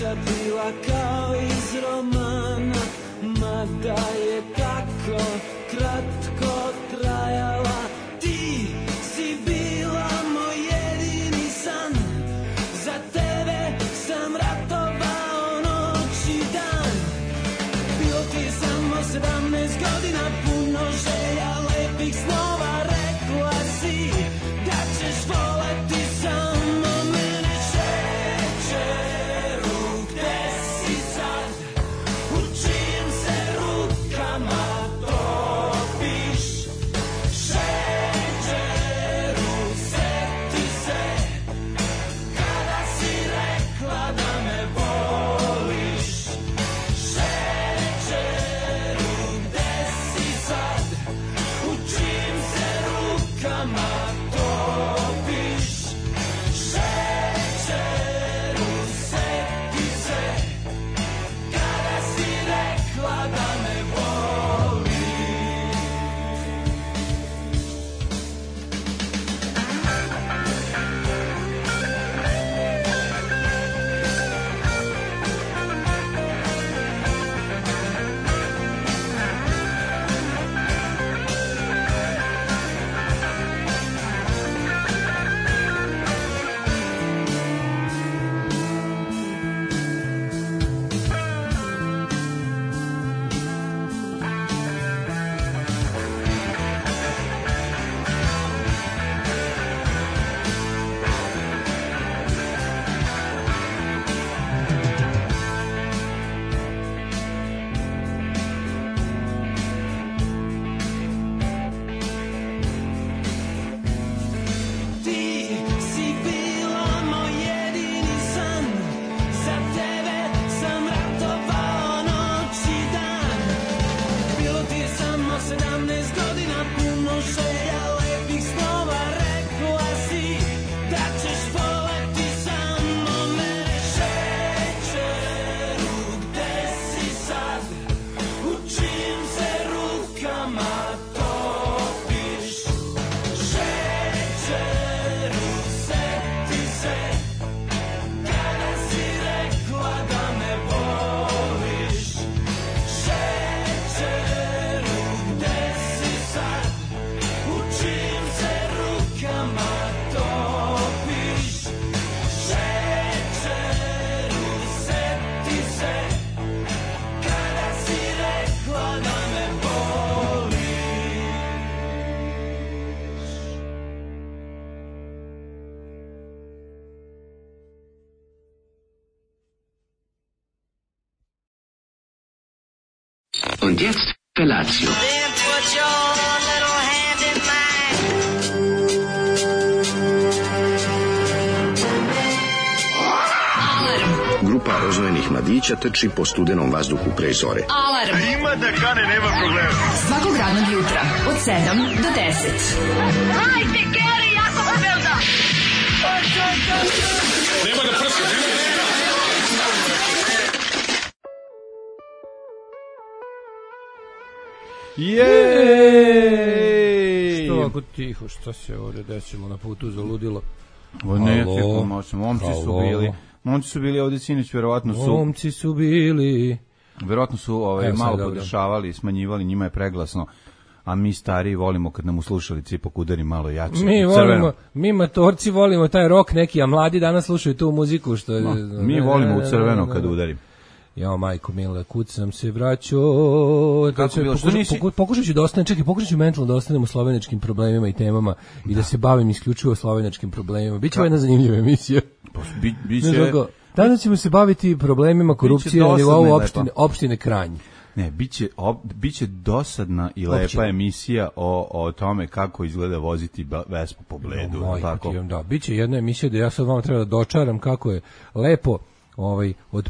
priča bila kao iz romana, mada je tako kratko trajala. Ti si bila moj jedini san, za tebe sam ratovao noć i dan. Bilo ti je samo 17 godina, puno želja, lepih snova, rekla si da ćeš voleti samo mene. Šećeru, gde si sad, u čijim se rukama topiš? Šećeru, seti se kada si rekla da me voliš. Šećeru, gde si sad, u čijim se rukama topiš? Šećeru, seti se kada si rekla da me voliš. Ti si bila moj jedini san, za tebe sam ratovao noć i dan. Bilo ti je samo 17 godina, puno želja, lepih snova, rekla si da ćeš voleti samo mene. Šećeru, gde si sad, u čijim se rukama topiš? Šećeru, seti se kada si rekla da me voliš. Šećeru, gde si sad, u čijim se rukama topiš? Šećeru, seti se kada si rekla da me voliš. Und jetzt Felatio. Then put your little hand in mine. Grupa rozvojenih mladića trči po studenom vazduhu pre zore. Alarm. Ima da kane, nema problema. Svakog radnog jutra, od 7 do 10. Hajde, Geri, jako se velda. Jej! Što ovako tiho, šta se ovdje desilo na putu za ludilo? O ne, momci su bili ovdje sinoć, verovatno su malo podešavali, smanjivali, njima je preglasno, a mi stariji volimo kad nam u slušalici ipak udari malo jače. Mi matorci volimo taj rok neki, a mladi danas slušaju tu muziku što je... Mi volimo u crveno kad udari. Jao, majko mila, kud sam se vraćao. Pokušat ću da ostanem, pokušat ću mentalno da ostanem u sloveničkim problemima i temama i da se bavim isključivo sloveničkim problemima. Biće ovo jedna zanimljiva emisija. Biće... Danas ćemo se baviti problemima korupcije na nivou opštine Kranj. Ne, biće dosadna i lepa emisija o tome kako izgleda voziti Vespu po Bledu. Da, biće jedna emisija da ja sad vam treba da dočaram kako je lepo od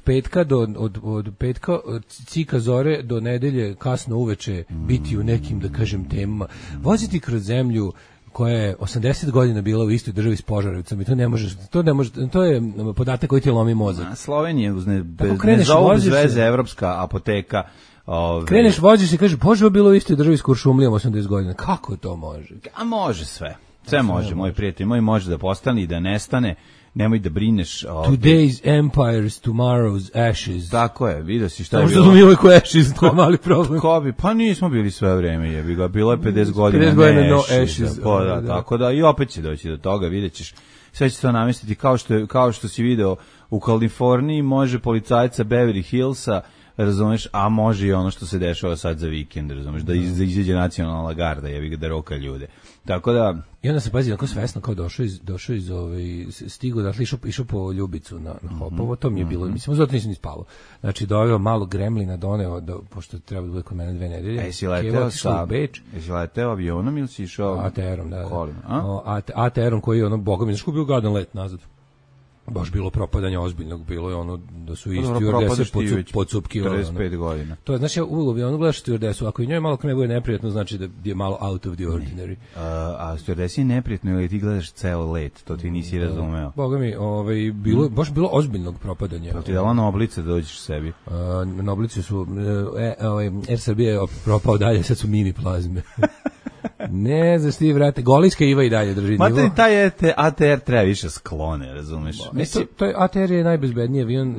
petka od cika zore do nedelje kasno uveče biti u nekim, da kažem, temama. Voziti kroz zemlju koja je 80 godina bila u istoj državi s Požarevcem i to je podatak koji ti lomi mozak. Slovenija ne zovu bez veze evropska apoteka. Kreneš, voziš i kažeš, Bože, bilo u istoj državi s Kuršumlijom 80 godina. Kako to može? A može sve. Sve može, moj prijatelj, može da postane i da nestane. nemoj da brineš. Today's empires, tomorrow's ashes. Tako je, vidio si šta je bilo. Možda smo mi uvijek u ashes, to je mali problem. Pa nismo bili sve vreme, jebi ga, bilo je 50 godina 50 godina no ashes. Da, tako da, i opet će doći do toga, vidjet ćeš, sve će to namestiti, kao što si video u Kaliforniji, može policajca Beverly Hillsa, razumeš, a može i ono što se dešava sad za vikend, razumeš, da izađe nacionalna garda, jebi ga, da roka ljude. Tako da... I onda se pazi, onako svesno kao došao iz stigo, dakle išao po Ljubicu na Hopovo, to mi je bilo, mislim, zato nisam ni spavao. Znači, doveo malo gremlina, doneo, pošto treba da bude kod mene 2 nedelje. Jesi leteo avionom ili si išao? ATR-om, da. Kolima, ATR-om koji je ono, boga mi, znaš ko bio gadan let nazad. Baš bilo propadanja ozbiljnog, bilo je ono da su isti stewardese podsupkivali. 45 godina. To je, znači, ja uvijek bi ono gledaš stewardesu, ako i njoj malo kreme bude neprijatno, znači da je malo out of the ordinary. A stewardesi je neprijatno ili ti gledaš ceo let, to ti nisi razumeo. Boga mi, baš bilo ozbiljnog propadanja. Pa ti dala na oblice da dođeš sebi? Na oblice su, Air Srbije je propao dalje, sad su mini plazme. Ne, znaš ti, vrate, Golijska Iva i dalje drži nivo. Mate, taj ATR treba više sklone, razumeš? To je ATR je najbezbedniji avion,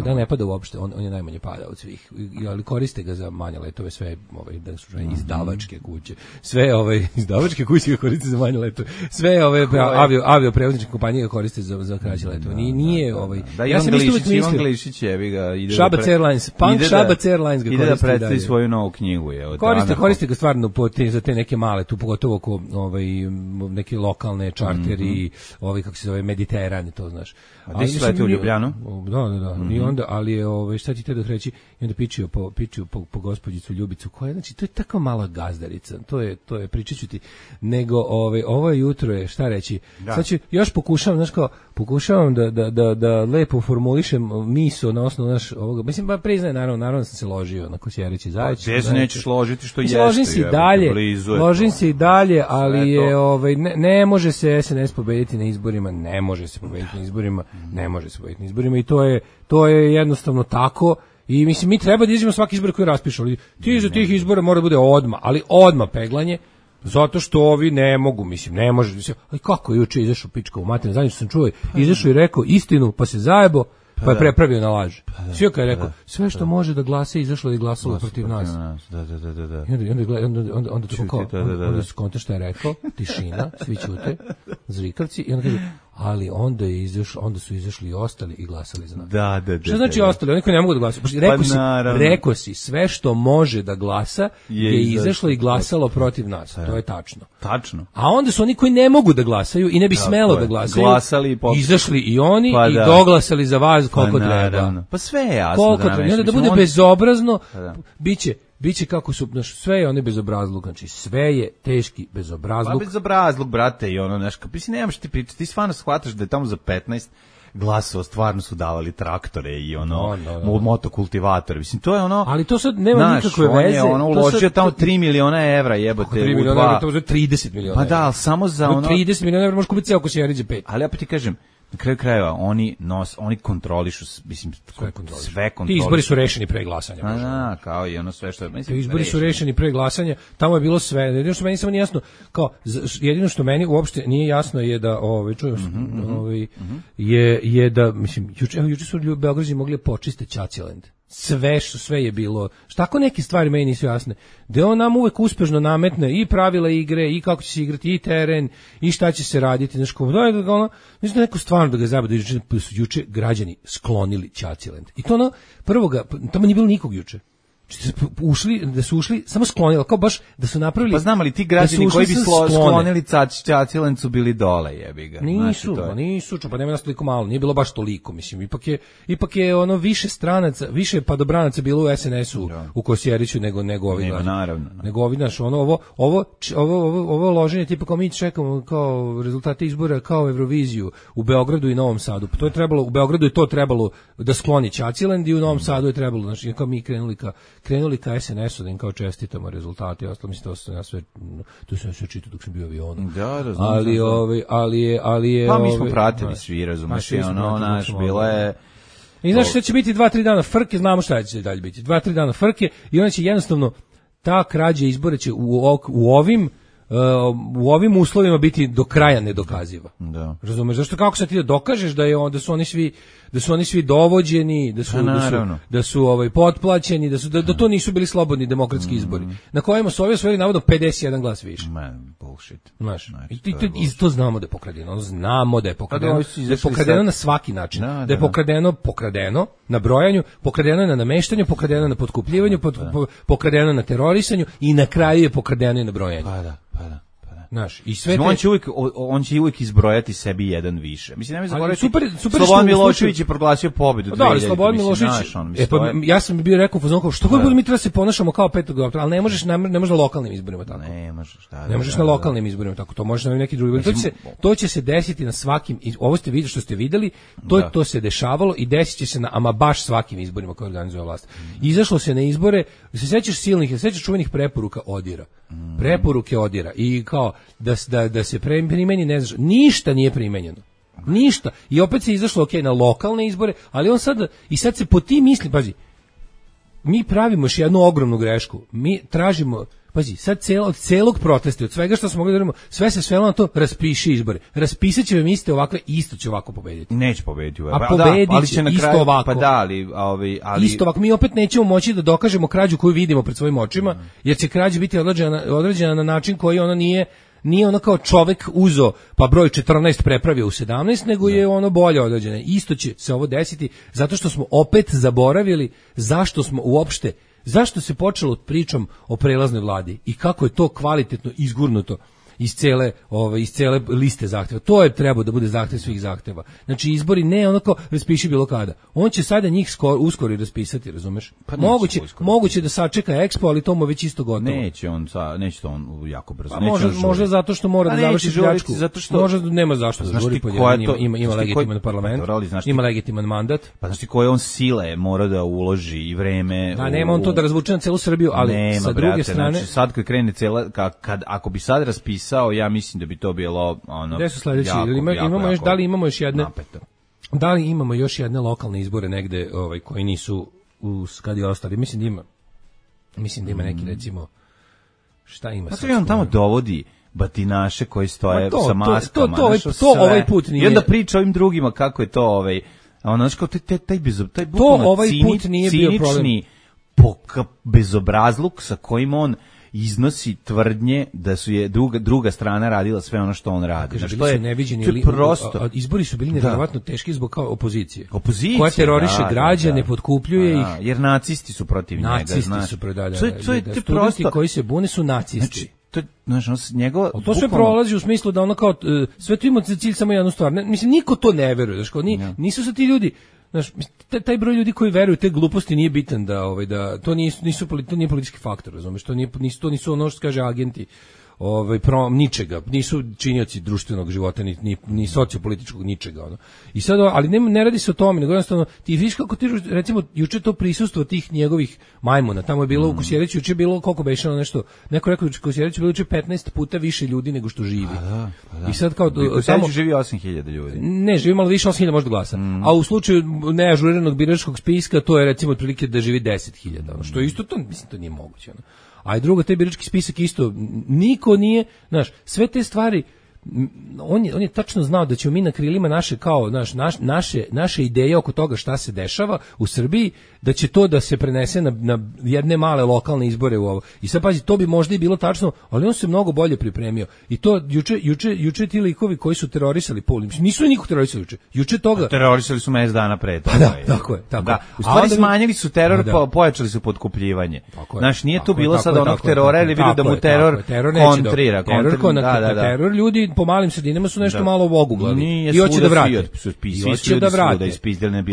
da ne pada uopšte, on je najmanje pada od svih, ali koriste ga za manje letove, sve da su izdavačke kuće, sve izdavačke kuće ga koriste za manje letove, sve avioprevozničke kompanije ga koriste za kraće letove. Nije ja sam isto uvijek mislio. Ivan Glišić jebi ga ide Šabac Airlines, Punk Šabac Airlines ga koriste. Ide da predstavi svoju novu knjigu. Koriste ga stvarno za te neke male, tu pogotovo oko neke lokalne čarteri, kako se zove, Mediteran, to znaš. A gde si letio u Ljubljanu? Da. I onda, ali je, šta ti te da reći, i onda pičio po gospođicu Ljubicu, koja, znači, to je tako mala gazdarica, to je, pričat ću ti, nego, ovo jutro je, šta reći, sad ću, još pokušavam da lepo formulišem miso na osnovu ovoga, mislim, ba priznaje, naravno sam se ložio na Kosjerići Zajić. Gde se nećeš ložiti što jeste? Ložim se i dalje, ali je, ne može se SNS pobediti na izborima, ne može se pobediti na izborima i to je jednostavno tako. I mislim, mi treba da izađemo svaki izbor koji raspišu, ali ti za tih izbora mora da bude odmah peglanje, zato što ovi ne mogu, mislim, ne može. Ali kako je juče izašao pička u materinu, zadnje što sam čuo, izašao i rekao istinu, pa se zajebo, pa je prepravio na laž. Svi kad je rekao, sve što može da glasa izašlo i glasalo protiv nas. Da. I onda skonta što je rekao, tišina, svi ćute, zrikavci, i onda kaže, ali onda su izašli i ostali i glasali za nas. Da. Što znači ostali? Oni koji ne mogu da glasaju. Rekao si, sve što može da glasa je izašlo i glasalo protiv nas. To je tačno. A onda su oni koji ne mogu da glasaju i ne bi smelo da glasaju, izašli i oni i doglasali za vas koliko treba. Pa sve je jasno. I onda da bude bezobrazno, biće kako su, sve je one bezobrazluk, znači sve je teški bezobrazluk. Pa bezobrazluk, brate, i ono, mislim, nemaš ti pričati, ti stvarno shvataš da je tamo za 15 glasova stvarno su davali traktore i motokultivatore, mislim, to je ono... Ali to sad nema nikakve veze. On je uložio tamo 3 miliona evra, jebote. 3 miliona evra, to je 30 miliona evra. Pa da, ali samo za 30 miliona evra možeš kupiti ceo Kosjeriđe 5. Ali opet ti kažem, na kraju krajeva, oni kontrolišu, mislim, sve kontrolišu. Ti izbori su rešeni pre glasanja. Kao i ono sve što... Ti izbori su rešeni pre glasanja, tamo je bilo sve. Jedino što meni samo nije jasno, jedino što meni uopšte nije jasno je da, je da, mislim, juče su Beograđani mogli počiste Ćaćiland. Sve je bilo. Tako neke stvari meni nisu jasne. Da on nam uvek uspešno nametne i pravila igre, i kako će se igrati, i teren, i šta će se raditi. Mislim da neko stvarno da ga zabada, da su juče građani sklonili Ćaćiland. I to tamo nije bilo nikog juče. Da su ušli, samo sklonili, kao baš da su napravili... Pa znam, ali ti građani koji bi sklonili Ćaćiland su bili dole, jebi ga. Nisu, pa nema nas toliko malo, nije bilo baš toliko, mislim, ipak je ono više stranaca, više padobranaca bilo u SNS-u, u Kosjeriću nego ovi građani. Naravno. Nego ovi, znaš, ovo loženje, tipa kao mi čekamo kao rezultate izbora, kao Euroviziju u Beogradu i Novom Sadu. To je trebalo, u Beogradu je to trebalo da skloni Ćaćiland i u Novom Sadu je trebalo, znači, kao mi krenuli ka SNS-u da im kao čestitamo rezultate i ostalo, mislim, to sam sve čitao dok sam bio u avionu. Da, razumem. Ali je... Pa mi smo pratili svi, razumeš, bilo je... I znaš što će biti 2-3 dana frke, znamo šta će dalje biti. 2-3 dana frke i onda će jednostavno ta krađa izbora će u ovim u ovim uslovima biti do kraja nedokaziva. Da. Razumeš? Zašto kako sad ti da dokažeš da su oni svi dovođeni, da su potplaćeni, da to nisu bili slobodni demokratski izbori. Na kojima su ovi osvojili navodno 51 glas više. Man, bullshit. Znaš, i to znamo da je pokradeno. Znamo da je pokradeno. Da je pokradeno na svaki način. Da je pokradeno na brojanju, pokradeno na nameštanju, pokradeno na potkupljivanju, pokradeno na terorisanju i na kraju je pokradeno i na brojanju. Pa da. Znaš, i sve on će uvijek izbrojati sebi jedan više. Mislim, nemoj zaboraviti, super Slobodan Milošević je proglasio pobedu. Da, ali Slobodan Milošević, ja sam bio rekao u fazonu, što god mi treba se ponašamo kao 5. oktobra, ali ne možeš na lokalnim izborima tako. Ne možeš na lokalnim izborima tako, to možeš na neki drugi. To će se desiti na svakim, ovo ste vidjeli što ste videli, to se dešavalo i desit će se na ama baš svakim izborima koje organizuje vlast. Izašlo se na izbore, se sećaš čuvenih preporuka ODIR-a. Preporuke ODIR-a i kao da se primeni, ne znaš, ništa nije primenjeno. Ništa. I opet se izašlo na lokalne izbore, ali on sad se po tim misli, pazi, mi pravimo još jednu ogromnu grešku. Mi tražimo, pazi, sad od celog protesta, od svega što smo mogli da radimo, sve se svelo na to, raspiši izbore. Raspisat će vam iste ovakve, isto će ovako pobediti. Neće pobediti. A pobedit će isto ovako. Pa da, ali... Isto ovako, mi opet nećemo moći da dokažemo krađu koju vidimo pred svojim očima, jer će krađa biti određena na način koji ono nije ono kao čovek uzo pa broj 14 prepravio u 17, nego je ono bolje određeno. Isto će se ovo desiti zato što smo opet zaboravili zašto se počelo pričom o prelaznoj vladi i kako je to kvalitetno izgurnuto iz cele liste zahteva. To je trebao da bude zahtev svih zahteva. Znači izbori ne onako raspiši bilo kada. On će sada njih uskoro i raspisati, razumeš? Pa moguće da sačeka Expo, ali to mu već isto gotovo. Neće to on jako brzo. Možda zato što mora da završi pljačku. Možda nema zašto da žuri, ima legitiman parlament, ima legitiman mandat. Pa znaš ti koje on sile mora da uloži i vreme. Da, nema on to da razvuče na celu Srbiju, ali sa druge strane, znači sad kad krene ako bi sad raspisao, ja mislim da bi to bilo ono. Gde su sledeći? Da li imamo još jedne? Napeto. Da li imamo još jedne lokalne izbore negde, koji nisu kad je ostali? Mislim da ima neki, recimo, šta ima? Znači on tamo dovodi batinaše koji stoje sa maskama. To ovaj put nije. I onda priča ovim drugima kako je to ono kao taj bukvalno ovaj put nije bio problem. Bezobrazluk sa kojim on iznosi tvrdnje da su je druga strana radila sve ono što on radi. Znači, to je neviđeni, prosto. Izbori su bili nevjerovatno teški zbog opozicije. Koja teroriše građane, potkupljuje ih. Jer nacisti su protiv njega. Nacisti su studenti koji se bune su nacisti. To sve prolazi u smislu da ono kao sve to ima za cilj samo jednu stvar. Mislim, niko to ne veruje. Nisu se ti ljudi, znaš, taj broj ljudi koji veruju te gluposti nije bitan da to nije politički faktor, razumeš, to nisu ono što kaže agenti ničega, nisu činioci društvenog života ni sociopolitičkog ničega ono. I sad, ali ne radi se o tome, nego jednostavno ti vidiš kako ti, recimo juče to prisustvo tih njegovih majmuna, tamo je bilo u Kosjeriću, juče je bilo koliko beše nešto, neko rekao u Kosjeriću bilo juče 15 puta više ljudi nego što živi. Pa da. I sad kao tamo živi 8.000 ljudi. Ne, živi malo više 8.000 možda glasa. A u slučaju neažuriranog biračkog spiska to je recimo otprilike da živi 10.000, ono, što je isto to, mislim, to nije moguće, ono. A i drugo, taj birački spisak isto, niko nije, znaš, sve te stvari, on je tačno znao da ćemo mi na krilima naše ideje oko toga šta se dešava u Srbiji, da će to da se prenese na jedne male lokalne izbore u ovo. I sad pazi, to bi možda i bilo tačno, ali on se mnogo bolje pripremio. I to juče ti likovi koji su terorisali Pul, nisu nikog terorisali juče toga. Terorisali su mesec dana pre. Pa da, tako je. U stvari smanjili su teror, pojačali su potkupljivanje. Znaš, nije tu bilo sad onog terora, ili bilo da mu teror kontrira. Teror ljudi po malim sredinama su nešto malo oguglali i hoće da vrate.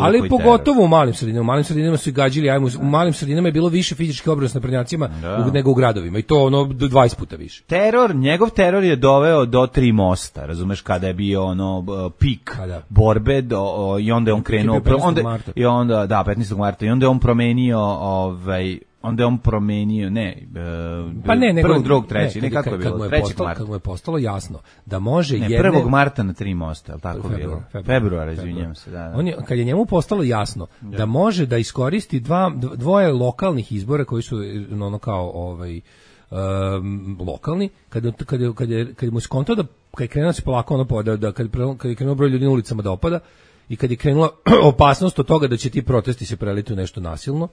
Ali pogotovo u malim sredinama. U malim sredinama su gađili, u malim sredinama je bilo više fizičke obrane s naprednjacima nego u gradovima i to ono 20 puta više. Njegov teror je doveo do 3 mosta, razumeš, kada je bio ono pik borbe i onda je on krenuo 15. marta i onda je on promenio prvog, drugog, treći, nekako je bilo, 3. marta. Kad mu je postalo jasno da može 1. marta na 3 mosta, ali tako bilo. Februar, izvinjam se. Kad je njemu postalo jasno da može da iskoristi dvoje lokalnih izbora koji su ono kao lokalni, kad mu skontao da kad je krenuo se polako ono da kad je krenuo broj ljudi na ulicama da opada i kad je krenula opasnost od toga da će ti protesti se preliti u nešto nasilno.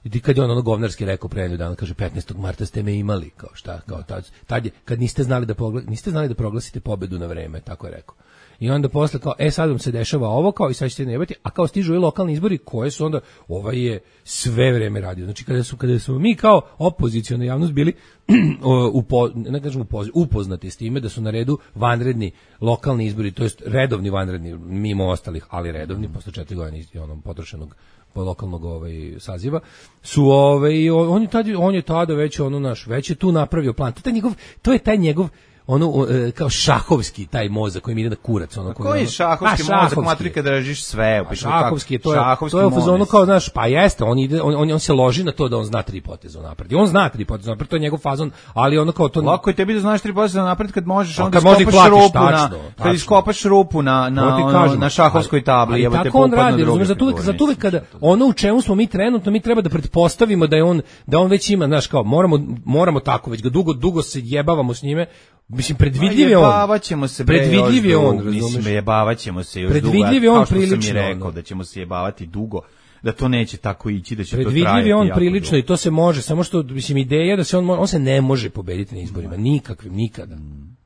I kad je on ono govnarski rekao pre nedelju dana, kaže 15. marta ste me imali, kao šta, kao tad je, kad niste znali da proglasite pobedu na vreme, tako je rekao. I onda posle kao, sad vam se dešava ovo, kao i sad ćete nejebati, a kao stižu i lokalni izbori koje su onda, ovaj je sve vreme radio. Znači kada su mi kao opoziciona javnost bili upoznati s time da su na redu vanredni lokalni izbori, to jest redovni vanredni, mimo ostalih, ali redovni, posle 4 godine onom potrošenog lokalnog saziva, su on je tada već već je tu napravio plan. To je taj njegov kao šahovski taj mozak koji mi ide na kurac, koji je šahovski mozak, matrika da držiš sve, šahovski, to je u fazonu kao, znaš, pa jeste, on se loži na to da on zna 3 poteza napred. I on zna 3 poteza napred, to je njegov fazon, ali ono kao to lako je tebi da znaš 3 poteza napred kad možeš onda iskopaš rupu kad iskopaš rupu na šahovskoj tabli, jebote, tako on radi, razumeš, zato uvek kada ono u čemu smo mi trenutno, mi treba da pretpostavimo da on već ima, znaš, kao moramo tako, već ga dugo se jebavamo s njime. Mislim, predvidljiv je on. Predvidljiv je on, mislim, jebavaćemo se još dugo. Predvidljiv je on prilično. Kao što sam mi rekao, da ćemo se jebavati dugo, da to neće tako ići, da će to trajati. Predvidljiv je on prilično i to se može, samo što, mislim, ideja da se on se ne može pobediti na izborima, nikakvim, nikada.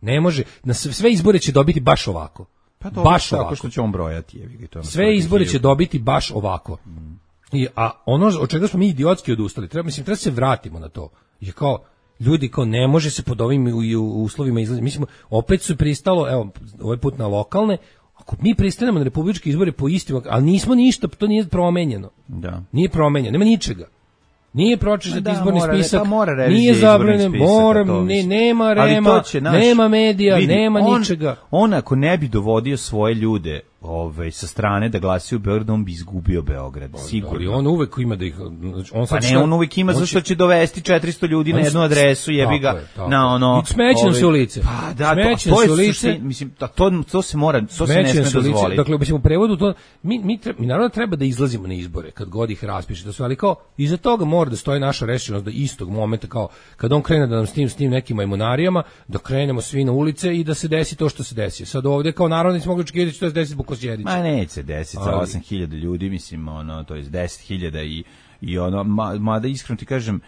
Ne može, na sve izbore će dobiti baš ovako. Pa to baš ovako. Tako što će on brojati. Sve izbore će dobiti baš ovako. A ono od čega smo mi idiotski odustali, treba se vratimo na to. Je kao, ljudi kao ne može se pod ovim uslovima izlaziti. Mi smo opet su pristalo, evo, ovaj put na lokalne, ako mi pristanemo na republičke izbore po istim, ali nismo ništa, to nije promenjeno. Da. Nije promenjeno, nema ničega. Nije pročišćen izborni spisak, nije zabranjen, nema rema, nema medija, nema ničega. On ako ne bi dovodio svoje ljude sa strane da glasaju u Beogradu, on bi izgubio Beograd, sigurno. Ali on uvek ima da ih... on uvek ima zašto će dovesti 400 ljudi na jednu adresu, jebi ga, na ono... Smećem se u lice. Pa da, to je suština, mislim, to se mora, to se ne sme dozvoliti. Dakle, mislim, u prevodu to... Mi naravno treba da izlazimo na izbore, kad god ih raspiše, ali kao, iza toga mora da stoji naša rešenost da istog momenta, kao, kad on krene da nam s tim nekim majmunarima, da krenemo svi na ulice i da se desi to što se desi. Sad ovde, kao narodnici mogu očekivati što se desi zbog Kosjerića. Ma neće se desiti sa 8.000 ljudi, mislim, to je 10.000 i ono, mada iskreno ti kažem,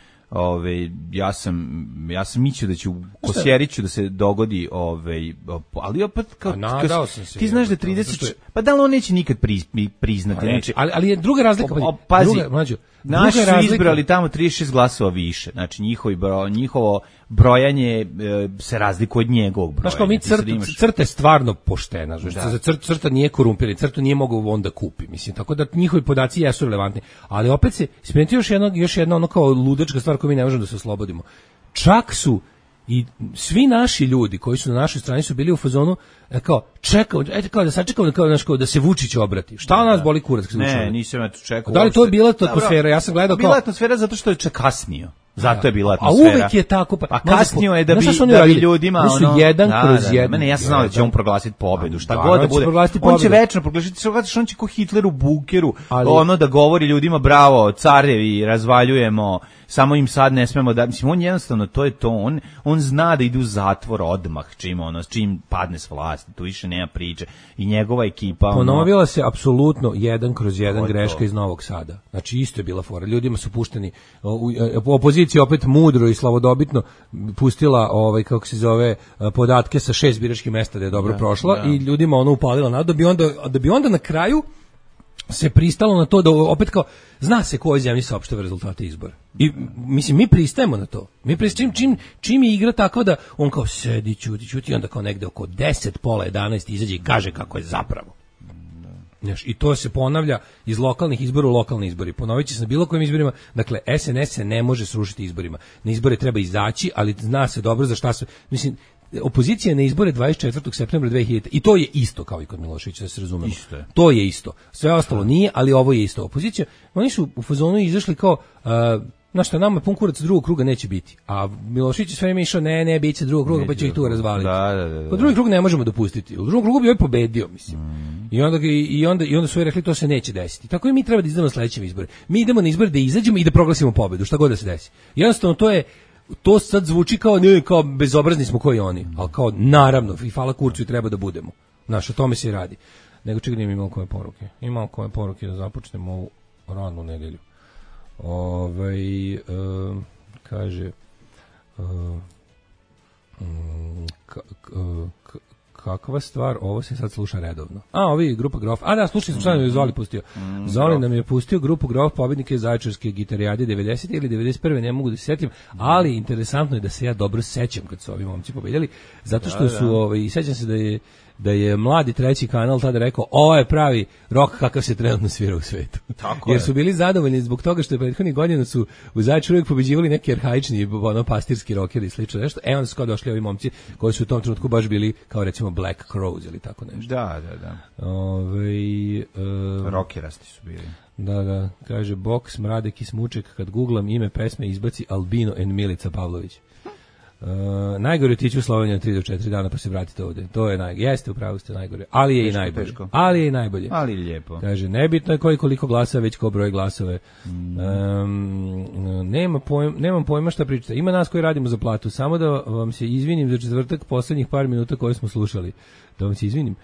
ja sam mislio da će u Kosjeriću da se dogodi, ali opet kao ti znaš da 30, pa da li on neće nikad priznati, znači, ali je druga razlika, pazi, naši su izbrali tamo 36 glasova više, znači njihovo brojanje se razlikuje od njegovog broja. Znaš kao mi crta je stvarno poštena, crta nije korumpirana, crtu nije mogao on da kupi, mislim, tako da njihovi podaci jesu relevantni, ali opet se ispremeti još jedna ono kao ludačka stvar koju mi ne možemo da se oslobodimo. Čak su i svi naši ljudi koji su na našoj strani su bili u fazonu kao čekao, kao da sačekamo kao da se Vučić obrati. Šta nas boli kurac kad se Vučić? Ne, nisam ja to čekao. Da li to je bila atmosfera? Ja sam gledao kao bila atmosfera zato što je kasnio. Zato je bila atmosfera. A uvek je tako. Pa kasnio je da bi ljudima ono... jedan kroz jedan. Mene, ja sam znao da će on proglasiti pobedu. Šta god da bude. On će večno proglasiti. On će ko Hitler u bunkeru. Ono da govori ljudima bravo, carevi, razvaljujemo. Samo im sad ne smemo da... Mislim, on jednostavno, to je to. On zna da ide u zatvor odmah čim padne s vlasti. Tu više nema priče. I njegova ekipa... Ponovila se apsolutno 1 kroz 1 greška iz Novog Sada. Znači, isto je bila fora. Ljudima su pušteni... Opozicija opet mudro i slavodobitno pustila, kako se zove, podatke sa 6 biračkih mesta da je dobro prošla i ljudima ono upalila nadu da bi onda na kraju se pristalo na to da opet kao zna se ko je zemlji saopštava rezultate izbora. I mislim mi pristajemo na to. Mi pristajemo čim je igra tako da on kao sedi ćuti onda kao negde oko 10 pola 11 izađe i kaže kako je zapravo. I to se ponavlja iz lokalnih izbora u lokalne izbori. Ponovit će se na bilo kojim izborima. Dakle, SNS se ne može srušiti izborima. Na izbore treba izaći, ali zna se dobro za šta se... Mislim, opozicija na izbore 24. septembra 2000. I to je isto kao i kod Miloševića, da se razumemo. To je isto. Sve ostalo nije, ali ovo je isto. Opozicija, oni su u fazonu izašli kao... Znaš šta, nama pun kurac drugog kruga neće biti. A Milošević je sve vreme išao, ne, bit će drugog kruga, pa će ih tu razvaliti. Da. Drugi krug ne možemo dopustiti. U drugom krugu bi ovaj pobedio, mislim. I onda su rekli, to se neće desiti. Tako i mi treba da izdamo na sledećem izbore. Mi idemo na izbore da izađemo i da proglasimo pobedu, šta god da se desi. Jednostavno, to je to sad zvuči kao, ne, kao bezobrazni smo koji oni, ali kao naravno, i hvala Kurcu i treba da budemo. Znaš, o tome se i radi. Nego čekaj, nije imao koje poruke. Imao koje poruke da započnemo ovu radnu nedelju. Kaže kakva stvar, ovo se sad sluša redovno. Ovi grupa Grof. Da, slušali smo šta nam je Zoli pustio. Zoli nam je pustio grupu Grof, pobednike Zaječarske gitarijade 90. ili 91. ne mogu da se setim, ali interesantno je da se ja dobro sećam kad su ovi momci pobedjali, zato što su, i sećam se da je mladi treći kanal tada rekao, ovo je pravi rock kakav se trenutno svira u svetu. Jer su bili zadovoljni zbog toga što je prethodnih godina su u Zaječaru uvijek pobeđivali neki arhaični, pastirski rockeri i slično nešto. Onda su kao došli ovi momci koji su u tom trenutku baš bili kao recimo Black Crowes ili tako nešto. Da. Rockerasti su bili. Da, kaže Boks, Mradek i Smuček, kad googlam ime pesme izbaci Albino and Milica Pavlović. Najgore otići u Sloveniju 3 do 4 dana pa se vratite ovde. To je najgore. Jeste, upravo ste najgore. Ali je i najbolje. Ali je i najbolje. Ali lijepo. Kaže, nebitno je koliko glasa, već ko broj glasove. Nemam pojma šta pričate. Ima nas koji radimo za platu. Samo da vam se izvinim za četvrtak poslednjih par minuta koje smo slušali. Da vam se izvinim.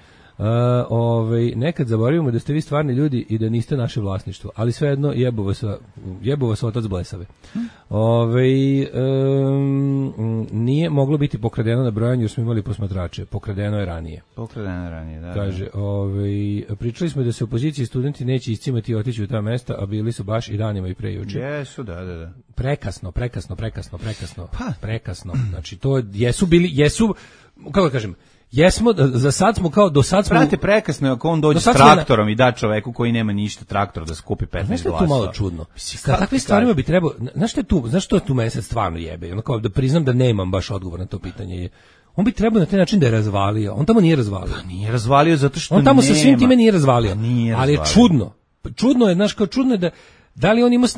Nekad zaboravimo da ste vi stvarni ljudi i da niste naše vlasništvo, ali svejedno jebo vas otac blesave. Nije moglo biti pokradeno na brojanju jer smo imali posmatrače. Pokradeno je ranije, da. Kaže, pričali smo da se opoziciji studenti neće iscimati i otići u ta mesta, a bili su baš i danima i pre juče. Jesu, da. Prekasno. Znači, to jesu, kako da kažem, jesmo, za sad smo kao, do sad smo... Prate, prekasno je ako on dođe s traktorom i da čoveku koji nema ništa traktor da skupi 15 glasova. Znaš što je tu malo čudno? Sa takvim stvarima bi trebao... Znaš što je tu mene sad stvarno jebe? Ono kao da priznam da nemam baš odgovor na to pitanje. On bi trebao na taj način da je razvalio. On tamo nije razvalio. Pa nije razvalio zato što on tamo sa svim time nije razvalio. Ali je čudno. Čudno je, znaš, kao čudno je da... Da li on ima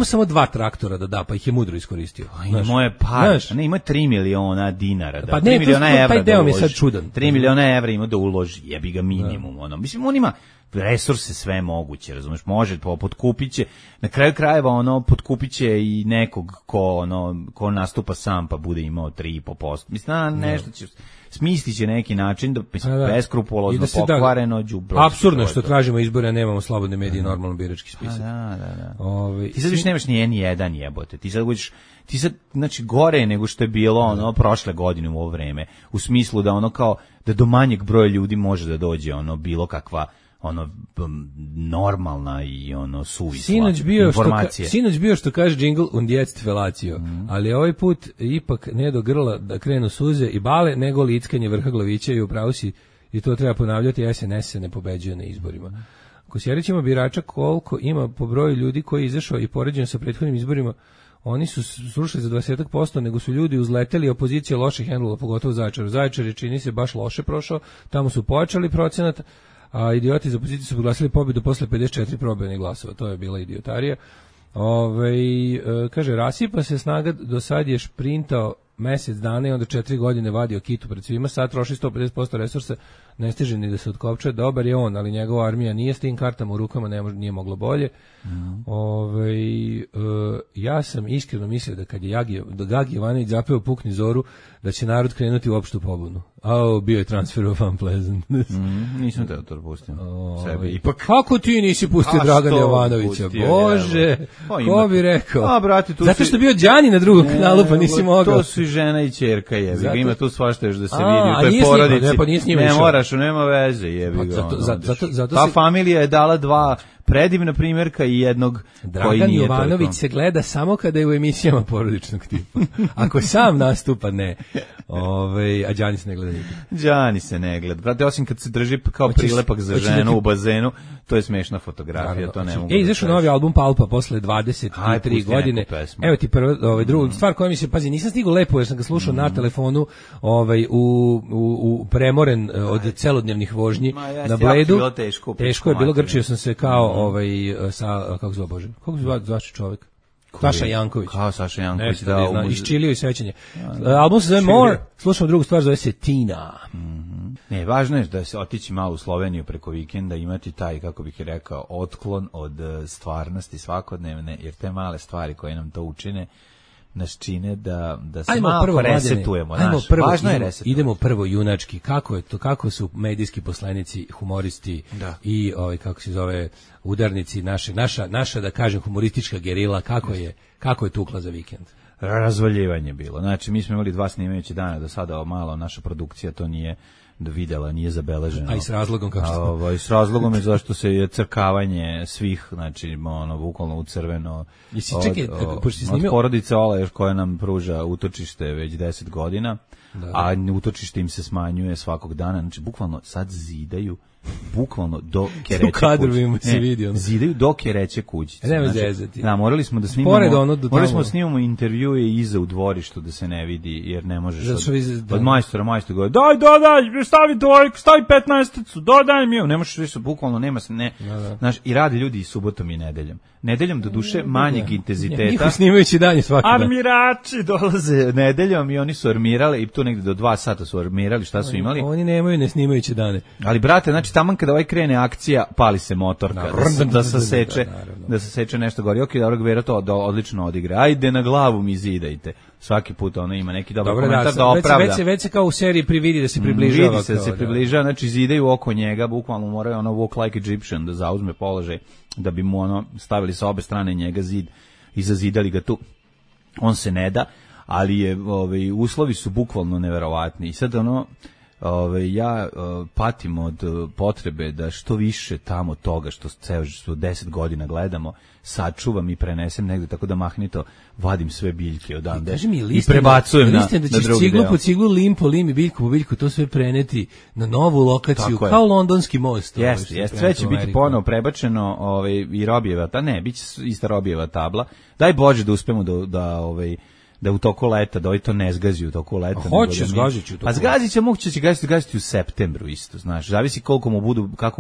samo 2 traktora da da, pa ih je mudro iskoristio? Moje par, ima 3 miliona dinara, da, pa 3 miliona evra taj deo mi je sad čudan. 3 miliona evra ima da uloži, jebi ga minimum. Mislim, on ima resurse sve moguće, razumeš, može potkupiće, na kraju krajeva potkupiće i nekog ko nastupa sam pa bude imao 3,5%. Mislim, nešto će... Smislit će neki način da beskrupulozno pokvareno đubre. Apsurdno što tražimo izbore, a nemamo slobodne medije i normalno birački spisak. Da. Ti sad više nemaš ni jedan jebote. Ti sad znači gore nego što je bilo prošle godine u ovo vreme. U smislu da kao da do manjeg broja ljudi može da dođe bilo kakva normalna i suvisla informacija. Sinoć bio što kaže jingle und jetzt felatio, ali ovaj put ipak ne do grla da krenu suze i bale, nego lickanje vrha glavića i upravo si, i to treba ponavljati, SNS se ne pobeđuje na izborima. Kosjerić ima birača koliko ima po broju ljudi koji je izašao i poređeno sa prethodnim izborima, oni su srušili za 20%, nego su ljudi uzleteli, opozicija loše hendlala, pogotovo Zaječar. Zaječar je, čini se, baš loše prošao, tamo su pojačali procenat, a idioti iz opozicije su proglasili pobjedu posle 54 probanih glasova. To je bila idiotarija. Kaže, rasipa se snaga, do sad je šprintao mesec dana i onda 4 godine vadio kitu pred svima, sad troši 150% resursa, ne stiže ni da se otkopče, dobar je on, ali njegova armija nije s tim kartama u rukama, nije moglo bolje. Ja sam iskreno mislio da kad je Gagi Jovanović zapeo Pukni zoru, da će narod krenuti u opštu pobunu. Bio je transfer of unpleasant. Nisam te to pustio. Sebe ipak. Kako ti nisi pustio Dragana Jovanovića? Bože, ko bi rekao? Brate, zato što je bio Đani na drugom kanalu, pa nisi mogao. To su i žena i ćerka, jebi ga. Ima tu svašta još da se vidi u toj porodici. Ne moraš, nema veze, jebi ga. Ta familija je dala 2 predivna primjerka i jednog koji nije toliko. Dragan Jovanović se gleda samo kada je u emisijama porodičnog tipa. Ako sam nastupa, ne. A Đani se ne gleda nikad. Đani se ne gleda. Brate, osim kad se drži kao prilepak za ženu u bazenu, to je smešna fotografija, to ne mogu. Izašao novi album Palpa posle 23 godine. Evo ti prvo, drugu stvar koja mi se, pazi, nisam stigao lepo jer sam ga slušao na telefonu, u premoren od celodnevnih vožnji na Bledu. Teško je bilo, grčio sam se kao sa, kako zove Bože, kako zove čovjek? Saša Janković. Kao Saša Janković, iščilio i sećanje. Album se zove More, slušamo drugu stvar, zove se Tina. Ne, važno je da se otići malo u Sloveniju preko vikenda, imati taj, kako bih rekao, otklon od stvarnosti svakodnevne, jer te male stvari koje nam to učine, nas čine da se malo resetujemo. Važno je resetujemo. Idemo prvo junački. Kako su medijski poslanici, humoristi i kako se zove, udarnici naša da kažem humoristička gerila, kako je tukla za vikend? Razvaljivanje bilo. Znači, mi smo imali 2 snimajući dana do sada, malo naša produkcija to nije videla, nije zabeleženo. A i s razlogom kako što? I s razlogom je zašto se je crkavanje svih, znači, bukvalno u crveno. Od porodice Olaješ koja nam pruža utočište već 10 godina, a utočište im se smanjuje svakog dana. Znači, bukvalno sad zidaju do kereće kuće. Zidaju do kereće kućice. Morali smo da snimamo intervjue iza u dvorištu da se ne vidi, jer ne možeš od majstora govori, daj, stavi 15-icu, dodaj mi, ne možeš više, bukvalno nema se, znaš, i rade ljudi i subotom i nedeljom. Nedeljom do duše manjeg intenziteta. Njihovi snimajući danje svaki dan. Armirači dolaze nedeljom i oni su armirali i tu negde do 2 sata su armirali, šta su imali. Oni nemaju ne snimajući dane. Ali brate, znači taman kada krene akcija, pali se motorka, da se seče nešto gori. Ok, dobro, Gvero to odlično odigra. Ajde na glavu mi zidajte. Svaki put ono ima neki dobar komentar da opravda. Već se kao u seriji prividi da se približava. Vidi se da se približava, znači zidaju oko njega, bukvalno moraju walk like Egyptian da zauzme položaj, da bi mu stavili sa obe strane njega zid i zazidali ga tu. On se ne da, ali je, uslovi su bukvalno neverovatni. I sad ja patim od potrebe da što više tamo toga što 10 godina gledamo sačuvam i prenesem negde, tako da mahnito vadim sve biljke odande i prebacujem na drugi deo. Da ćeš ciglu po ciglu, lim po lim i biljku po biljku, to sve preneti na novu lokaciju, kao londonski most. Jeste, sve će biti ponovo prebačeno i Robijeva, bit će ista Robijeva tabla. Daj Bože da uspemo da u toku leta, da to ne zgazi u toku leta. Hoće, zgazit ću. A zgazit će, moguće će gaziti u septembru isto, znaš, zavisi kako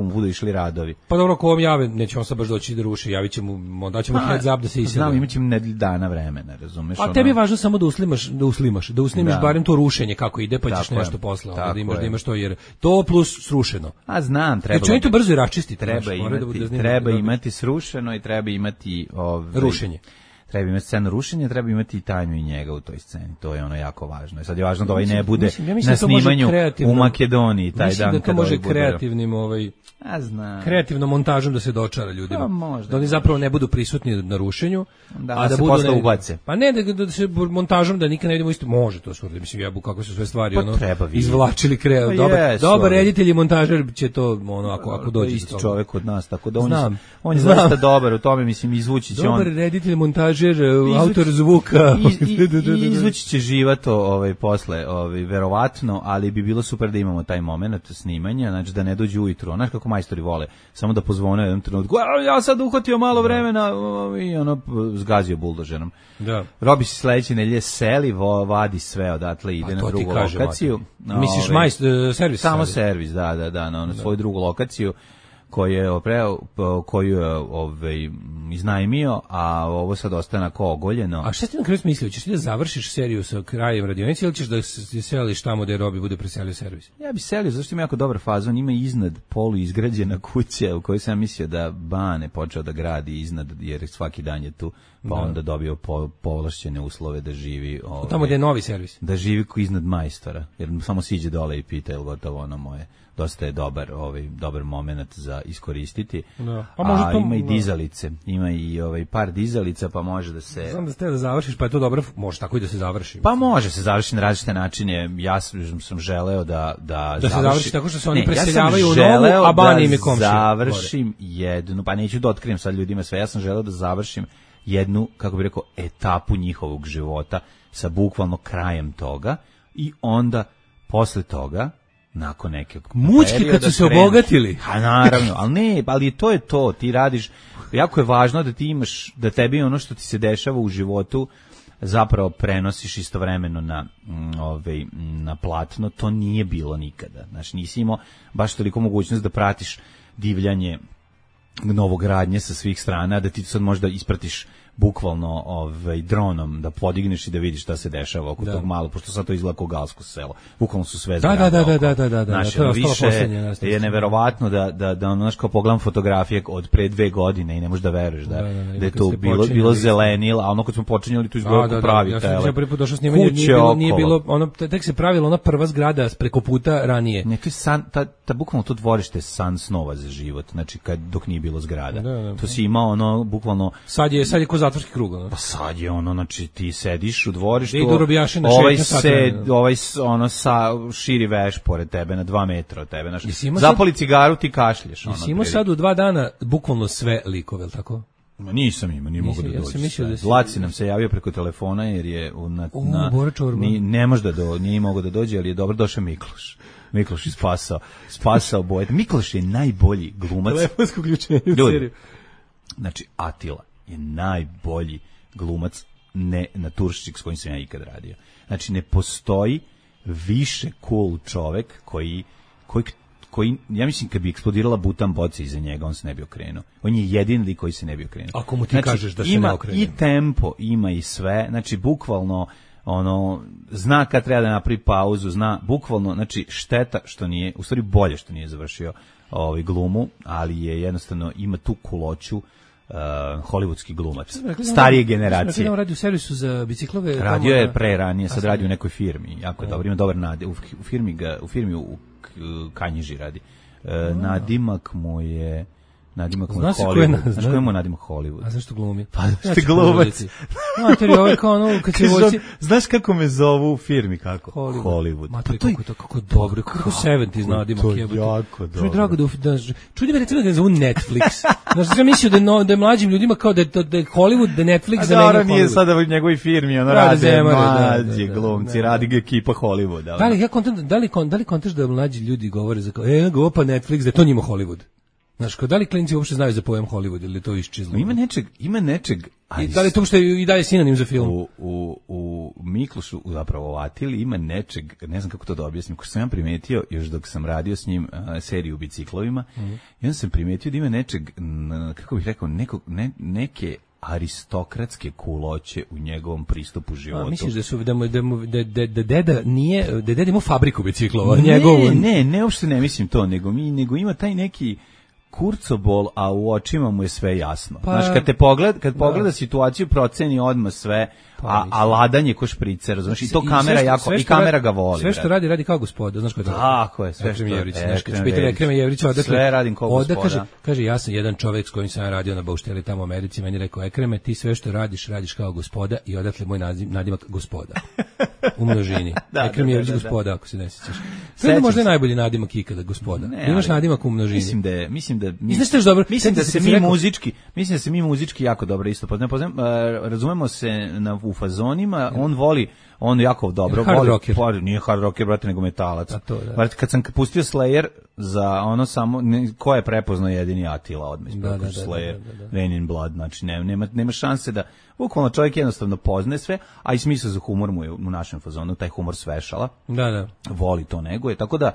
mu budu išli radovi. Pa dobro, ako vam jave, neće on sad baš doći da ruši, javit će mu, onda ćemo heads up da se isede. Znam, imat ćemo nedelju dana vremena, razumeš? A tebi je važno samo da uslimaš barem to rušenje kako ide, pa ćeš nešto posle, da imaš to, jer to plus srušeno. A znam, treba. Jer to brzo i raščistiti. Treba imati srušeno i treba imati rušenje. Treba imati scenu rušenja, treba imati i Tanju i njega u toj sceni. To je jako važno. Sad je važno da ne bude na snimanju u Makedoniji taj dan. Mislim da to može kreativnim kreativnom montažom da se dočara ljudima. Da oni zapravo ne budu prisutni na rušenju, a da se posle ubace. Pa ne, da se montažom da nikad ne vidimo isto. Može to surdi. Mislim, jebu kako su sve stvari izvlačili dobar reditelj i montažer će to ako dođe. Isti čovjek od nas, tako da on je zaista dobar u tome, mislim, izvući će on. Dobar reditelj, montažer, autor zvuka. Izvući će živato posle, verovatno, ali bi bilo super da imamo taj moment snimanja, znači da ne dođe ujutru. Znaš kako majstori vole, samo da pozvone u jednom trenutku, ja sad uhvatio malo vremena i zgazio buldožerom. Robi se sledeće nedelje seli, vadi sve odatle, ide na drugu lokaciju. Misliš servis? Samo servis, da, na svoju drugu lokaciju koju je iznajmio, a ovo sad ostane kao ogoljeno. A šta ti na kraju mislio? Ćeš ti da završiš seriju sa krajem radionice ili ćeš da se seliš tamo gde Robi bude preselio servis? Ja bi selio, zašto ima jako dobar fazon, ima iznad polu izgrađena kuća u kojoj sam mislio da Bane počeo da gradi iznad, jer svaki dan je tu, pa onda dobio povlašćene uslove da živi. Tamo gde je novi servis? Da živi iznad majstora, jer samo siđe dole i pita, je li gotovo moje. Dosta je dobar moment za iskoristiti. Ima i dizalice, ima i par dizalica, pa može da se... Znam da ste da završiš, pa je to dobro, može tako i da se završi. Pa može se završiti na različite načine. Ja sam želeo da se završi tako što se oni preseljavaju u novu, a Bani im je komšija. Završim jednu, pa neću da otkrijem sad ljudima sve, ja sam želeo da završim jednu, kako bih rekao, etapu njihovog života sa bukvalno krajem toga i onda posle toga nakon nekog mučki kad su se obogatili. A naravno, ali to je to, ti radiš, jako je važno da ti imaš, da tebi ono što ti se dešava u životu zapravo prenosiš istovremeno na platno, to nije bilo nikada. Znači, nisi imao baš toliko mogućnost da pratiš divljanje novogradnje sa svih strana, da ti sad možda ispratiš bukvalno dronom da podigneš i da vidiš šta se dešava oko tog malo, pošto sad to izgleda kao galsko selo. Bukvalno su sve zgrade. Da. Znači, To je više poslednje, je neverovatno da znaš, kao pogledam fotografije od pre 2 godine i ne možeš da veruješ da je to bilo zelenilo, a ono kad smo počinjali tu izgleda kao pravi tele. Ja sam prvi put došao snimanje, nije bilo, ono, tek se pravila ona prva zgrada preko puta ranije. Ne, to je san, bukvalno to dvorište je san snova za život, znači dok nije bilo zgrada. To si imao ono, bukvalno... Sad je ko zatvorski krug, ono. Pa sad je ono, znači ti sediš u dvorištu, širi veš pored tebe, na 2 metra od tebe, znači, zapali cigaru, ti kašlješ. Jesi imao sad u 2 dana bukvalno sve likove, tako? Nisam imao, nije mogu da dođe. Laci nam se javio preko telefona jer je ne može da nije mogo da dođe, ali je dobro došao Mikloš. Mikloš je spasao boje. Mikloš je najbolji glumac. Telefonsko uključenje u seriju. Znači, Atila je najbolji glumac naturščik s kojim sam ja ikad radio. Znači, ne postoji više cool čovek koji, ja mislim, kad bi eksplodirala butan boca iza njega, on se ne bi okrenuo. On je jedini lik koji se ne bi okrenuo. Ako mu ti kažeš da se ne okrene. Ima i tempo, ima i sve, znači, bukvalno, zna kad treba da napravi pauzu, zna, bukvalno, znači, šteta što nije, u stvari bolje što nije završio glumu, ali je jednostavno, ima tu kuloću, hollywoodski glumac, starije generacije. Radio u servisu za biciklove. Radio je ranije, sad radi u nekoj firmi, jako dobro, ima dobar nadimak, u firmi u Kanjiži radi. Nadimak mu je Hollywood. Znaš koji mu nadimak Hollywood? A zašto glumi? Pa što je glumac. Znaš kako me zovu u firmi, kako? Hollywood. Kako dobro, kako 70s nadimak. To je jako dobro. Drago čudi me recimo da ne zovu Netflix. Znaš, sam mislio da je mlađim ljudima kao da je Hollywood, da je Netflix za meni Hollywood. A nije sada u njegovoj firmi, ono rade mlađi glumci, radi ekipa Hollywood. Da li kontaš da mlađi ljudi govore za kao, pa Netflix, da je to njima Hollywood? Znaš, da li klinci uopšte znaju za pojam Hollywood ili to iščizlo? Ima nečeg... I da li to uopšte i dalje sinonim za film? U Miklošu, zapravo u Atili, ima nečeg, ne znam kako to da objasnim, ko sam ja primetio, još dok sam radio s njim seriju u biciklovima, i onda sam primetio da ima nečeg, kako bih rekao, neke aristokratske kuloće u njegovom pristupu životu. Misliš da deda nije, da deda ima fabriku biciklova? Ne, uopšte ne mislim to, nego ima taj neki kurcobol, a u očima mu je sve jasno. Znaš, kad pogleda situaciju, proceni odmah sve, a ladan je ko špricer, znaš, i to kamera jako, i kamera ga voli. Sve što radi kao gospoda, znaš ko je to? Tako je, sve što Ekrem Jevrić, sve radim kao gospoda. Kaže, ja sam jedan čovjek s kojim sam radio na Baušteli tamo u Americi, meni rekao, Ekreme, ti sve što radiš kao gospoda i odatle moj nadimak gospoda. U množini. Ekrem Jevrić gospoda, ako se ne sjećaš. To je možda najbolji nadimak ikada, gospoda. Imaš nadimak u množini. Mislim da se mi muzički jako dobro isto poznajem. Razumemo se u fazonima, on jako dobro voli. Nije hard rocker, brate, nego metalac. Kad sam pustio Slayer za ono samo, ko je prepoznao jedini Atila odmah ispred Slayer, Rain in Blood, znači nema šanse da, bukvalno čovjek jednostavno poznaje sve, a i smisao za humor mu je u našem fazonu, taj humor svešala, voli to neguje, tako da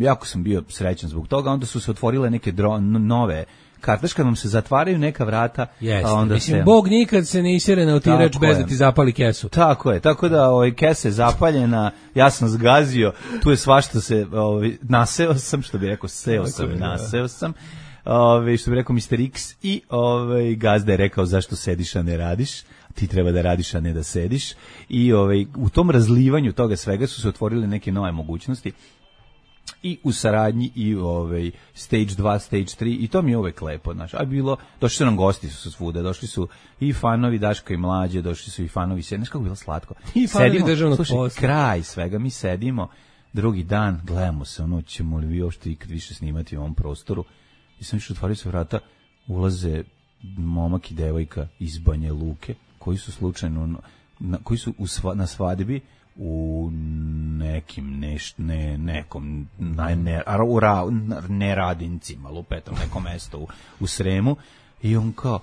jako sam bio srećan zbog toga. Onda su se otvorile neke nove kartaš, kad vam se zatvaraju neka vrata, onda mislim, Bog nikad se ne isjere na otirač bez da ti zapali kesu. Tako je, tako da kesa je zapaljena, ja sam zgazio, tu je svašta se, naseo sam, što bi rekao, naseo sam, što bi rekao Mr. X, i gazda je rekao zašto sediš, a ne radiš, ti treba da radiš, a ne da sediš, i u tom razlivanju toga svega su se otvorile neke nove mogućnosti, i u saradnji, i stage 2, stage 3, i to mi je uvek lepo, znaš, a došli su nam gosti su svuda, došli su i fanovi Daška i Mlađe, došli su i fanovi, znaš kako bilo slatko, i fanovi državnog posla, kraj svega, mi sedimo, drugi dan, gledamo se, ćemo li vi uopšte ikad više snimati u ovom prostoru, i sam više otvorio se vrata, ulaze momak i devojka iz Banja Luke, koji su slučajno, koji su na svadbi u nekim nekom Neradincima, lupetom, nekom mesto u Sremu, i on kao,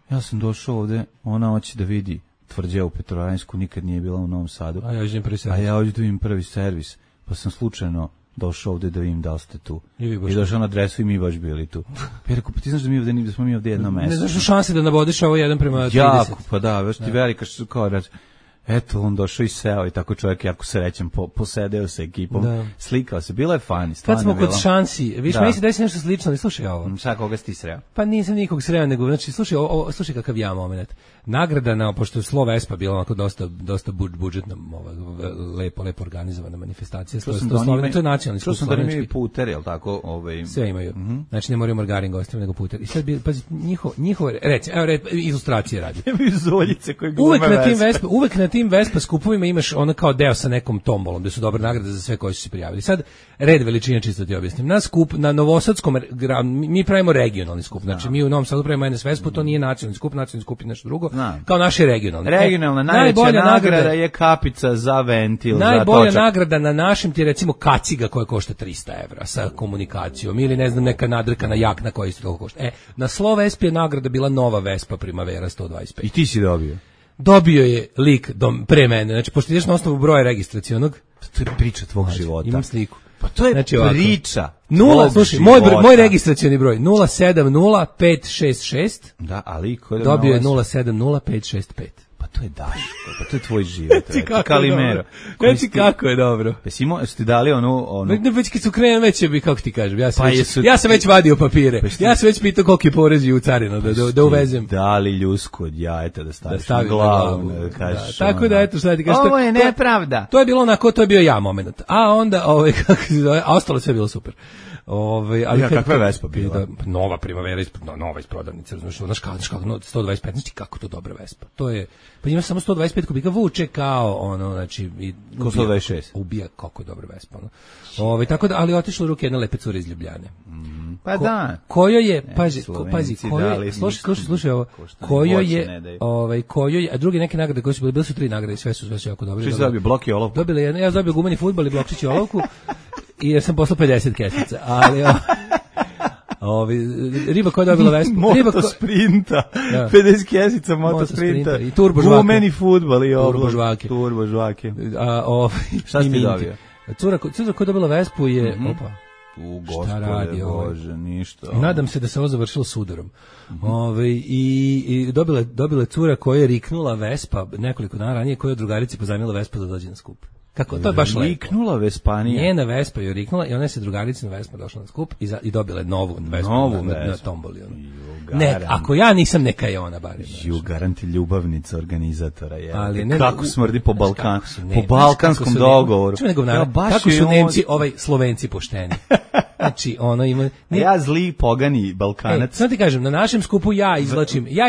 ja sam došao ovde, ona hoće da vidi tvrđavu Petrovaradinjsku, nikad nije bila u Novom Sadu, a ja hoću da vidim prvi servis, pa sam slučajno došao ovde da vidim da li ste tu. I došao na adresu i mi baš bili tu. Ja rekao, pa ti znaš da smo mi ovde jedno mesto. Ne znaš šanse da nabodiš ovo 1:30. Jako, pa da, već ti velika što kao reći. Eto, on došao i seo i tako čovjek jako srećan, posedeo sa ekipom, slikao se, bilo je fani, stvarno. Kad smo kod šansi, viš, meni se desi nešto slično, ali slušaj ovo. Sad koga si ti sreo? Pa nisam nikog sreo, nego, znači, slušaj kakav ja moment. Nagrada, pošto je Slo Vespa bila onako dosta budžetna, lepo organizovana manifestacija. To je nacionalni skup. Čuo sam da imaju puter, jel tako? Sve imaju. Znači, ne moraju margarin gostima, nego puter. I sad, pazi, njihovo, ilustracije radi. Imaju zoljice koji glume Vespa. Uvek na tim Vespa skupovima imaš ono kao deo sa nekom tombolom, gde su dobre nagrade za sve koji su se prijavili. Sad, red veličine, čisto ti objasnim. Na skup, na Novosadskom, mi pravimo regionalni skup. Znači, mi u Novom Sadu pravimo NS Vespu, to nije nacionalni skup je nešto drugo. Kao naši regionalni. Regionalna najveća nagrada je kapica za ventil. Najbolja nagrada na našem ti je recimo kaciga koja košta 300 € sa komunikacijom ili ne znam neka nadrkana jakna koja isto toliko košta. Na Slo Vespi je nagrada bila nova Vespa Primavera 125. I ti si dobio? Dobio je lik pre mene. Znači, pošto ideš na osnovu broja registracionog. To je priča tvog života. Imam sliku. Pa to je znači, priča. Slušaj, moj registracioni broj 070-566. Da, ali ko je dobio je 070-565. Pa to je Daško, pa to je tvoj život. Kalimero. Znači kako je dobro. Jesi ti dali onu... Ne, već kad su krenem, već bi, kako ti kažem, ja sam već vadio papire. Ja sam već pitao koliki porez je u carinu da uvezem. Dali ljusku od jajeta da staviš na glavu. Tako da, eto, šta ti kažeš. Ovo je nepravda. To je bilo onako, to je bio ja moment. A onda, kako se zove, a ostalo sve bilo super. Ali kakva je Vespa bila? Nova Primavera, nova iz prodavnice, razumiješ, znaš kako, 125, znači kako to dobra Vespa. To je, pa ima samo 125 kubika, vuče kao znači, ko 126. Ubija kako je dobra Vespa. Tako da, ali otišla u ruke jedna lepe cure iz Ljubljane. Pa da. Kojo je, pazi, slušaj ovo, kojo je, a druge neke nagrade koje su bile su 3 nagrade, sve su jako dobre. Što si dobio, blok i olovku? Ja dobio gumeni fudbal i blokčić i olovku. I ja sam poslao 50 kesica, ali riba koja je dobila Vespu. Motosprinta, 50 kesica motosprinta, i turbo žvake. Gumeni fudbal i turbo žvake. Šta si ti dobio? Cura koja je dobila Vespu je, Gospode Bože, ništa. Nadam se da se ovo završilo s udarom. I dobila cura koja je riknula Vespa nekoliko dana ranije, koja je drugarici pozajmila Vespa da dođe na skup. Kako, to je baš lepo. Riknula Vespanija. Njena Vespa je riknula i ona se drugarici na Vespa došla na skup i dobila novu Vespu na tomboli. Ne, ako ja nisam, neka je ona barem. Garanti ljubavnica organizatora je. Kako smrdi po balkanskom dogovoru. Kako su Nemci, Slovenci pošteni. Znači, ono ima... Ja zli pogani Balkanac. Sad ti kažem, na našem skupu ja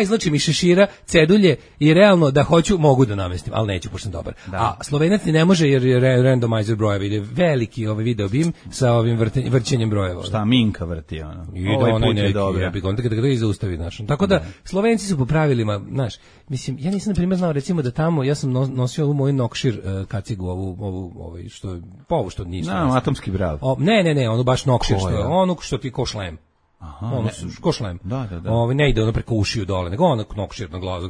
izlačim iz šešira cedulje i realno da hoću, mogu da namestim, ali neću, pošto sam dobar. A Slovenac ne može jer je randomizer brojeva, ide veliki video bim sa ovim vrćenjem brojeva. Šta Minka vrti, ono? Ovaj put je dobro. Onda kada ga zaustavi, znaš. Tako da, Slovenci su po pravilima, znaš, mislim, ja nisam na primjer znao, recimo da tamo, ja sam nosio ovu moju Nokšir kacigu, ovu što nisu. Atomski brav. Ne, ono baš Nokšir, ono što ti ko šlem. Ono ko šlem. Da. Ne ide ono preko ušiju dole, nego ono Nokšir na glavu,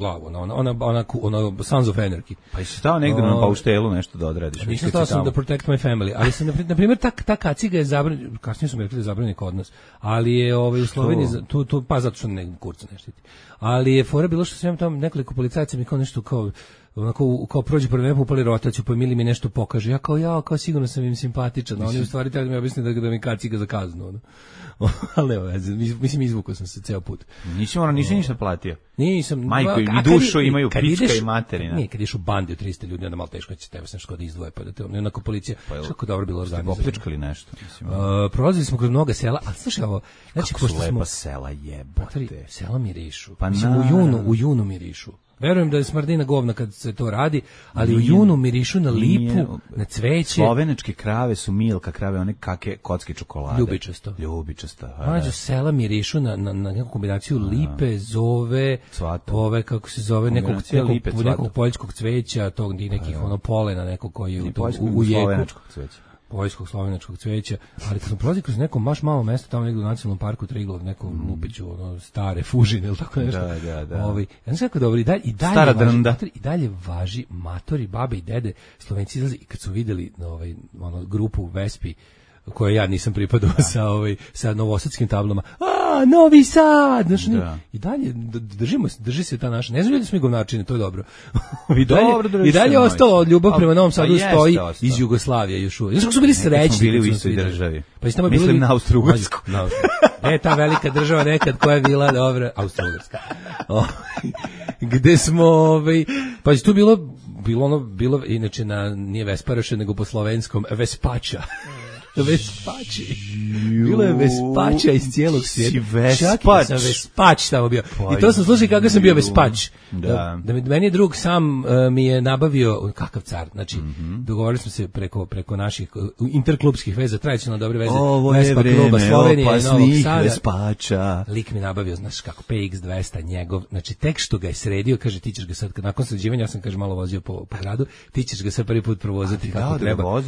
ona Sons of Anarchy. Pa jesi stao negde na pauštelu nešto da odradiš? Nisam stao sam da protect my family, ali sam, na primjer, ta kaciga je zabranjena, kasnije su mi rekli da je zabranjena kod nas, ali je u Sloveniji, pa zato što ne kurca ne štiti. Ali je fora bilo što sam tamo nekoliko policajaca mi kao nešto kao prođe pored mene, upali rotaciju, pa Mili mi nešto pokaže. Ja kao sigurno sam im simpatičan, oni u stvari treba da mi objasne da mi kaciga za kaznu. Ali evo, mislim, izvukao sam se ceo put. Nisam ništa platio. Nisam. Majko, i dušu imaju pička i materina. Nije, kad ideš u bandi od 300 ljudi, onda malo teško će tebe nešto da izdvoje, pa da te onako policija, kako dobro bilo organizovano. Opljačkali nešto. Prolazili smo kroz mnoga sela, ali slušaj ovo, znači, kako su lepa sela, jebote. Sela mirišu. Mislim, u junu mirišu. Verujem da je smrdina govna kad se to radi, ali u junu mirišu na lipu, na cveće. Slovenačke krave su Milka krave, one kocke čokolade. Ljubičasto. Mađo, sela mirišu na neku kombinaciju lipe, zove, ove, kako se zove, nekog poljskog cveća, tog i nekih polena, nekog koji je u jeku. Poljskog slovenačkog cveća, ali kad smo prolazili kroz neko baš malo mesto tamo negdje u nacionalnom parku Triglav, nekom Lupiću, stare Fužine ili tako nešto. Da. Znači kako dobro, i dalje važi matori, babe i dede, Slovenci izlazi i kad su vidjeli grupu Vespi koje ja nisam pripadao sa novosadskim tablama. Novi Sad! Znaš, i dalje drži se ta naša. Ne znam ljudi smo i govnačine, to je dobro. I dalje je ostalo ljubav prema Novom Sadu stoji iz Jugoslavije još uvijek. Znaš kako su bili srećni? Bili u istoj državi. Pa mislim na Austro-Ugarsku. Ta velika država nekad koja je bila dobra, Austro-Ugarska. Gde smo, pa je tu bilo inače nije Vesparoše, nego po slovenskom Vespača. Vespači. Bilo je Vespača iz cijelog svijeta. Čak i sam Vespač tamo bio. I to sam slušao kako sam bio Vespač. Da meni je drug sam mi je nabavio, kakav car, znači dogovorili smo se preko naših interklubskih veza, tradicionalno dobre veze. Ovo je vreme opasnih Vespača. Lik mi nabavio, znaš kako, PX200 njegov, znači tek što ga je sredio, kaže ti ćeš ga sad, nakon sređivanja, ja sam kaže malo vozio po gradu, ti ćeš ga sad prvi put provoziti kako treba.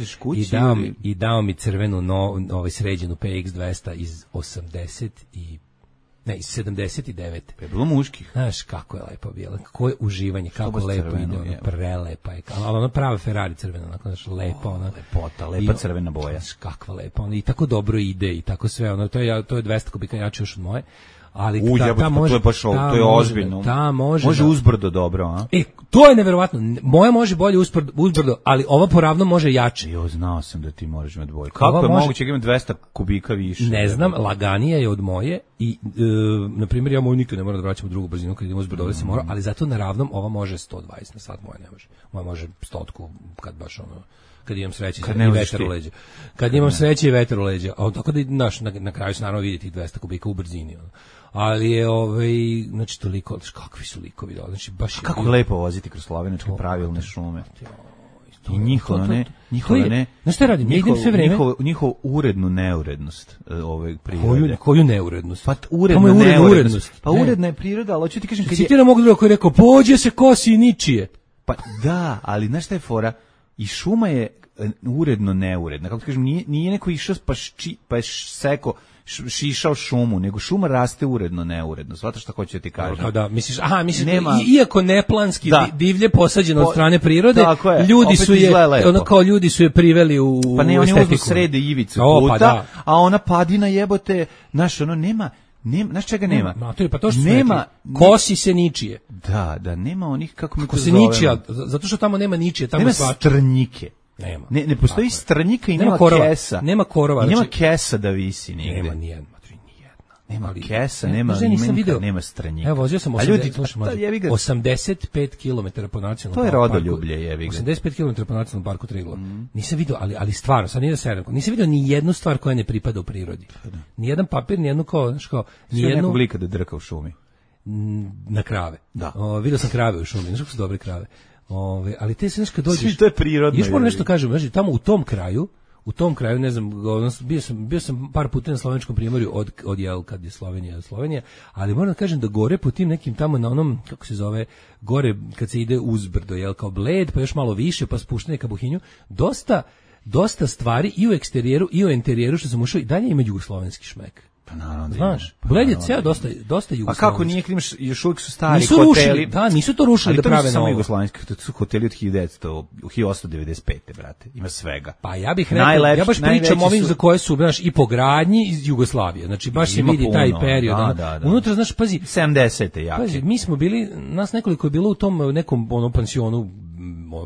I dao mi crvenu sređenu PX200 iz 79. Je bilo muških. Znaš kako je lepo bilo, kako je uživanje, kako lepo ide, prelepa je, ali ona prava Ferrari crvena, onako, znaš, lepa ona. Lepa crvena boja. Znaš, kakva lepa, ona i tako dobro ide i tako sve, ono, to je 200 kubika jače još od moje. Ali to je ozbiljno. Može uzbrdo dobro, a? To je neverovatno. Moja može bolje uzbrdo, ali ova poravno može jače. Jo, znao sam da ti moraš imati bolje. Kako je moguće da ima 200 kubika više? Ne znam, laganija je od moje i na primjer ja moju nikad ne moram da vraćam u drugu brzinu kad idem uzbrdo, ovdje se mora, ali zato na ravnom ova može 120 na sat, moja ne može. Moja može 100 kad baš ono kad imam sreće i vetar u leđa. Kad imam sreće i vetar u leđa. A tako da na kraju se naravno vidi tih 200 kubika u brzini. Ali je znači toliko, kakvi su likovi, znači baš je kako lepo voziti kroz slovenačke pravilne šume. I njihova ne. Znaš šta radim? Ja idem sve vreme. Njihov urednu neurednost prirode. Koju neurednost? Pa uredna neurednost. Pa uredna je priroda, ali hoću ti kažem kad je... Citiram mogu drugo koji je rekao, pođe se kosi i ničije. Pa da, ali znaš šta je fora? I šuma je uredno neuredna. Kako ti kažem, nije neko išao pa je seko šišao šumu, nego šuma raste uredno, neuredno. Znate šta hoću da ti kažem? Da, misliš, iako neplanski divlje posađeno od strane prirode, ljudi su je priveli u estetiku. Pa ne, oni uzmu srede ivicu puta, a ona padina jebote, znaš, ono nema, znaš čega nema? Pa to što nema, kosi se ničije. Da, nema onih, kako se ničija, zato što tamo nema ničije, tamo nema strnjike. Nema. Ne postoji strnjika i nema kesa. Nema korova. I nema kesa da visi nigde. Nema nijedna. Nema kesa, nema imenka, nema stranjika. Evo, vozio sam 85 km po nacionalnom parku. To je rodoljublje, jebi ga. 85 km po nacionalnom parku Triglav. Nisam vidio, ali stvarno, sad nije da se nisam vidio ni jednu stvar koja ne pripada u prirodi. Ni jedan papir, ni jednu ni jednu nekog lika da drka u šumi. Na krave. Da. Vidio sam krave u šumi, znaš kako su dobre krave. Ali te se kad dođeš, to je prirodno. Još moram nešto kažem, znači tamo u tom kraju, ne znam, bio sam par puta na Slovenskom primorju od kad je Slovenija, ali moram da kažem da gore po tim nekim tamo na onom, kako se zove, gore kad se ide uzbrdo, kao Bled, pa još malo više, pa spuštene ka Buhinju, dosta stvari i u eksterijeru i u interijeru što sam ušao i dalje ima jugoslovenski šmek. Pa naravno. Znaš, Bled je ceo dosta jugoslovenski. A kako nije, imaš, još uvijek su stari hoteli. Nisu to rušili da prave novo. Ali to nisu samo jugoslovenski, to su hoteli od 1895. brate. Ima svega. Pa ja bih rekao, ja baš pričam ovim za koje su, znaš, i po gradnji iz Jugoslavije. Znači, baš se vidi taj period. Unutra, znaš, pazi. 70. jake. Pazi, mi smo bili, nas nekoliko je bilo u tom nekom pansionu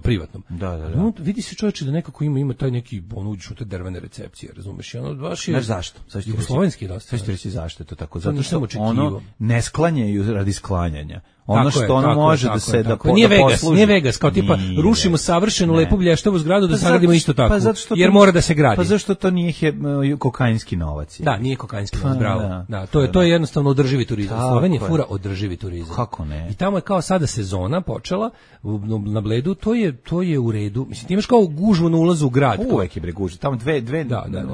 privatnom. Da. Vidi se čovječe da nekako ima taj neki, uđeš u te drvene recepcije, razumeš? I ono baš je... Znaš zašto? Jugoslovenski dosta. Sad ću reći zašto je to tako. Zato što ono ne sklanjaju radi sklanjanja. Ono što ono može da se da posluži. Nije Vegas, kao tipa rušimo savršenu lepu blještavu zgradu da sagradimo isto tako. Jer mora da se gradi. Pa zašto to nije kokainski novac? Da, nije kokainski novac, bravo. Da, to je jednostavno održivi turizam. Slovenija fura održivi turizam. Kako ne? I tamo je kao sada sezona počela na Bledu, to je u redu. Mislim, ti imaš kao gužvu na ulazu u grad. Uvek je bre gužva. Tamo dve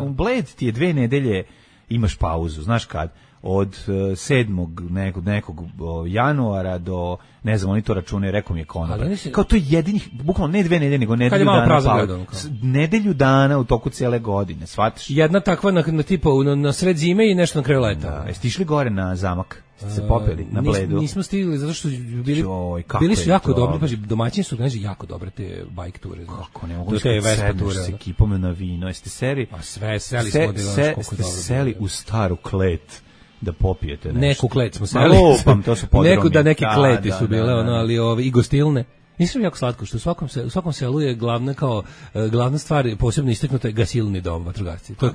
Bled ti je 2 nedelje imaš pauzu, znaš kad? od 7. nekog januara do, ne znam, oni to računaju, rekao mi je konobar. Kao to je jedinih, bukvalno ne 2 nedelje, nego nedelju dana. Nedelju dana u toku cijele godine, shvatiš? Jedna takva na tipa na sred zime i nešto na kraju leta. Da, jeste išli gore na zamak? Ste se popeli na Bledu? Nismo stigli, zato što bili su jako dobri, paži, domaćini su organizovali jako dobre te bike ture. Kako ne mogu sedneš s ekipom na vino, jeste seri? A sve, seli smo ste seli u staru klet da popijete nešto. Neku klet smo seli. Lupam, to su podromi. Neke kleti su bile, ali i gostilne. Nisam jako slatko, što u svakom selu je glavna stvar, posebno istaknuta je gasilni dom vatrogasci. To je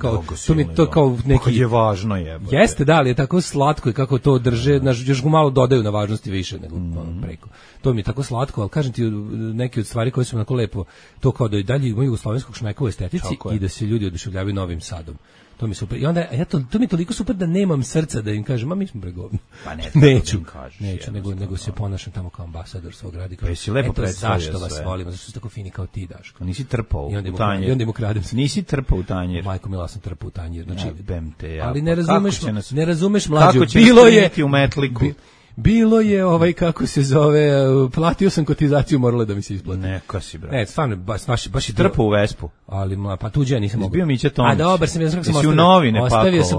kao neki... Kako je važno je. Jeste, da, ali je tako slatko i kako to drže, još ga malo dodaju na važnosti više nego preko. To mi je tako slatko, ali kažem ti neke od stvari koje su onako lepo, to kao da i dalje imaju jugoslovenskog šmeka u estetici i da se ljudi oduševljavaju Novim Sadom. To mi super. I onda to mi je toliko super da nemam srca da im kažem, mi smo pregovni. Pa neću, nego se ponašam tamo kao ambasador svog grada. Pa si lepo predstavio zašto vas volimo, zašto ste tako fini kao ti, Daško. Nisi trpao u tanjir. I onda im ukradem se. Nisi trpao u tanjir. Majko mila, sam trpao u tanjir. Znači, ali ne razumeš mlađu. Kako će nas u metliku? Bilo je kako se zove, platio sam kotizaciju, moralo da mi se isplati. Neka si, brate. Ne, stvarno, baš je trpao u Vespu. Ali pa tuđe ja nisam mogao. Bio Mića Tomić. A dobar sam, ja sam u novine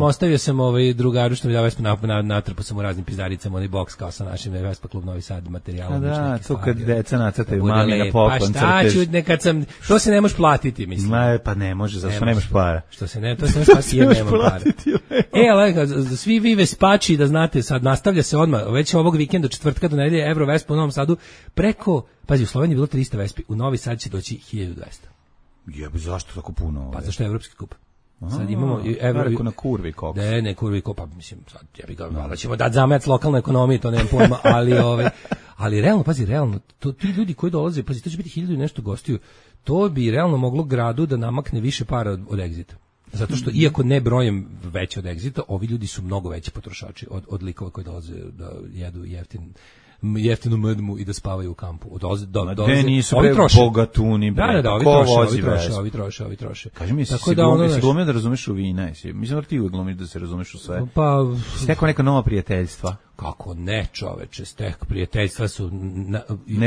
ostavio sam drugaru što mi da Vespu natrpao sam u raznim pizdaricama, onaj boks kao sa našim Vespa klub Novi Sad materijalom. Da, to kad deca nacrtaju mami na poklon crteš. Pa šta ću, nekad sam, to se ne možeš platiti, mislim. Pa ne može, zašto nemaš para? To se ne možeš platiti jer nemam para. Ali svi vi Vespači da znate, sad nastavlja se odmah, već ovog vikenda od četvrtka do nedelje Euro Vespa u Novom Sadu preko, pazi, u Sloveniji je bilo 300 Vespi, u Novi Sad će doći 1200. Jebe, zašto tako puno? Pa zašto je evropski kup? Sad imamo na kurvi koks. Ne, kurvi kopa, mislim, sad jebi ga, malo ćemo dati zamajac lokalnoj ekonomiji, to nemam pojma, ali realno, ti ljudi koji dolaze, pazi, to će biti 1000 i nešto gostiju, to bi realno moglo gradu da namakne više para od Exita. Zato što, iako ne brojem veće od Exita, ovi ljudi su mnogo veći potrošači od likova koji dolaze da jedu jeftinu mrmu i da spavaju u kampu. Gde nisu bogatuni, bre. Da, ovi troše. Kaži mi, si glumio da razumeš u vina? Mislim da ti uvijek glumiš da se razumeš u sve. Pa... Stekao neka nova prijateljstva. Kako ne, čoveče, prijateljstva su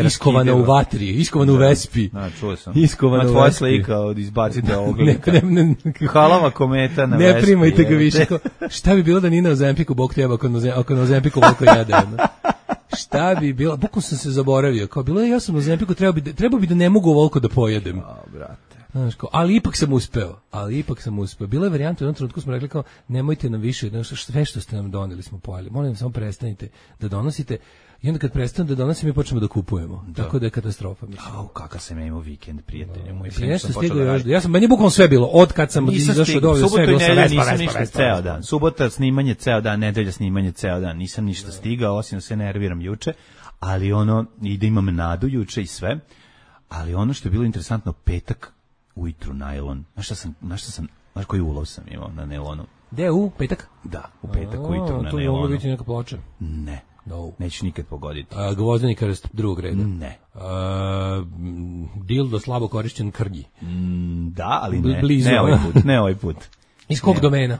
iskovane u vatri, iskovane u Vespi. Čuo sam. Iskovane u Vespi. Tvoja slika od izbacite ovog lika. Halava kometa na Vespi. Ne primajte ga više. Šta bi bilo da nije na Ozempiku, Bog teba, ako na Ozempiku volko jede. Šta bi bilo? Bukvalno sam se zaboravio. Kao bilo je, ja sam na Ozempiku, trebao bi da ne mogu ovoliko da pojedem. Brate. Ali ipak sam uspeo. Bila je varijanta, u jednom trenutku smo rekli kao, nemojte nam više, sve što ste nam doneli smo pojeli. Molim, samo prestanite da donosite. I onda kad prestanu da donosim, mi počnemo da kupujemo. Tako da je katastrofa, mislim. Kakav sam ja imao vikend, prijatelje. Meni je bukvalno sve bilo, od kad sam izašao do ovdje, sve bilo sa Vespa. Subota snimanje ceo dan, nedelja snimanje ceo dan. Nisam ništa stigao, osim da se nerviram juče, ali i da imam nadu juče i sve. Ali ono što je bilo interesantno, petak ujutru najlon. Znaš koji ulov sam imao na nailonu? Gde, u petak? Da, u petak ujutru na nailonu. To je moglo biti neka ploča? Ne. Neću nikad pogoditi. Gvozdenikar drugog reda? Ne. Dildo slabo korišćen krnji? Da, ali ne ovaj put. Iz kog domena?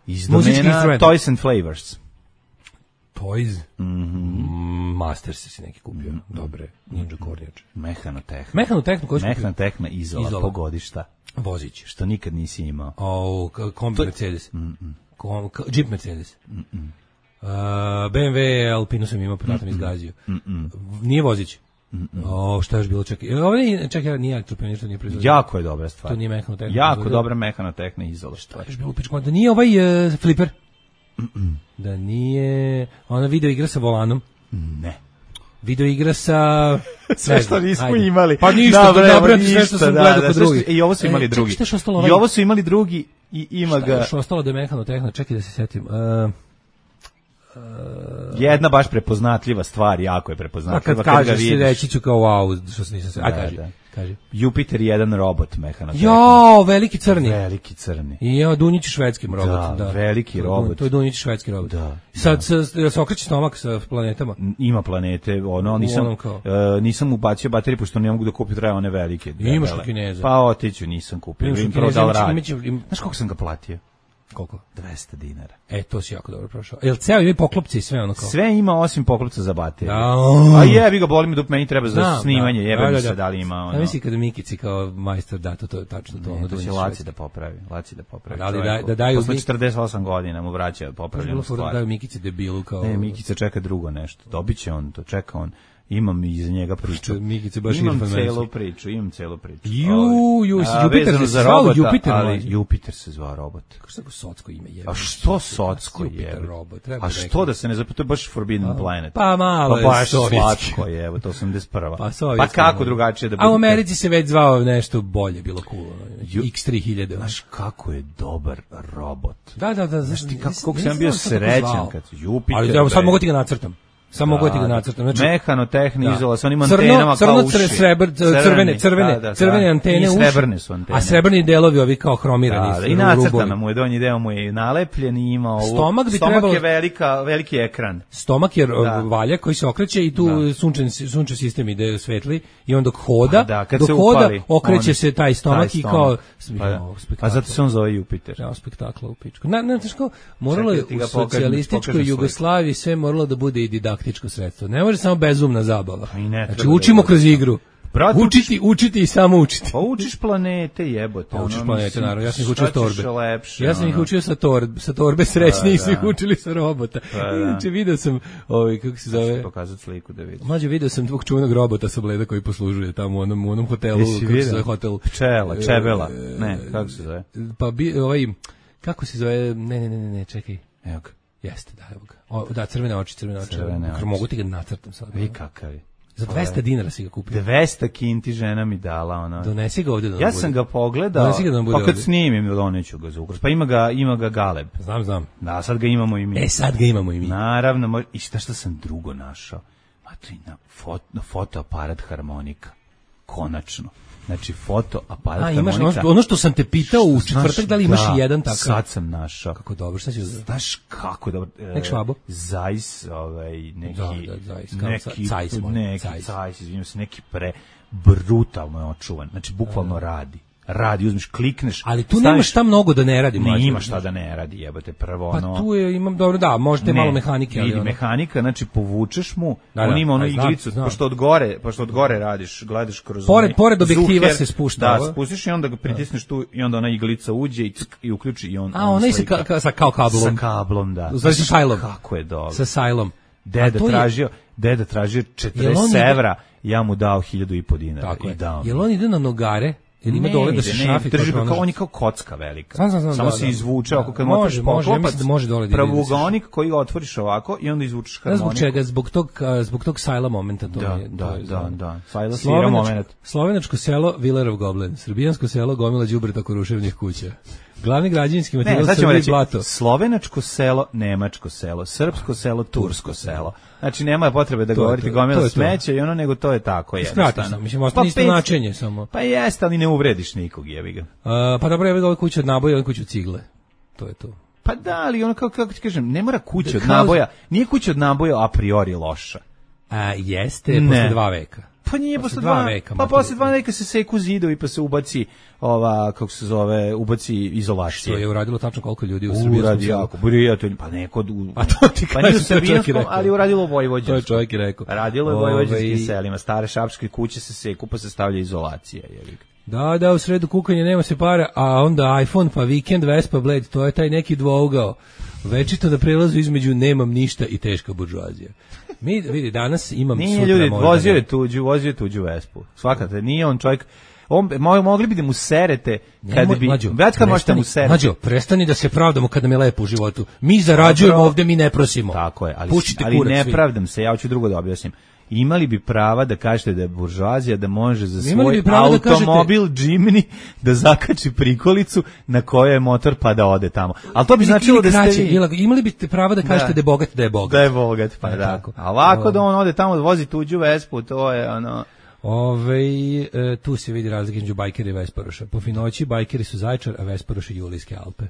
Iz domena Toys and Flavors. Toys? Masters si neki kupio. Dobre, Ninja kornjače. Mehanotehna Izola, pogodišta. Vozić. Što nikad nisi imao. Kombi Mercedes. Jeep Mercedes. BMW Alpinu sam imao, podatom izgazio. Nije Vozić. Šta je još bilo, čekaj, nije elektropionir, to nije proizvodio. Jako je dobra stvar. To nije mehanotehna. Jako dobra mehanotehna Izola. Šta je još bilo, pičko, da nije ovaj Flipper? Da nije ona video igra sa volanom? Ne. Video igra sa... Sve što nismo imali. Pa ništa, sve što sam gledao kod drugih. I ovo su imali drugi. I ovo su imali drugi i ima ga... Šta je još ostalo da je mehanotehna? Čekaj da se setim. Jedna baš prepoznatljiva stvar, jako je prepoznatljiva. Kad kažeš, reći ću kao wow, što se nisam se... Kaži. Jupiter 1 robot mehanotehna. Jo, veliki crni. I evo, Dunjić švedskim robot. Da, veliki robot. To je Dunjić švedski robot. Sad se okreće stomak sa planetama. Ima planete, nisam ubacio baterije, pošto ne mogu da kupim, treba one velike. Imaš kod Kineza. Pa otiću, nisam kupio. Znaš koliko sam ga platio? Koliko? 200 dinara. To si jako dobro prošao. Jel ceo ima poklopci i sve ono kao? Sve ima osim poklopca za baterije. Da. A jebi ga, boli me dok meni treba za snimanje, jebe mi se da li ima ono. Ja mislim kada Mikici kao majstor da to je tačno to. Ne, to će Laci da popravi. Da daju posle 48 godina mu vraća popravljenu stvar. Da daju Mikici debilu kao. Ne, Mikica čeka drugo nešto. Dobiće on to, čeka on. Imam iza njega priču. Mikice baš imam celu priču. Jupiter se zvao Jupiter, ali Jupiter se zvao robot. Kako se tako socko ime je? A što socko je? A što da se ne zapita, to je baš Forbidden Planet. Pa malo je baš slatko je, evo to 81. Pa kako drugačije da bude? A u Americi se već zvao nešto bolje, bilo cool. X3000. Znaš kako je dobar robot. Da. Znaš ti kako sam bio srećan kad Jupiter. Ali evo sad mogu ti ga nacrtam. Samo mogu ti ga nacrtam. Znači, mehanotehni izola, sa onim antenama kao uši. Crvene antene uši. Srebrne su antene. A srebrni delovi ovi kao hromirani. I nacrtana mu je, donji deo mu je nalepljen i ima ovo. Stomak je veliki ekran. Stomak je valjak koji se okreće i tu sunčev sistem ide svetli i on dok hoda, okreće se taj stomak i kao... A zato se on zove Jupiter. Ja, spektakla u pičku. Znaš kao, moralo je u socijalističkoj Jugoslaviji sve moralo da bude i didaktičko sredstvo. Ne može samo bezumna zabava. Znači, učimo kroz igru. Učiti i samo učiti. Pa učiš planete, jebote. Pa učiš planete, naravno. Ja sam ih učio s torbe. Ja sam ih učio sa torbe srećni su ih učili sa robota. Inače, vidio sam, kako se zove... Ću pokazati sliku da vidim. Mlađe, vidio sam tvog čuvenog robota sa Bleda koji poslužuje tamo u onom hotelu. Kako se zove hotel? Čebela. Ne, kako se zove? Pa kako se zove? Ne, čekaj. Evo ga. Jeste, da, evo ga. Da, crvene oči. Mogu ti ga nacrtam sad. I kakav je. Za 200 dinara si ga kupio. 200 kinti žena mi dala, ona. Donesi ga ovdje da nam bude. Ja sam ga pogledao, pa kad snimim, doneću ga za ukras. Pa ima ga Galeb. Znam. Da, sad ga imamo i mi. Sad ga imamo i mi. Naravno, i šta sam drugo našao? Matrina, fotoaparat harmonika. Konačno. Znači, fotoaparat harmonika. Imaš ono što sam te pitao u četvrtak, da li imaš jedan takav? Sad sam našao. Kako dobro, šta ću da... Znaš kako dobro... Nek švabo? Zajs, neki brutalno je očuvan. Znači, bukvalno radi, uzmiš, klikneš. Ali tu nemaš šta mnogo da ne radi. Ne ima šta da ne radi, jebate, prvo ono... Pa tu imam dobro, da, možete malo mehanike. Vidi, mehanika, znači povučeš mu, on ima onu iglicu, pošto od gore radiš, gledaš kroz... Pored objektiva se spušta. Da, spustiš i onda ga pritisneš tu i onda ona iglica uđe i uključi i on... A, ona je kao kablom. Sa kablom, da. Znači sa sajlom. Kako je dobro. Sa sajlom. Deda tražio 40 evra, ja mu dao 1.500 dinara. Jel on ide na nogare? Ili ima dole da se šafi? On je kao kocka velika. Samo se izvuče, ako kad motaš poklopac, pravougaonik koji ga otvoriš ovako i onda izvučeš harmoniku. Zbog čega? Zbog tog sajla momenta. Da. Sajla svira moment. Slovenačko selo Vilerov Goblen, srbijansko selo gomila đubreta oko ruševnih kuća. Glavni građevinski materijal Srbije blato. Slovenačko selo, nemačko selo, srpsko selo, tursko selo. Znači nema potrebe da govorite gomila smeća i ono, nego to je tako jednostavno. Mislim, ostane isto značenje samo. Pa jeste, ali ne uvrediš nikog, jebi ga. Pa dobro, jebi ga, ovo kuća od naboja, ovo kuća od cigle. To je to. Pa da, ali ono, kako ti kažem, ne mora kuća od naboja, nije kuća od naboja a priori loša. Jeste, posle 2 veka. Pa nije posle 2 veka. Pa posle 2 veka se seku zidovi pa se ubaci ubaci izolacija. Što je uradilo tačno koliko ljudi u Srbiji? Prijatelj, pa neko... Pa nije u srbijanskom, ali uradilo vojvođanskom. To je čovjek i rekao. Radilo je vojvođanskim selima. Stare šapske kuće se seku pa se stavlja izolacija. Da, u sredu kukanje nema se para, a onda iPhone, pa Weekend, Vespa, Blade, to je taj neki dvougao. Večito da prelazu između nemam ništa i teška buržoazija. Mi, vidi, danas imam nije sutra ljudi, vozio je tuđu Vespu. Svakate, nije on čovjek... mogli bi da mu serete kad bi... Mlađo, prestani da se pravdamo kada mi je lepo u životu. Mi zarađujemo ovde, mi ne prosimo. Tako je, ali ne pravdam se, ja hoću drugo da objasnim. Imali bi prava da kažete da je buržoazija, da može za svoj automobil Jimny da zakači prikolicu na kojoj je motor pa da ode tamo. Ali to bi značilo da ste vi... Imali bi prava da kažete da je bogat, da je bogat. Da je bogat, pa da. A ovako da on ode tamo da vozi tuđu Vespu, to je ono... Tu se vidi razlika između bajkera i Vesparoša. Po finoći bajkeri su Zaječar, a Vesparoši Julijske Alpe.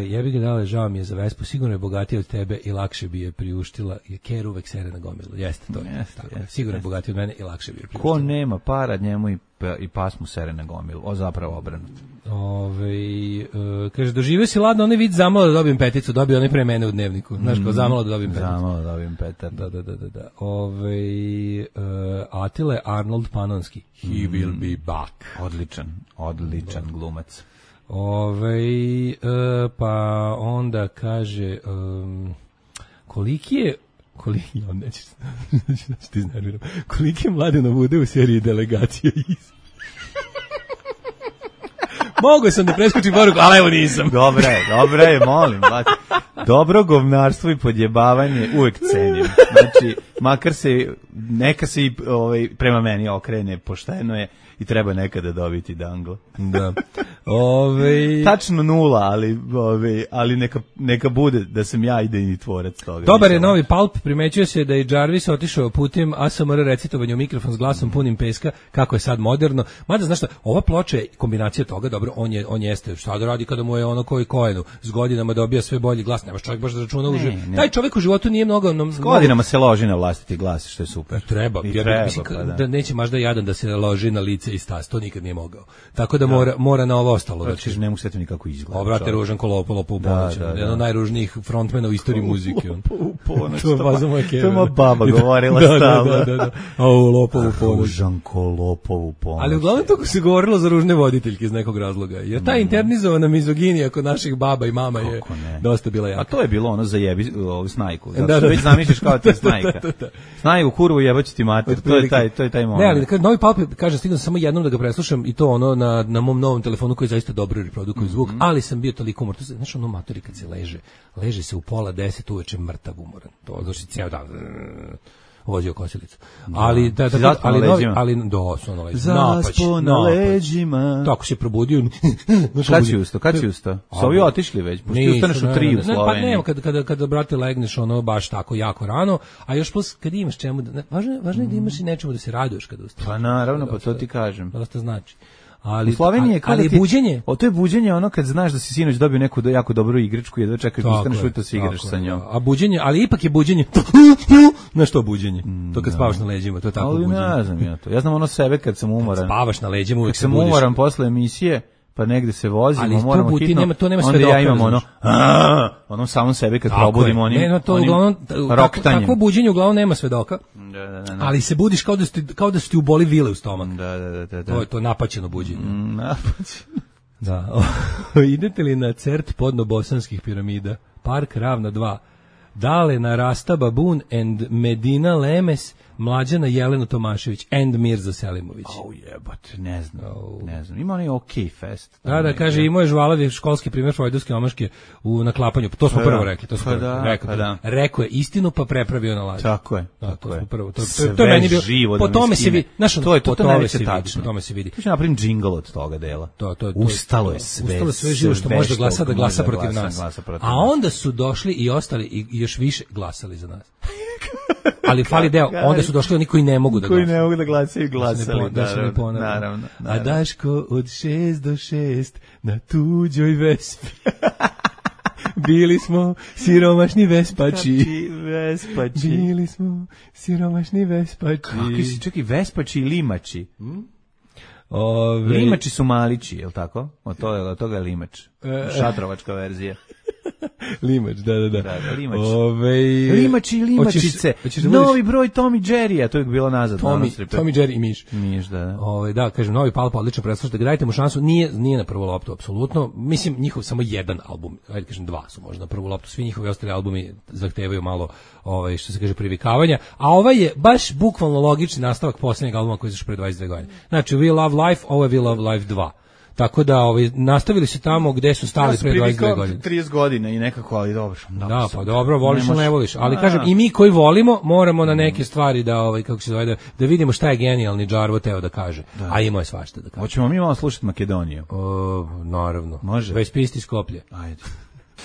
Jebi ga dale, žao mi je za Vespu, sigurno je bogatija od tebe i lakše bi je priuštila. Je Ker uvek sere na gomilu. Jeste to. Sigurno je bogatija od mene i lakše bi je priuštila. Ko nema para, njemu i pas mu sere na gomilu. Zapravo obrnuto. Kaže, doživio si ladno onaj vid zamalo da dobijem peticu, dobio onaj pre mene u dnevniku. Znaš, kao zamalo da dobijem peticu. Zamalo da dobijem petar. Da. Atile Arnold Panonski. He will be back. Odličan glumac. Pa onda kaže koliki je Mladenov ude u seriji Delegacija iz. Mogu sam da preskočim poruku, ali evo nisam. Dobra je, molim. Dobro govnarstvo i podjebavanje uvek cenim. Znači, makar neka se i prema meni okrene, pošteno je i treba nekada dobiti dangla. Da. Tačno 0, ali neka bude da sam ja idejni tvorac toga. Dobar je novi Pulp, primećuje se da je Jarvis otišao putem ASMR recitovanja u mikrofon s glasom punim peska, kako je sad moderno. Mada, znaš šta, ova ploča je kombinacija toga, dobro, on jeste, šta da radi kada mu je ono koji Coenu, s godinama dobija sve bolji glas, nemaš čovjek baš da računa u životu. Taj čovjek u životu nije mnogo... S godinama se loži na vlastiti glas, što je super. Treba, mislim, da neće možda jadan da se loži na lice i stas, to nikad nije mogao. Tako da mora na ovo ostalo. Znači, ne mogu se nikako izgleda. Obrate ružan ko Lopo u ponoć. Jedan od najružnijih frontmena u istoriji muzike. U ponoć. To je moja baba govorila stalno. Da. Lopo u ponoć. Ružan ko Lopo u ponoć. Ali uglavnom to se govorilo za ružne voditeljke iz nekog razloga. Jer ta internizovana mizoginija kod naših baba i mama je dosta bila jaka. A to je bilo ono za jebi snajku. Zato što već zamišljaš kao ti snajka. Snajku kurvu jebaći ti mater. To je taj moment. Ne, ali kad novi Pulp, kaže, stigao samo jednom da ga preslušam i to ono na mom novom telefonu koji zaista dobro reprodukuje zvuk, ali sam bio toliko umoran. Znaš, ono matori kad se leže se u 9:30 uveče mrtav umoran. To znači ceo dan vozio kosilicu. Ali su ono leđima. Zaspo na leđima. Tako se probudio. Kad si ustao? Su ovi otišli već? Pošto ustaneš u 3 u Sloveniji. Pa ne, kada brate legneš ono baš tako jako rano, a još plus kad imaš čemu, važno je da imaš i nečemu da se raduješ kada ustaneš. Pa naravno, pa to ti kažem. Dosta znači. U Sloveniji je ali buđenje. To je buđenje ono kad znaš da si sinoć dobio neku jako dobru igračku i jedva čekaš da ustaneš ujutro se igraš sa njom. A buđenje, ali ipak je buđenje. Na što buđenje? To kad spavaš na leđima, to je tako buđenje. Ali ne znam ja to. Ja znam ono sebe kad sam umoran. Spavaš na leđima, uvek se budiš. Kad sam umoran posle emisije, pa negde se vozimo, moramo hitno. To nema sve onda dokaza. Ja imam ono samom sebe kad probudim onim. Ne, to uglavnom takvo buđenje uglavnom nema svedoka. Da. Ali se budiš kao da su ti uboli vile u stomak. Da. To je to napaćeno buđenje. Napaćeno. Da. Idete li na CERT podno bosanskih piramida? Park Ravna 2. Dale na Rasta Babun and Medina Lemes, Mlađana Jelena Tomašević and Mirza Selimović. Jebate, ne znam. Ima onaj OK Fest. Da, kaže, imao je žvalavi školski primjer Freudovske omaške na klapanju. To smo prvo rekli. Rekao je istinu, pa prepravio na laž. Tako je. To smo prvo. To je meni bilo. Po tome se vidi. Po tome se vidi. Tu će napravim džingl od toga dela. Ustalo je sve živo što može da glasa protiv nas. A onda su došli i ostali i još više glasali za nas. Ali fali deo, onda su došli oni koji ne mogu da glasaju. Koji ne mogu da glasaju, glasali. Naravno. A Daško od 6 do 6 na tuđoj Vespi. Bili smo siromašni vespači. Bili smo siromašni vespači. Kakvi si, čekaj, vespači i limači? Limači su malići, je li tako? Od toga je limač. Šatrovačka verzija. Limač, da. Limači i limačice. Novi broj Tom i Jerry-a, to je bilo nazad. Tom i Jerry i Miš. Da. Da, kažem, novi Pulp odlično preslušajte, dajte mu šansu, nije na prvu loptu, apsolutno. Mislim, njihov samo jedan album, ajde kažem 2 su možda na prvu loptu, svi njihovi ostali albumi zahtevaju malo, što se kaže, privikavanja, a ovaj je baš bukvalno logični nastavak posljednjeg albuma koji je izašao pre 22 godine. Znači, We Love Life, ovo je We Love Life 2. Tako da nastavili se tamo gde su stali pre 22 godine. 30 godina i nekako, ali dobro. Da, pa dobro, voliš ili ne voliš. Ali kažem, i mi koji volimo, moramo na neke stvari da, kako se zove, da vidimo šta je genijalni Džarvo teo da kaže. A imao je svašta da kaže. Hoćemo mi malo slušati Makedoniju? Naravno. Može. Već pisti Skoplje. Ajde.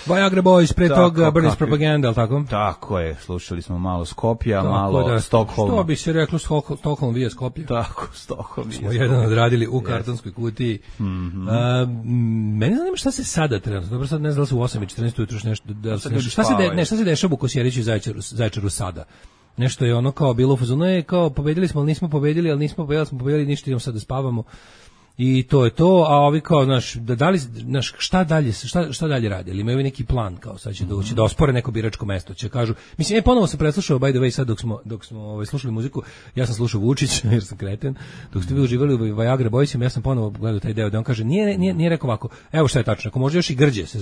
Viagra Boys, pre Tako, toga British kakvi- Propaganda, ali tako? Tako je, slušali smo malo Skopja, Tako malo da, Stockholma. Što bi se reklo Stockholm via Skopje? Tako, Stockholm. Smo jedan odradili u kartonskoj kutiji. Mene zanima šta se sada trenutno, dobro sad ne znam da li se u 8:14 ujutru još nešto, da li se nešto, šta se dešava u Kosjeriću i Zaječaru sada? Nešto je ono kao bilo u fazonu, kao pobedili smo, ali nismo pobedili, ali nismo pobedili, smo pobedili, ništa, idemo sad da spavamo. I to je to, a ovi kao, znaš, šta dalje radi? Ili imaju neki plan, kao sad će doći da ospore neko biračko mesto, će kažu, mislim, ponovo sam preslušao, by the way, sad dok smo slušali muziku, ja sam slušao Vučić, jer sam kreten, dok ste vi uživali u Viagra Boysima, ja sam ponovo gledao taj deo, da on kaže, nije rekao ovako, evo šta je tačno, ako može još i grđe se,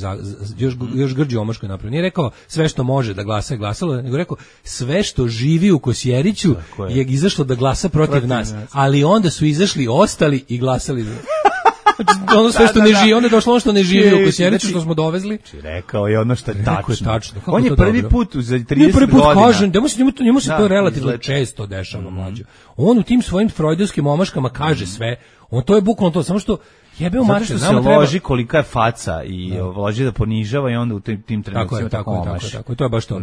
još grđe omaško je napravio, nije rekao sve što može da glasa je glasalo, nego rekao sve što živi u Kosjeriću je izašlo da glasa protiv nas, ali onda su izašli ostali i glasali. Znači, ono sve što ne živi, onda je došlo ono što ne živi u Kosjeriću, što smo dovezli. Rekao je ono što je tačno. Kako On je to prvi dobro? put za 30 Nije prvi put godina. kažem, njemu se to relativno izgleda. često dešava, mlađo. On u tim svojim freudovskim omaškama kaže sve, on to je bukvalno to, samo što jebeo Zato Marče, što se nama treba... loži kolika je faca i loži da ponižava i onda u tim trenucima tako omaši. Tako je, to je baš to.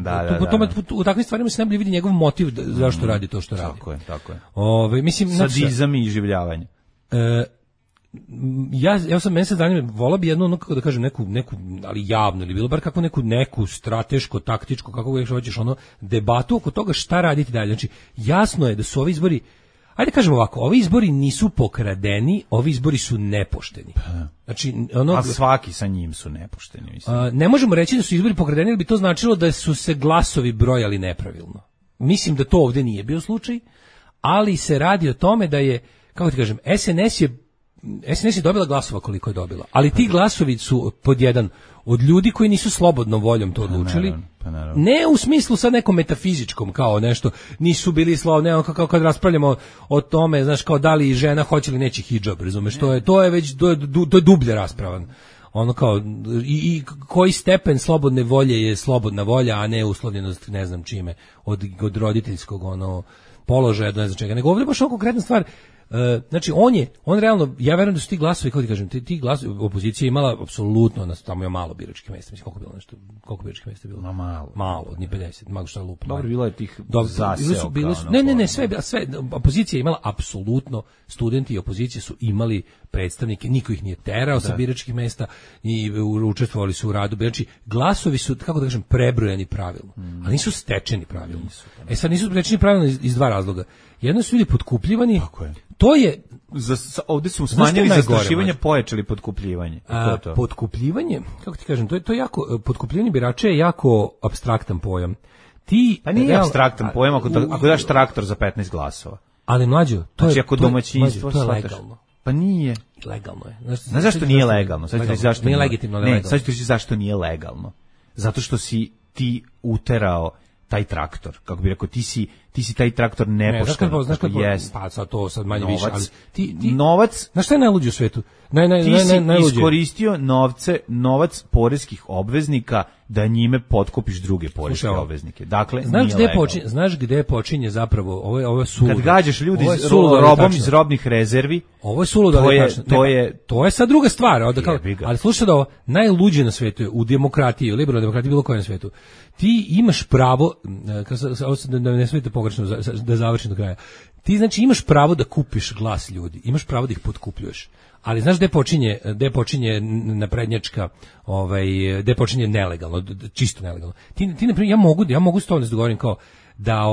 U takvim stvarima se najbolje vidi njegov motiv zašto radi to što radi. Tako je. Mislim, sadizam i iživljavanje. Ja sam mjesec dana volao bi jednu, ono, kako da kažem, neku, ali javno ili bilo bar kako neku strateško, taktičko, kako ga hoćeš, ono, debatu oko toga šta raditi dalje. Znači, jasno je da su ovi izbori, ajde kažemo ovako, ovi izbori nisu pokradeni, ovi izbori su nepošteni. Znači, a svaki sa njim su nepošteni, mislim. Ne možemo reći da su izbori pokradeni, jer bi to značilo da su se glasovi brojali nepravilno. Mislim da to ovdje nije bio slučaj, ali se radi o tome da je, kako ti kažem, SNS je dobila glasova koliko je dobila, ali ti glasovi su pod jedan od ljudi koji nisu slobodnom voljom to odlučili. Naravno. Ne u smislu sad nekom metafizičkom kao nešto, nisu bili slobodni, kao kad raspravljamo o tome, znaš, kao da li žena hoće ili neće hidžab, razumeš, to je već to je dublje raspravan. Ono kao i koji stepen slobodne volje je slobodna volja, a ne uslovljenost ne znam čime od roditeljskog položaja do ne znam čega. Nego ovdje baš konkretna stvar. Znači on realno, ja verujem da su ti glasovi, kako ti kažem, ti glasovi, opozicija je imala apsolutno, tamo je malo biračkih mjesta, mislim koliko biračkih mjesta je bilo? Malo, ni 50, malo šta lupa. Dobro, bilo je tih zaseo. Ne, sve, opozicija je imala apsolutno, studenti i opozicije su imali predstavnike, niko ih nije terao sa biračkih mjesta i učestvovali su u radu. Znači, glasovi su, kako da kažem, prebrojani pravilno, ali nisu stečeni pravilno. Sad nisu stečeni pravilno iz dva razloga. Jedno su ljudi potkupljivani, to je... Ovdje su smanjili zastrašivanje, pojačali potkupljivanje. Potkupljivanje, kako ti kažem, to je jako, potkupljivanje birača je jako apstraktan pojam. Pa nije apstraktan pojam ako daš traktor za 15 glasova. Ali mlađo, to je domaćinstvo, to je legalno. Pa nije. Legalno je. Znaš zašto nije legalno? Nije legitimno, legalno. Sad ću ti reći zašto nije legalno. Zato što si ti uterao taj traktor, kako bi rekao, ti si taj traktor nepošteno. Znaš kako jest. Pa sad to sad manje više, ali novac. Znaš šta je najluđe u svetu? Ti si iskoristio novac poreskih obveznika da njime potkupiš druge poreske obveznike. Dakle, znaš gde počinje zapravo ovo suludo. Kad gađaš ljudi robom iz robnih rezervi, ovo je suludo, to je sad druga stvar, ali slušaj da ovo najluđe na svetu je u demokratiji, u liberalnoj demokratiji, bilo koje na svetu. Ti imaš pravo, da ne smijete pogrešno da završim do kraja. Ti znači imaš pravo da kupiš glas ljudi, imaš pravo da ih potkupljuješ. Ali znaš gde počinje naprednjačka, gde počinje nelegalno, čisto nelegalno. Ti na primjer, ja mogu s tobom da se dogovorim kao da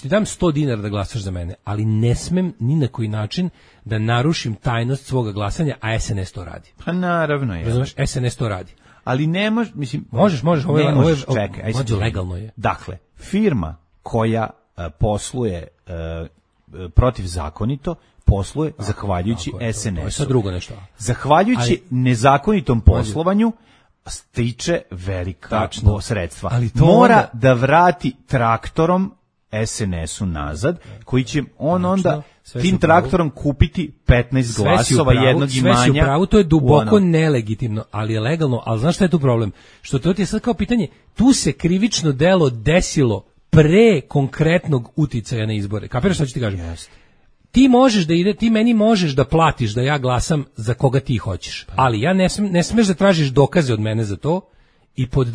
ti dam 100 dinara da glasaš za mene, ali ne smem ni na koji način da narušim tajnost svoga glasanja, a SNS to radi. Pa naravno je. Razumeš, SNS to radi. Ali ne možeš, mislim... Možeš, čekaj, legalno je. Dakle, firma koja posluje protivzakonito, posluje zahvaljujući SNS-u. To je sad drugo nešto. Zahvaljujući nezakonitom poslovanju stiče velika sredstva. Ali to mora da vrati traktorom SNS-u nazad, koji će onda tim traktorom kupiti 15 glasova jednog imanja. Sve si u pravu, to je duboko nelegitimno, ali je legalno. Ali znaš šta je tu problem? Što to ti je sad kao pitanje, tu se krivično delo desilo pre konkretnog uticaja na izbore. Kapiraš šta ću ti kažem? Ti meni možeš da platiš da ja glasam za koga ti hoćeš. Ali ja ne smeš da tražiš dokaze od mene za to I pod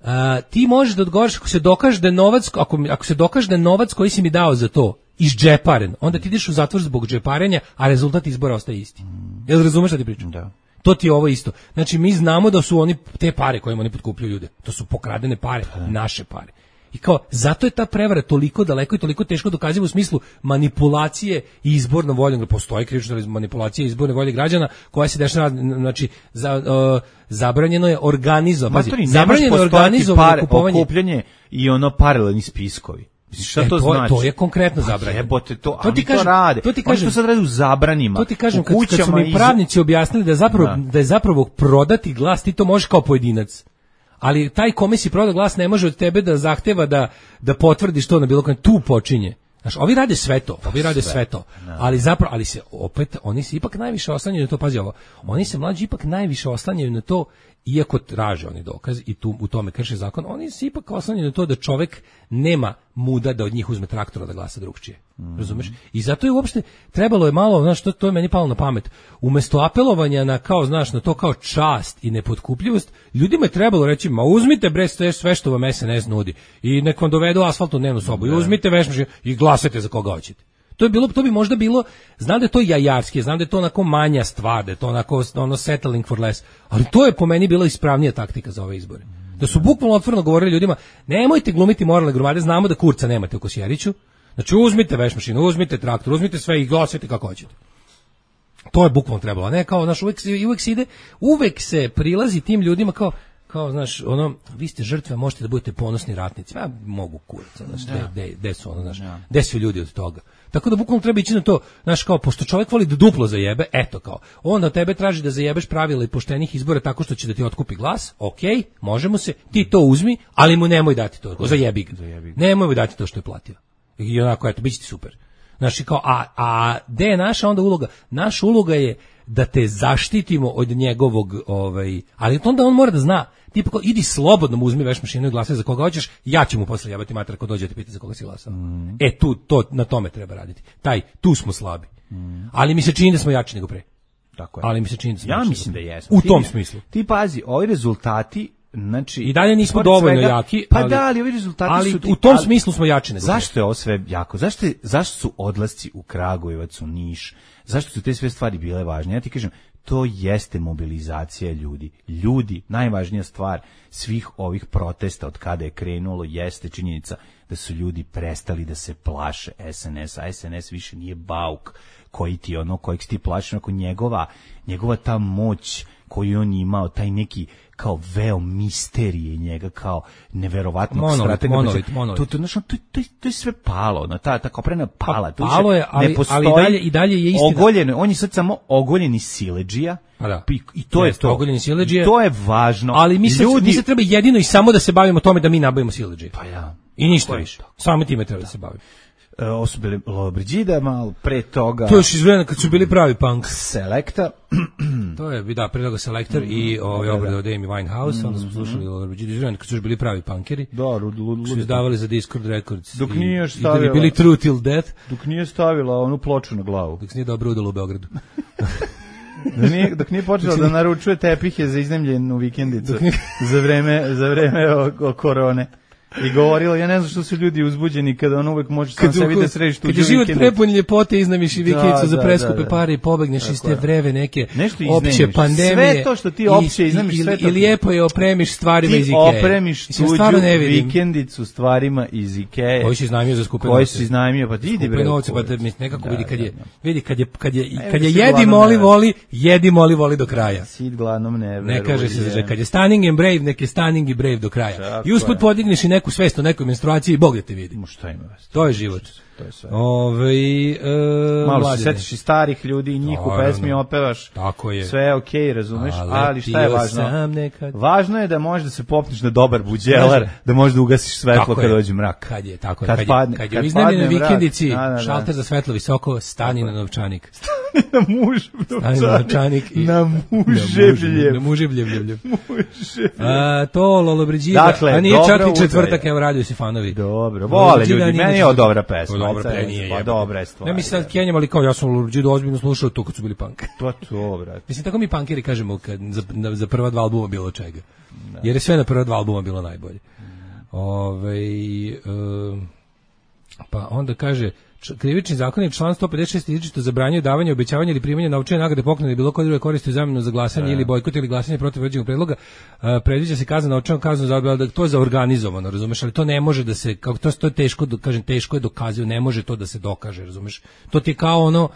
2, ti možeš da odgovoriš ako se dokaže da je novac, ako se dokaže da je novac koji si mi dao za to izđeparen, onda ti ideš u zatvor zbog džeparenja, a rezultat izbora ostaje isti. Jel razumeš šta ti pričam? Da. To ti je ovo isto. Znači, mi znamo da su oni te pare kojima oni potkupljuju ljude. To su pokradene pare, naše pare. I kao, zato je ta prevara toliko daleko i toliko teško dokaziva u smislu manipulacije i izbornom voljom. Postoji krivična manipulacija i izborne volje građana koja se dešava, znači, zabranjeno je organizovati. Zabranjeno je organizovati kupovanje. Okupljanje i ono paralelni spiskovi. Šta to znači? To je konkretno zabranjeno. Jebote, to ti kažem, to rade. To ti kažem, oni to sad rade u zabranima. To ti kažem, kad su mi pravnici objasnili da je zapravo prodati glas, ti to možeš kao pojedinac. Ali taj kome si prodao glas ne može od tebe da zahteva da potvrdiš to na bilo kojem. Tu počinje. Znaš, ovi rade sve to. Ali zapravo, ali se opet, oni se ipak najviše oslanjaju na to, pazi ovo, oni se mlađi ipak najviše oslanjaju na to, iako traže oni dokaz i tu u tome krše zakon, oni se ipak oslanjaju na to da čovek nema muda da od njih uzme traktora da glasa drugčije. Razumeš? I zato je uopšte trebalo je malo, znaš, to je meni palo na pamet. Umesto apelovanja na kao, znaš, na to kao čast i nepotkupljivost, ljudima je trebalo reći, ma uzmite bre sve što vam SNS nudi i nek vam dovedu asfaltnu dnevnu sobu i uzmite vešmašinu i glasajte za koga hoćete. To bi možda bilo, znam da je to jajarski, znam da je to onako manja stvar, da je to onako ono settling for less, ali to je po meni bila ispravnija taktika za ove izbore. Da su bukvalno otvoreno govorili ljudima, nemojte glumiti moralne gromade, znamo da kurca nemate u Kosjeriću, znači uzmite vešmašinu, uzmite traktor, uzmite sve i glasajte kako hoćete. To je bukvalno trebalo, a ne kao, znaš, uvek se prilazi tim ljudima kao, znaš, ono, vi ste žrtve, možete da budete ponosni ratnici. Ja mogu kurac, znaš, gde su ono, znaš, gde su ljudi od toga. Tako da bukvalno treba ići na to, znaš, kao, pošto čovjek voli da duplo zajebe, eto kao, onda tebe traži da zajebeš pravila i poštenih izbora tako što će da ti otkupi glas, okej, možemo se, ti to uzmi, ali mu nemoj dati to, zajebi ga. Nemoj mu dati to što je platio. I onako, eto, bit će ti super. Znaš, kao, a gde je naša onda uloga? Naša uloga je da te zaštitimo od njegovog, ali onda on mora da zna, tipa kao, idi slobodno mu uzmi vešmašinu i glasaj za koga hoćeš, ja ću mu posle jebati mater ako dođe te pita za koga si glasao. Na tome treba raditi. Tu smo slabi. Ali mi se čini da smo jači nego pre. Tako je. Ali mi se čini da smo ja jači mislim da jesmo. U tom smislu. Ti pazi, ovi rezultati, znači, i dalje nismo dovoljno jaki, ali ovi rezultati su u tom smislu smo jači nego. Zašto je ovo sve jako? Zašto su odlasci u Kragujevac, u Niš? Zašto su te sve stvari bile važne? Ja ti kažem, to jeste mobilizacija ljudi. Ljudi, najvažnija stvar svih ovih protesta od kada je krenulo jeste činjenica da su ljudi prestali da se plaše SNS, a SNS više nije bauk kojeg ti plašiš, onako njegova ta moć koju on imao, taj neki kao veo misterije njega, kao neverovatnog stratega. To je sve palo, ta koprena pala. Palo je, ali i dalje je istina. Ogoljeno, on je sad samo ogoljeni siledžija. I to je to. I to je važno. Ali mi se treba jedino i samo da se bavimo tome da mi nabavimo siledžije. Pa ja. I ništa više. Samo time treba da se bavimo. Ovo su bili Lobriđida, malo pre toga... To je još iz vremena kad su bili pravi punk. Selekta. To je, da, pre toga Selektor i obrada od Amy Winehouse, onda smo slušali Lobriđida iz vremena kad su još bili pravi punkeri. Da, su izdavali za Discord Records. Dok nije još stavila... I da bi bili True Till Death. Dok nije stavila onu ploču na glavu. Dok se nije dobro udalo u Beogradu. Dok nije počela da naručuje tepihe za iznajmljenu vikendicu za vreme korone. I govorila, ja ne znam što su ljudi uzbuđeni kada on uvek može sam sebi da središ tuđu vikendicu. Kad je život prepun ljepote, iznajmiš i vikendicu za preskupe pare i pobegneš iz te vreve neke opće pandemije. Sve to što ti opće iznajmiš, sve to. I lijepo je opremiš stvarima iz Ikeje. Ti opremiš tuđu vikendicu stvarima iz Ikeje. Koji si iznajmio za skupe novce. Koji si iznajmio, pa ti idi bre. Novce, pa nekako vidi kad je jedi moli voli do kraja. Sid gladnom ne veruje. Ne kaže se kad je stunning and brave, nek je stunning i brave do kraja. I usput podigneš i neku svest o nekoj menstruaciji i Bog da te vidi. Šta ima vest? To je život. To je sve. Malo se setiš i starih ljudi i njih u pesmi opevaš. Tako je. Sve je okej, razumeš, ali šta je važno? Važno je da možeš da se popneš na dobar buđelar, da možeš da ugasiš svetlo kad dođe mrak. Kad je u iznajmljenoj vikendici, šalter za svetlo visoko, stani na novčanik. na mužev novčanik. Na muževljev. Na muževljev. To Lollobrigida. Dakle, a nije čak dobro ni četvrtak, evo radio si fanovi. Dobro, vole ljudi, meni je ovo dobra pesma. Dobra, nije. Pa dobra je stvar. Ne mi sad Kenjam, ali kao ja sam Lollobrigidu ozbiljno slušao to kad su bili punk. To, brate. Mislim, tako mi punkeri kažemo kad za prva dva albuma bilo čega. Jer je sve na prva dva albuma bilo najbolje. Pa onda kaže krivični zakonik član 156 izričito zabranjuje davanje, obećavanje ili primanje novčane nagrade, poklona ili bilo koje druge koristi u zamenu za glasanje ili bojkot ili glasanje protiv određenog predloga. Predviđa se kazna novčanom kaznom za to je za organizovano, razumeš, ali to ne može da se, kako to je teško, kažem, teško je dokazivo, ne može to da se dokaže, razumeš. To ti je kao ono,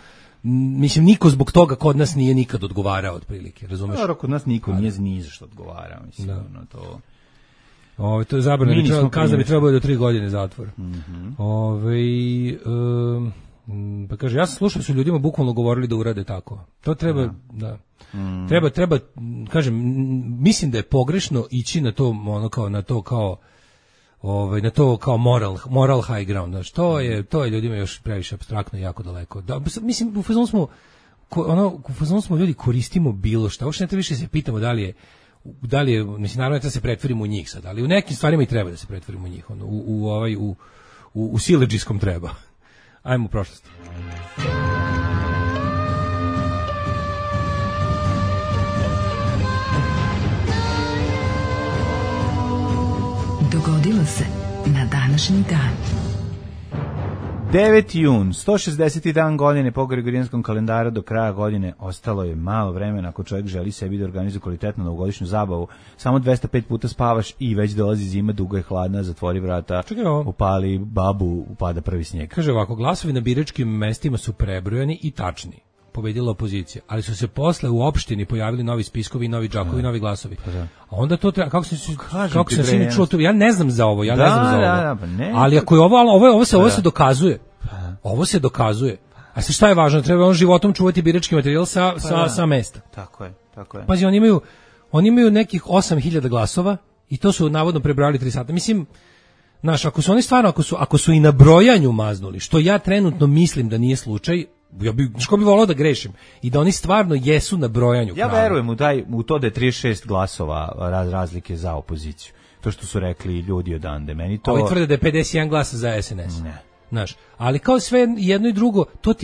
mislim, niko zbog toga kod nas nije nikad odgovarao otprilike, razumeš. Dobro, kod nas niko nije ni za što odgovarao, mislim, ono to. To je zabrano, kazna bi trebalo do 3 godine zatvora. Pa kaže, ja sam slušao da su ljudima bukvalno govorili da urade tako. To treba, treba, kažem, mislim da je pogrešno ići na to, ono kao, na to kao moral high ground. Znači, to je ljudima još previše apstraktno i jako daleko. Da, mislim, u fazonu smo ljudi koristimo bilo šta. Uopšte ne treba više se pitamo da li je, mislim, naravno da se pretvorimo u njih sad, ali u nekim stvarima i treba da se pretvorimo u njih, u siledžijskom treba. Ajmo u prošlost. Dogodilo se na današnji dan. 9. jun, 160. dan godine po Gregorijanskom kalendaru, do kraja godine ostalo je malo vremena ako čovjek želi sebi da organizuje kvalitetnu novogodišnju zabavu. Samo 205 puta spavaš i već dolazi zima, dugo je hladna, zatvori vrata, upali babu, upada prvi snijeg. Kaže ovako, glasovi na biračkim mestima su prebrojani i tačni. Pobedila opozicija, ali su se posle u opštini pojavili novi spiskovi, novi džakovi, novi glasovi. A onda to treba, kako se sve čulo to, ja ne znam za ovo, ali ako je ovo se dokazuje. Ovo se dokazuje. A šta je važno? Treba on životom čuvati birački materijal sa mesta. Tako je. Pazi, oni imaju nekih 8000 glasova i to su navodno prebrojali 3 sata. Mislim, znaš, ako su oni stvarno, ako su i na brojanju maznuli, što ja trenutno mislim da nije slučaj, ja bi volao da grešim i da oni stvarno jesu na brojanju. Ja verujem u to da je 36 glasova razlike za opoziciju. To što su rekli ljudi odande. Meni to... Ovi tvrde da je 51 glasa za SNS. Ne. Znaš, ali kao sve jedno i drugo, to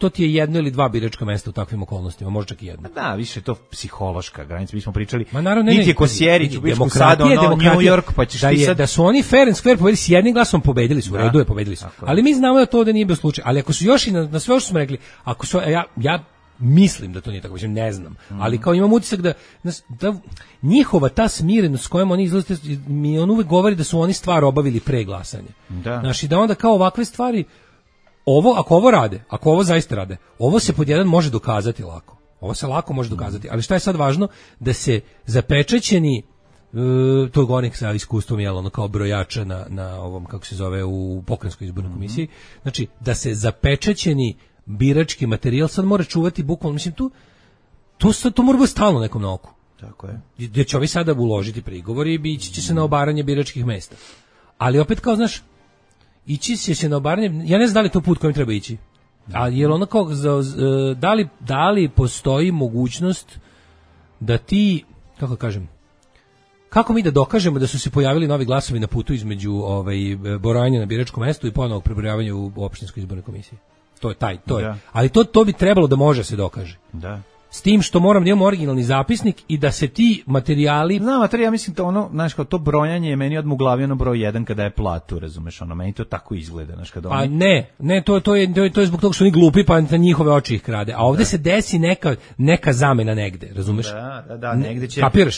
ti je jedno ili dva biračka mesta u takvim okolnostima, možda čak i jedno. Da, više je to psihološka granica, mi smo pričali. Ma naravno, niti je Kosjerić u Bičku Sadu, New York, pa ćeš ti sad... Da su oni fair and square pobedili, s jednim glasom pobedili su, u redu je, pobedili su. Ali mi znamo da to ovde nije bio slučaj, ali ako su još i na sve što smo rekli, ako su, ja mislim da to nije tako, mislim, ne znam, ali kao imam utisak da njihova ta smirenost s kojom oni izlaze, mi on uvek govori da su oni stvar obavili pre glasanja. Znači, da onda kao ovakve stvari, ako ovo rade, ako ovo zaista rade, ovo se pod jedan može dokazati lako. Ovo se lako može dokazati, ali šta je sad važno? Da se zapečaćeni, to je govornik sa iskustvom, ono kao brojača na ovom, kako se zove, u pokrajinskoj izbornoj komisiji, znači, da se zapečaćeni birački materijal sad mora čuvati bukvalno, mislim, to mora biti stalno nekom na oku. Tako je. Gdje će ovi sada uložiti prigovori i ići će se na obaranje biračkih mesta. Ali opet kao, znaš, ići će se na obaranje, ja ne znam da li to put kojim treba ići. Ali je ono kao, da li postoji mogućnost da ti, kako kažem, kako mi da dokažemo da su se pojavili novi glasovi na putu između brojanja na biračkom mestu i ponovnog prebrojavanja u opštinskoj izbornoj komisiji? To je. Ali to bi trebalo da može se dokaže. Da. S tim što moram da imam originalni zapisnik i da se ti materijali... Ja mislim to ono, znaš, kao to brojanje je meni odmah u glavi ono broj 1 kada je platu, razumeš, ono, meni to tako izgleda, znaš, kada Pa ne, to je zbog toga što oni glupi, pa na njihove oči ih krade, a ovde se desi neka zamena negde, razumeš? Da,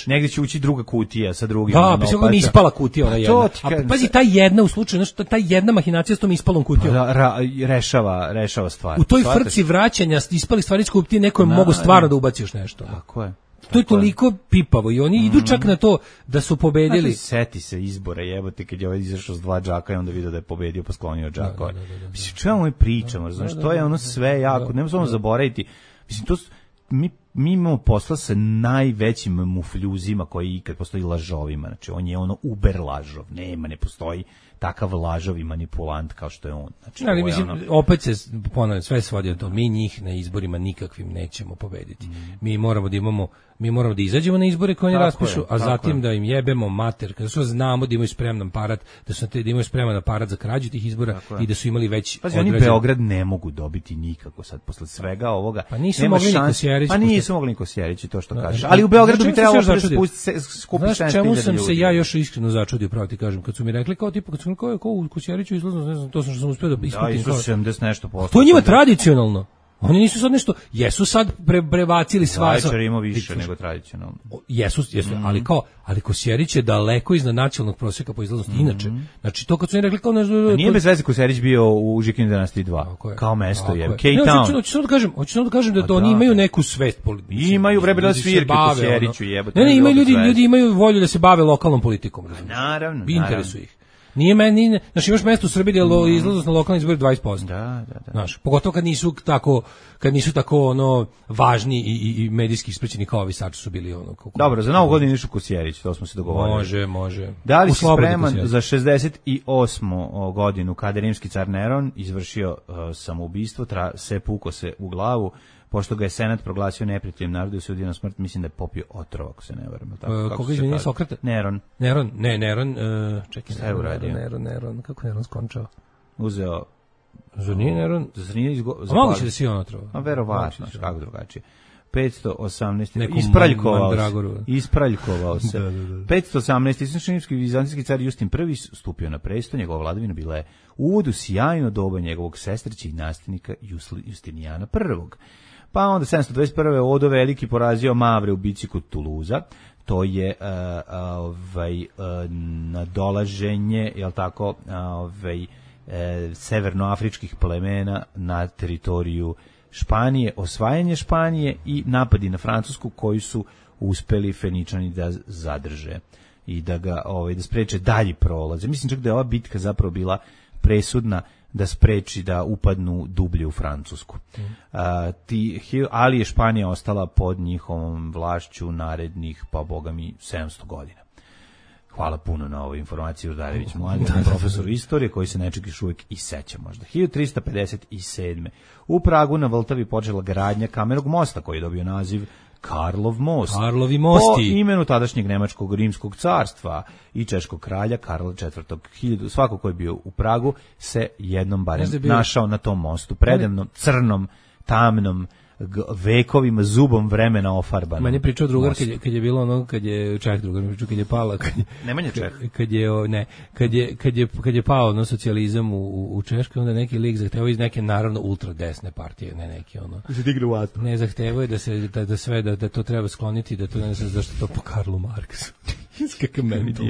negde će ući druga kutija sa drugim. Da, pa sve mi ispala kutija ona jedna. A pazi, ta jedna u slučaju, znaš, ta jedna mahinacija s tom ispalom kutijom. Rešava stvar. U toj frci vraćanja ispali stvari iz kutije, neko mogu stvarno da ubaci još nešto. Tako je. To je toliko pipavo i oni idu čak na to da su pobedili. Seti se izbora, jebote, kad je ovaj izašao s 2 džaka i onda vidio da je pobedio pa sklonio džaka. Mislim, čemu mi pričamo, znaš, to je ono sve jako, nema samo zaboraviti. Mislim, mi mi imamo posla sa najvećim mufljuzima koji ikad postoji, lažovima. Znači, on je ono uber lažov. Ne postoji takav lažov i manipulant kao što je on. Znači, ali mislim, opet se ponavljam, sve svodi na to. Mi njih na izborima nikakvim nećemo pobediti. Mi moramo da izađemo na izbore koje oni raspišu, a zatim da im jebemo mater, kada su znamo da imaju spreman aparat, da imaju spreman aparat za krađu tih izbora i da su imali već oni Beograd ne mogu dobiti nikako sad posle svega ovoga. Pa nisu mogli ni Kosjerić. Pa nisu mogli ni Kosjerić i to što kaže. Ali u Beogradu bi trebalo skupiti 16.000 ljudi. Čemu sam se ja još iskreno začudio, pravo ti kažem, kad su mi rekli kao tipa, kad su mi rekli kao u Kosjeriću izlazno, ne znam, to sam što sam uspio da iskutim. Da, 70 nešto posto. To je njima tradicionalno. Oni nisu sad nešto, jesu sad prebacili sva... Vajčar ima više nego tradicionalno. Jesu, ali Kosjerić je daleko iznad nacionalnog prosjeka po izlaznosti. Inače, znači to kad su oni rekli kao... Nije bez veze Kosjerić bio u Žikinoj dinastiji 2, kao mesto je. K-Town. Hoću samo da kažem da to oni imaju neku svest politiku. Imaju vremena svirke Kosjeriću jebote. Ne, imaju ljudi imaju volju da se bave lokalnom politikom. Naravno. Interesuje ih. Nije meni, znači imaš mesto u Srbiji gdje izlaznost na lokalni izbor 20%. Da. Znaš, pogotovo kad nisu tako ono važni i medijski ispraćeni kao ovi sad su bili ono. Dobro, za Novu godinu išu Kosjerić, to smo se dogovorili. Može. Da li si spreman za 68. godinu kada je rimski car Neron izvršio samoubistvo, pukao se u glavu, pošto ga je Senat proglasio neprijateljem narodu i osudio na smrt, mislim da je popio otrov, ako se ne varam. Koga izvinje Sokrata? Neron. Čekaj, šta je uradio? Neron, kako Neron skončao? Uzeo... Zar nije Neron? A moguće da si on otrov? A verovatno, kako drugačije. 518. Ispraljkovao se. 518. Islamski vizantijski car Justin I stupio na presto, njegova vladavina bila je uvod u sjajno doba njegovog sestrića i nasljednika Justinijana I. Pa onda 721. Odo Veliki porazio Mavre u bici kod Tuluza. To je nadolaženje, jel tako, severnoafričkih plemena na teritoriju Španije, osvajanje Španije i napadi na Francusku koji su uspeli Feničani da zadrže i da ga da spreče dalji prolaze. Mislim čak da je ova bitka zapravo bila presudna da spreči da upadnu dublje u Francusku. Ali je Španija ostala pod njihovom vlašću narednih, pa boga mi, 700 godina. Hvala puno na ovoj informaciji, Udarević mladi, profesor istorije koji se nečeg još uvijek i seća možda. 1357. U Pragu na Vltavi počela gradnja kamenog mosta koji je dobio naziv Karlov most. Karlovi mosti. Po imenu tadašnjeg nemačkog rimskog carstva i češkog kralja Karla IV. Svako ko je bio u Pragu se jednom barem našao na tom mostu. Predivnom, crnom, tamnom, vekovima, zubom vremena ofarban. Meni je pričao drugar kad je bilo ono, kad je Čeh drugar, kad je pala, Nemanja Čeh. Kad je pao ono socijalizam u Češkoj, onda neki lik zahtevao iz neke naravno ultra desne partije, ne neki ono. Se digne u vatru. Ne zahtevao je da to treba skloniti, da to ne znam zašto to po Karlu Marksu. Kakav mentol.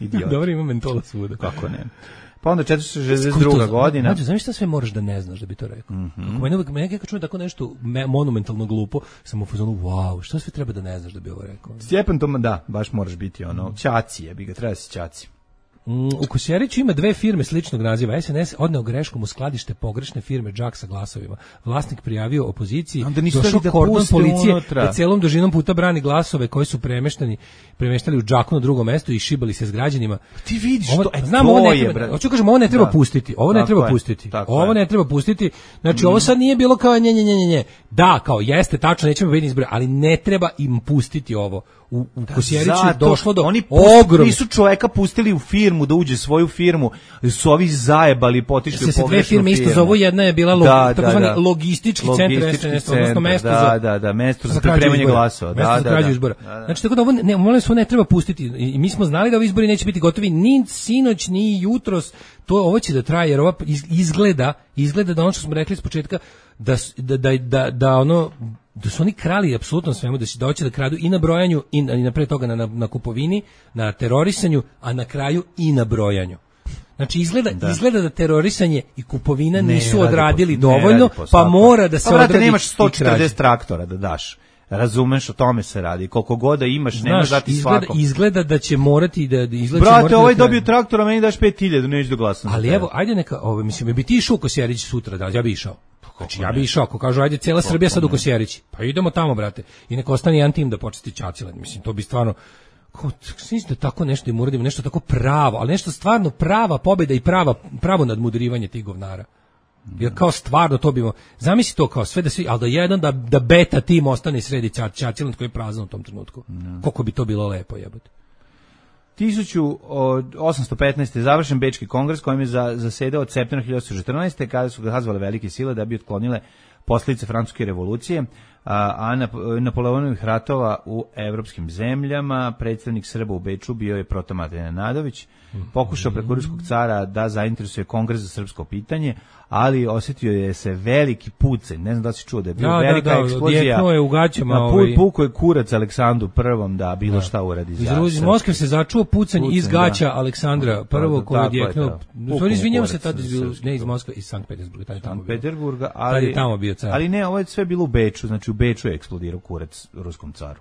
Idiot. Dobro, ima mentola svuda. Kako ne? Pa onda 462. godina. Znači, znaš šta sve moraš da ne znaš da bi to rekao? Mene kad čujem tako nešto monumentalno glupo, sam u fazonu, wow, šta sve treba da ne znaš da bi ovo rekao? Stjepan Toma, da, baš moraš biti ono, ćaci je, bi ga treba si ćaci. U Kosjeriću ima dve firme sličnog naziva. SNS odneo greškom u skladište pogrešne firme Džak sa glasovima. Vlasnik prijavio opoziciji, došao kordon policije da celom dužinom puta brani glasove koji su premeštali u Džaku na drugo mesto i šibali se s građanima. Ti vidiš hoću kažem, ovo ne treba pustiti. Ovo ne treba pustiti. Znači, ovo sad nije bilo kao nje. Da, kao jeste, tačno, nećemo vidjeti izbore, ali ne treba im pustiti ovo. U Kosjeriću je došlo do ogromnog. Nisu čoveka pustili u firmu da uđe svoju firmu, su ovi zajebali, potišli u pogrešnu firmu. Dve firme isto zovu, jedna je bila takozvani logistički centar SNS, odnosno mesto mesto za pripremanje glasova. Mesto za krađu izbora. Znači, tako da ovo ne treba pustiti. I mi smo znali da ovi izbori neće biti gotovi ni sinoć, ni jutros. Ovo će da traje, jer ova izgleda da ono što smo rekli s početka, da su oni krali apsolutno svemu, da hoće da kradu i na brojanju i napred toga na kupovini, na terorisanju, a na kraju i na brojanju. Znači izgleda da terorisanje i kupovina nisu odradili dovoljno, pa mora da se odradi. Nemaš 140 traktora da daš. Razumeš, o tome se radi. Koliko god da imaš, nemaš dati svakom. Izgleda da će morati da Brate, ovaj dobio traktora, meni daš 5.000, neću da glasam. Ali evo, ajde neka, mislim, bi ti išao u Kosjerić sutra, da ja bi išao. Znači, ja bi išao, ako kažu, ajde, cijela Srbija sad u Kosjerići, pa idemo tamo, brate, i nek ostane jedan tim da počesti Ćaćilan, mislim, to bi stvarno, mislim da tako nešto im uradimo, nešto tako pravo, ali nešto stvarno prava pobjeda i pravo nadmudrivanje tih govnara. Jer kao stvarno to bimo, zamisli to kao sve da svi, ali da jedan, da beta tim ostane sredi Ćaćilan koji je prazan u tom trenutku. Koliko bi to bilo lepo, jebote. 1815. je završen Bečki kongres kojim je zasedao od septembra 1914. kada su ga hazvale velike sile da bi otklonile posljedice francuske revolucije, a Napoleonovih ratova u evropskim zemljama. Predstavnik Srba u Beču bio je Protomate Nenadović, pokušao preko ruskog cara da zainteresuje kongres za srpsko pitanje, ali osjetio je se veliki pucanj, ne znam da si čuo da je bila velika eksplozija, je u gaćama, puko je kurac Aleksandru I da bilo šta uradi za iz Moskve se začuo pucanj iz gaća Aleksandra I koji je odjeknuo, izvinjavam se, tada ne iz Moskve, iz Sankt Petersburga, ali tamo bio car. Ali ne, ovo je sve bilo u Beču, znači u Beču je eksplodirao kurac ruskom caru.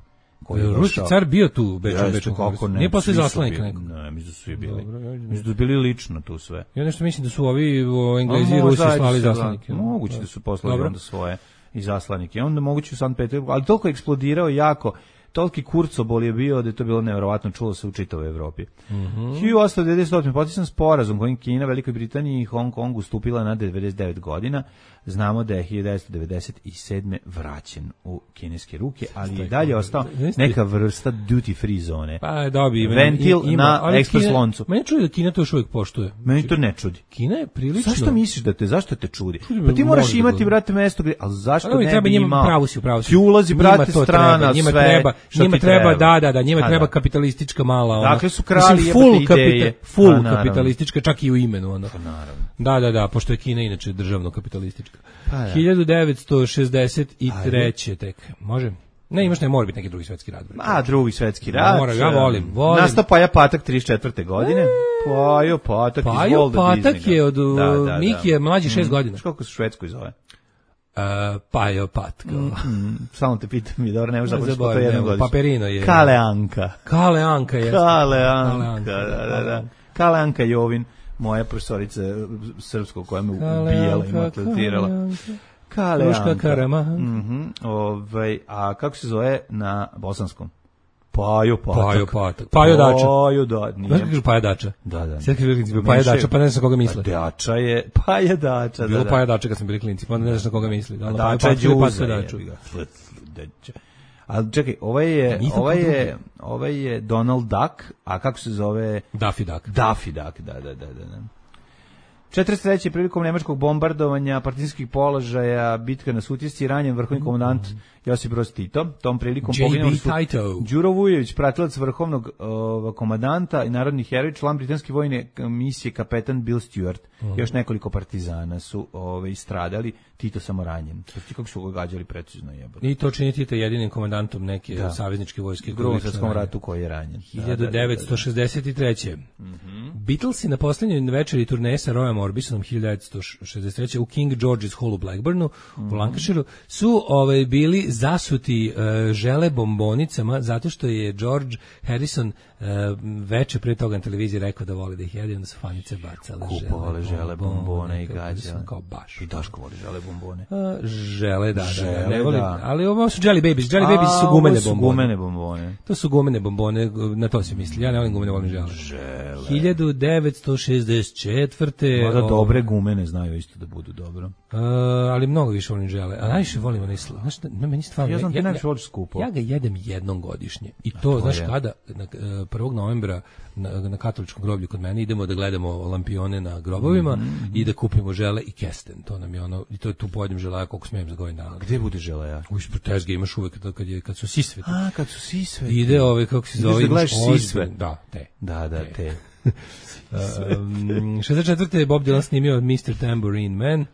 Ruski car bio tu u Beču kongresu. Nije posle zaslanik neko. Ne, mislim da su svi bili. Mislim da su bili lično tu sve. Ja nešto mislim da su ovi Englezi i Rusi slali zaslanike. Moguće da su poslali onda svoje i zaslanike. Onda moguće u Sankt Petersburgu, ali toliko eksplodirao jako, toliki kurcobol je bio da je to bilo nevjerovatno, čulo se u čitavoj Evropi. 1898. potpisan sporazum kojim Kina, Velikoj Britaniji i Hong Kongu stupila na 99 godina. Znamo da je 1997. vraćen u kineske ruke, ali i dalje ostao neka vrsta duty free zone. Pa dobi ventil na ekspres loncu. Meni čudi da Kina to još uvijek poštuje. Meni to ne čudi. Kina je prilično. Zašto misliš da zašto te čudi? Pa ti moraš imati, brate, mesto gdje, ali zašto ne bi imao? Pravo si. Ti ulazi, brate, strana, njima sve. Njima treba, njima treba kapitalistička mala ona. Dakle su krali ideje. Full kapitalistička, čak i u imenu ona. Naravno. Da, pošto je Kina inače državno kapitalistička. 1963. tek. Može? Ne, imaš mora biti neki drugi svetski rat. Drugi svetski rat. Ja volim. Nastao Paja Patak 34. godine. Pajo Patak iz Volda Disneyga. Patak je od Miki je mlađi 6 godina. Kako se u Švedskoj zove? Pajo Patak. Samo te pitam, dobro, ne možeš započeti po to jednom godišnju. Paperino je. Kale Anka. Kale Anka je. Da. Kale Anka Jovin. Moja profesorica srpskog koja me ubijala i maltretirala. Kruška Karama. A kako se zove na bosanskom? Pajo Patak. Pajo Dača. Znaš kako kažu Paja Dača? Da. Sve kako kažu Paja Dača, pa ne znaš na koga misle. Dača je Paja Dača. Bilo Paja Dača kad smo bili klinci, pa ne znaš na koga misli. Dača je Đuza. Ali čekaj, ovaj je Donald Duck, a kako se zove? Daffy Duck, da. 43. prilikom nemačkog bombardovanja partizanskih položaja, bitka na Sutjesci, ranjen vrhovni komandant Josip Broz Tito. Tom prilikom poginuo su Đuro Vujović, pratilac vrhovnog komandanta i narodni heroj, član britanske vojne misije kapetan Bill Stewart. Još nekoliko partizana su istradali, Tito samo ranjen. Kako su ga gađali precizno jebote. I to čini Tito jedinim komandantom neke savezničke vojske. U Drugom svjetskom ratu koji je ranjen. 1963. Beatlesi na posljednjoj večeri turneje sa Royom Orbisonom 1963. u King George's Hall u Blackburnu, u Lancashireu, su bili zasuti žele bombonicama zato što je George Harrison veče pre toga na televiziji rekao da voli da ih jede, onda su fanice bacale žele bombone i gađa. Kao baš. I Daško voli žele bombone. Žele, da. Ne volim, ali ovo su Jelly Babies. Jelly Babies su gumene bombone. To su gumene bombone, na to se misli. Ja ne volim gumene, volim žele. 1964. Možda dobre gumene znaju isto da budu dobro. Ali mnogo više volim žele. A najviše volim onaj znaš, meni stvarno... Ja znam ti najviše voliš skupo. Ja ga jedem jednom godišnje. I to, znaš kada, 1. novembra na katoličkom groblju kod mene idemo da gledamo lampione na grobovima i da kupimo žele i kesten. To nam je ono, i to tu pojedem želaja koliko smijem za godin dana. Gde bude želaja? U ispred tezge imaš uvek kad su sisveti. Kad su sisveti. Ide kako se zove, imaš sisve. Da, te. Te. 64. je Bob Dylan snimio Mr. Tambourine Man.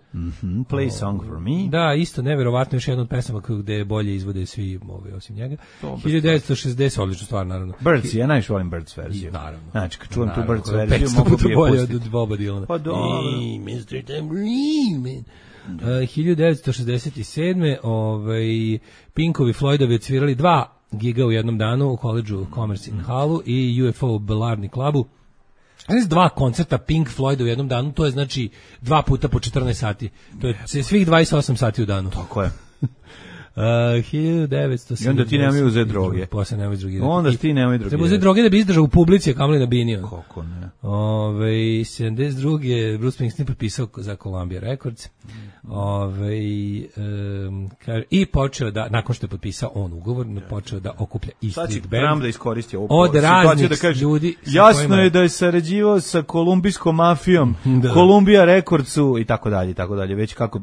Play Song for Me. Da, isto neverovatno, još jedna od pesama gde bolje izvode svi osim njega. 1960, odlična stvar, naravno. Birds, ja najviše volim Birds verziju. Naravno. Znači, kad čuvam tu Birds verziju, mogu bi je pustiti. Od Boba Dylana. Pa dobro. Mr. Tambourine Man. 1967. Pinkovi Floydovi odsvirali 2 giga u jednom danu u koledžu Commerce in Hallu i UFO Belarni klubu. 2 koncerta Pink Floyda u jednom danu, to je znači 2 puta po 14 sati. To je svih 28 sati u danu. Tako je. 1970. I onda ti nemoj uzeti droge. Posle nemoj drogirati. Onda ti nemoj drogirati. Treba uzeti droge da bi izdržao u publici, a kamoli na bini. Kako ne. 72. Bruce Springsteen potpisao za Columbia Records. I počeo da, nakon što je potpisao on ugovor, počeo da okuplja E Street Band. Sad će da iskoristi ovu od raznih da kaže, ljudi. jasno je da je sarađivao sa kolumbijskom mafijom, Columbia Recordsu i tako dalje. Već kako,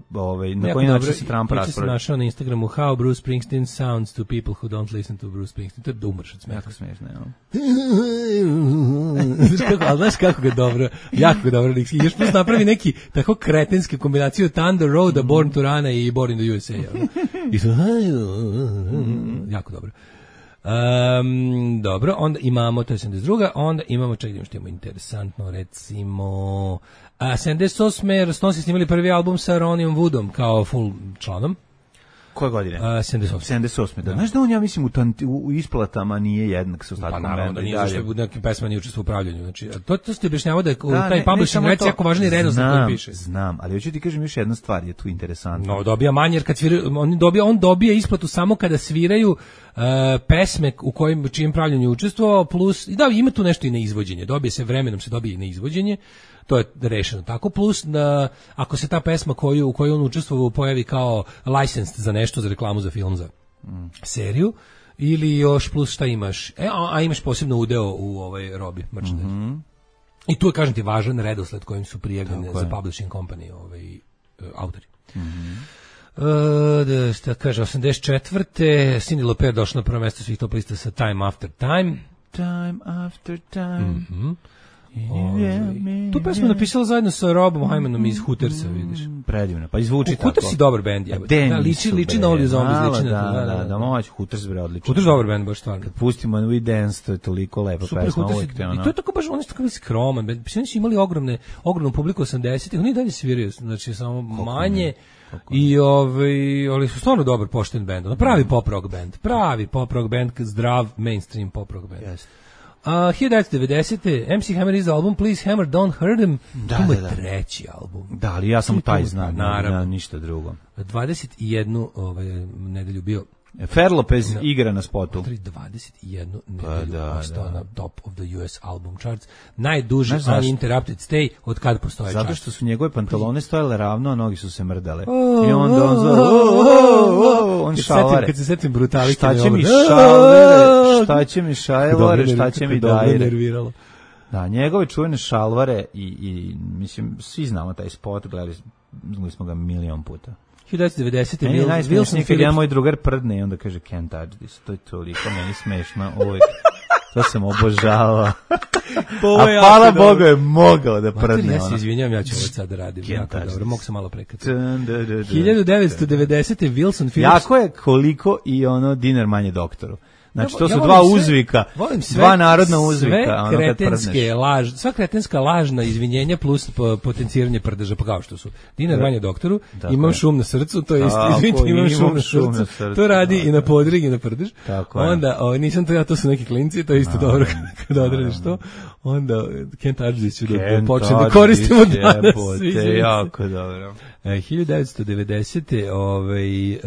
na koji način se Trump raspravlja. Ja sam našao na Instagramu How Bruce Springsteen sounds to people who don't listen to Bruce Springsteen. To je da umrš od smeha. Jako smiješno, ja. Znaš kako ga dobro, jako ga dobro. I još plus napravi neki tako kretenski kombinaciju Thunder Road, Born to Run i Born in the USA. I su, jako dobro. Dobro, onda imamo, to je 72. Onda imamo, čekaj, što imamo interesantno, recimo 78. Stonesi snimali prvi album sa Ronijom Woodom kao full članom. Koje godine? 78. Da. Znaš da on, ja mislim, u isplatama nije jednak sa ostatkom benda. Pa naravno, da nije zašto je nekim pesma nije učestvo u upravljanju. Znači, to ste objašnjavao da je taj publishing rec jako važni redosled koji piše. Znam, ali hoću ti kažem još jedna stvar, je tu interesantna. No, dobija manje, jer kad sviraju, on dobija isplatu samo kada sviraju pesme u čijem pravljanju učestvovao, plus, da, ima tu nešto i na izvođenje. Dobije se vremenom, se dobije i na izvođenje. To je rešeno tako, plus da ako se ta pesma u kojoj on učestvovao pojavi kao licensed za nešto, za reklamu, za film, za seriju, ili još plus šta imaš, a imaš posebno udeo u ovoj robi merchandise. I tu je, kažem ti, važan redosled kojim su prijavljene za publishing company autori. Šta kaže, 84. Cyndi Lauper došla na prvo mesto svih top lista sa Time After Time. Time After Time. Tu pesmu napisala zajedno sa Robom Hymanom iz Hootersa, vidiš. Predivno, pa izvuči tako. Hooters je dobar bend, jebote. Da, liči na Oli Zombies, liči na da, moć Hooters bre odlično. Hooters dobar bend, baš stvarno. Kad pustimo We Dance, to je toliko lepa pesma uvijek. I to je tako baš, oni su tako skroman bend. Oni su imali ogromnu publiku 80-ih, oni dalje sviraju, znači samo manje. I ali su stvarno dobar, pošten bend. Pravi pop rock bend, zdrav mainstream pop rock bend. Jeste. 1990. MC Hammer iz album Please Hammer Don't Hurt Him. To je treći album. Da, ali ja sam taj znam, naravno, ništa drugo. 21 nedelju bio Fer Lopez igra na spotu. 21 nedelju ostao na top of the US album charts. Najduži uninterrupted stay od kad postoje charts. Zato što su njegove pantalone stojale ravno, a nogi su se mrdale. I onda on šalvare. Kad se setim brutalike. Šta će mi šalvare, šta će mi dajre. Da, njegove čuvene šalvare i mislim, svi znamo taj spot, gledali smo ga milion puta. 1990. Wilson Phillips. Ja moj drugar prdne i onda kaže can't touch this. To je toliko meni smešno uvijek. To sam obožavao. A hvala Bogu je mogao da prdne. Ja se izvinjam, ja ću ovo sad da radim. Jako dobro, mogu sam malo prekati. 1990. Wilson Phillips. Jako je koliko i Dinar manje doktoru. Znači, to su dva uzvika, dva narodna uzvika. Sva kretenska lažna izvinjenja plus potenciranje prdeža, pa kao što su. Dinar manje doktoru, imam šum na srcu, to je isto, izvinite, imam šum na srcu, to radi i na podrig i na prdež. Onda, nisam to ja, to su neki klinci, to je isto dobro kada odradiš to. Onda, Can't Touch This ću da počnem da koristimo danas. Jako dobro. 1990.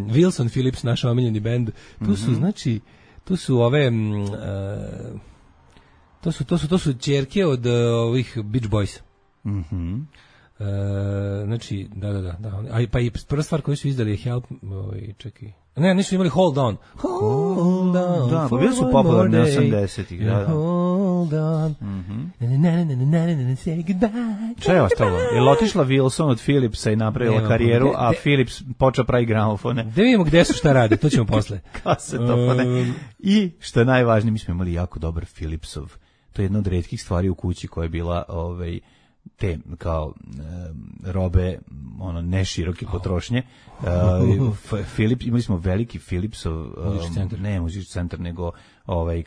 Wilson Phillips, naš omiljeni bend, tu su, znači, tu su ove to su ćerke od ovih Beach Boys. Znači, da. Pa i prva stvar koju su izdali je Help, čekaj. Ne, nisu imali Hold On. Hold on. Da, pa bili su popularni 80-ih, da. Hold on. Say goodbye. Šta je ostalo? Je otišla Wilson od Philipsa i napravila karijeru, a Philips počeo pravi gramofone. Da vidimo gde su, šta rade, to ćemo posle. Kasetofone. I, što je najvažnije, mi smo imali jako dobar Philipsov. To je jedna od retkih stvari u kući koja je bila te kao robe ne široke potrošnje. Philips, imali smo veliki Philipsov muzički centar, nego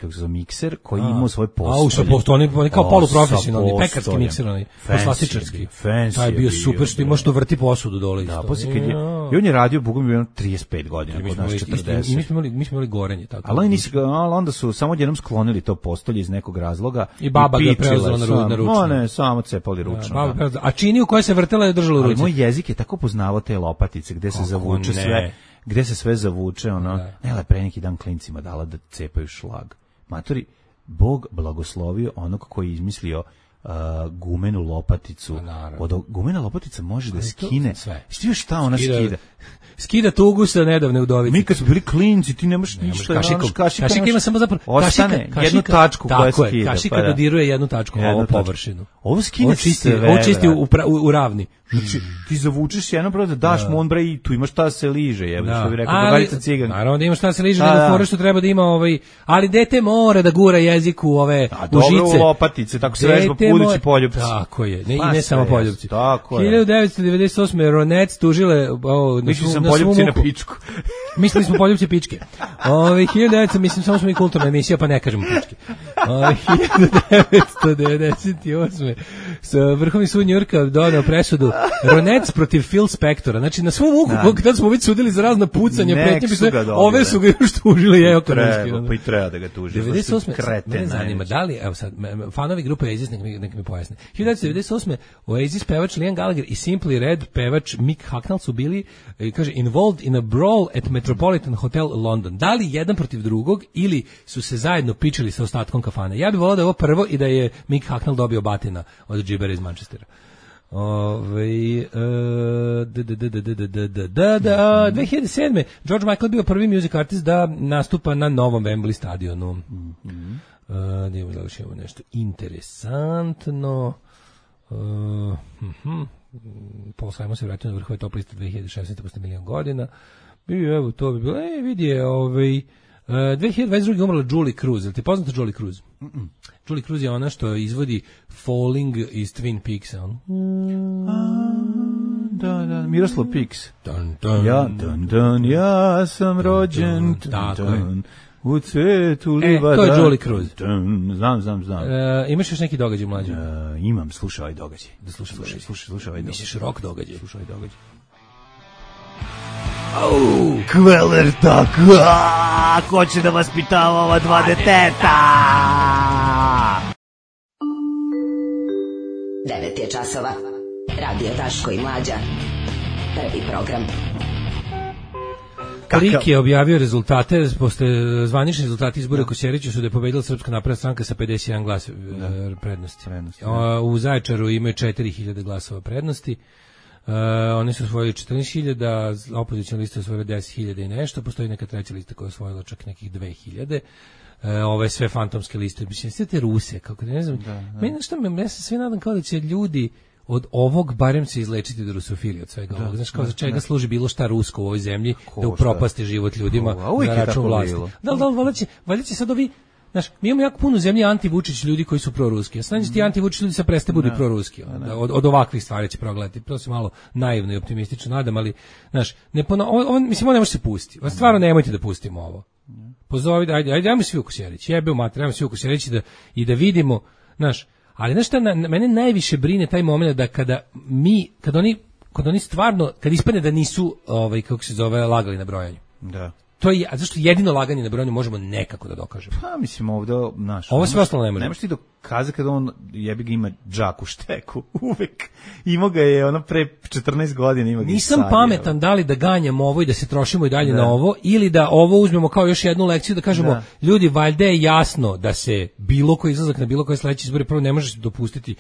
kako se zove, mikser koji ima svoj postolj. Oni kao poluprofesionalni, pekarski mikser, poslastičarski. Taj je bio super, što ima što vrti posudu dole isto. Da, posle kad je, i on je radio, bogom je 35 godina, kod nas 40. I mi smo imali gorenje. Tako ali onda su samo jednom sklonili to postolje iz nekog razloga. I baba ga preuzela na ručno. Ne, samo cepali ručno. A čini u kojoj se vrtela je držala u ruci. Ali moj jezik je tako poznavao te lopatice, gde se zavuče sve. Gde se sve zavuče, ne, pre neki dan klincima dala da cepaju šlag. Matori, Bog blagoslovio onog koji je izmislio gumenu lopaticu. Gumena lopatica može da skine sve. Što šta ona skida? Skida tugu sa nedavne udovice. Mi kad smo bili klinci, ti nemaš ništa. Kašika ima samo zapravo... Ostane jednu tačku koja skida. Kašika dodiruje jednu tačku, ovo površinu. Ovo skine sve. Ovo čisti u ravni. Znači, ti zavučeš jedno pravo da daš mu on bre i tu ima šta se liže, što bi rekao Bogarica Cigan. Naravno da ima šta se liže, nego fore što treba da ima ali dete mora da gura jezik u ove u žice. Dobro u lopatice, tako se vežba budući poljupci. Tako je, ne samo poljupci. Tako je. 1998. Ronec tužile... Mislio sam poljupci na pičku. Mislili smo poljupci pičke. 1900, mislim, samo smo i kulturna emisija, pa ne kažemo pičke. 1998. Vrhovni sud Njujorka doneo presudu Ronec protiv Phil Spectora. Znači, na svom muku, kada smo već sudili za razna pucanja, pretnje, ove su ga još tužili, Pa i treba da ga tuži. 98. Mene zanima, da li, evo sad, fanovi grupe Oasis, nek mi pojasne. 1998. Oasis pevač Liam Gallagher i Simply Red pevač Mick Hucknall su bili, kaže, involved in a brawl at Metropolitan Hotel London. Da li jedan protiv drugog ili su se zajedno pičili sa ostatkom kafane? Ja bih volao da je ovo prvo i da je Mick Hucknall dobio batina od džibera iz Manchestera. 2007. George Michael bio prvi music artist da nastupa na novom Wembley stadionu. Da imamo nešto interesantno. Paul Simon se vratio na vrhove top liste 2016. posle milion godina. I evo, to bi bilo, vidi je, 2022. umrla Julie Cruz. Je li ti poznata Julie Cruz? Julie Cruz je ona što izvodi Falling iz Twin Peaksa. Da, Miroslav Piks. Ja sam rođen. U cvetu livada. To je Julie Cruz. Znam. Imaš još neki događaj mlađe? Imam, slušaj ovaj događaj. Slušaj ovaj događaj. Misliš rock događaj? Slušaj ovaj događaj. Kveler tako, ko će da vaspitava ova dva deteta? 9 je časova. Radio Daško i Mlađa. Prvi program. Klik je objavio rezultate, posle zvanični rezultati izbora u Kosjeriću su da je pobedila Srpska napredna stranka sa 51 glas prednosti. U Zaječaru imaju 4000 glasova prednosti. Oni su osvojili 14.000, opozicijna lista osvojila 10.000 i nešto, postoji neka treća lista koja je osvojila čak nekih 2.000. Ove sve fantomske liste, mislim, sve te Ruse, kako ne znam. Ja se sve nadam kao da će ljudi od ovog barem se izlečiti do rusofilije od svega ovoga. Znaš, kao za čega služi bilo šta rusko u ovoj zemlji, da upropasti život ljudima za račun vlasti. Valjda će sad ovi. Znaš, mi imamo jako puno zemlje anti-Vučić ljudi koji su proruski. A sad ti anti-Vučić ljudi sad preste budu proruski. Od ovakvih stvari će progledati. To se malo naivno i optimistično nadam, ali, znaš, mislim, on ne može se pustiti. Stvarno nemojte da pustimo ovo. Pozovi, ajmo svi u Kosjerić. Jebe u mater, ajmo svi u Kosjerić i da vidimo, znaš, ali znaš šta, mene najviše brine taj moment da kad oni stvarno, kad ispadne da nisu, kako se zove, lagali na brojanju. Da. To je, a zašto jedino laganje na brojanju možemo nekako da dokažemo? Pa mislim ovde, naš. Ovo sve ostalo ne može. Nemaš ti dokazati kada on jebi ga ima džak u šteku, uvek. Imao ga je ono pre 14 godina, ima ga. Nisam pametan da li da ganjamo ovo i da se trošimo i dalje na ovo, ili da ovo uzmemo kao još jednu lekciju da kažemo, ljudi, valjda je jasno da se bilo koji izlazak na bilo koje sledeće izbore prvo ne može se dopustiti.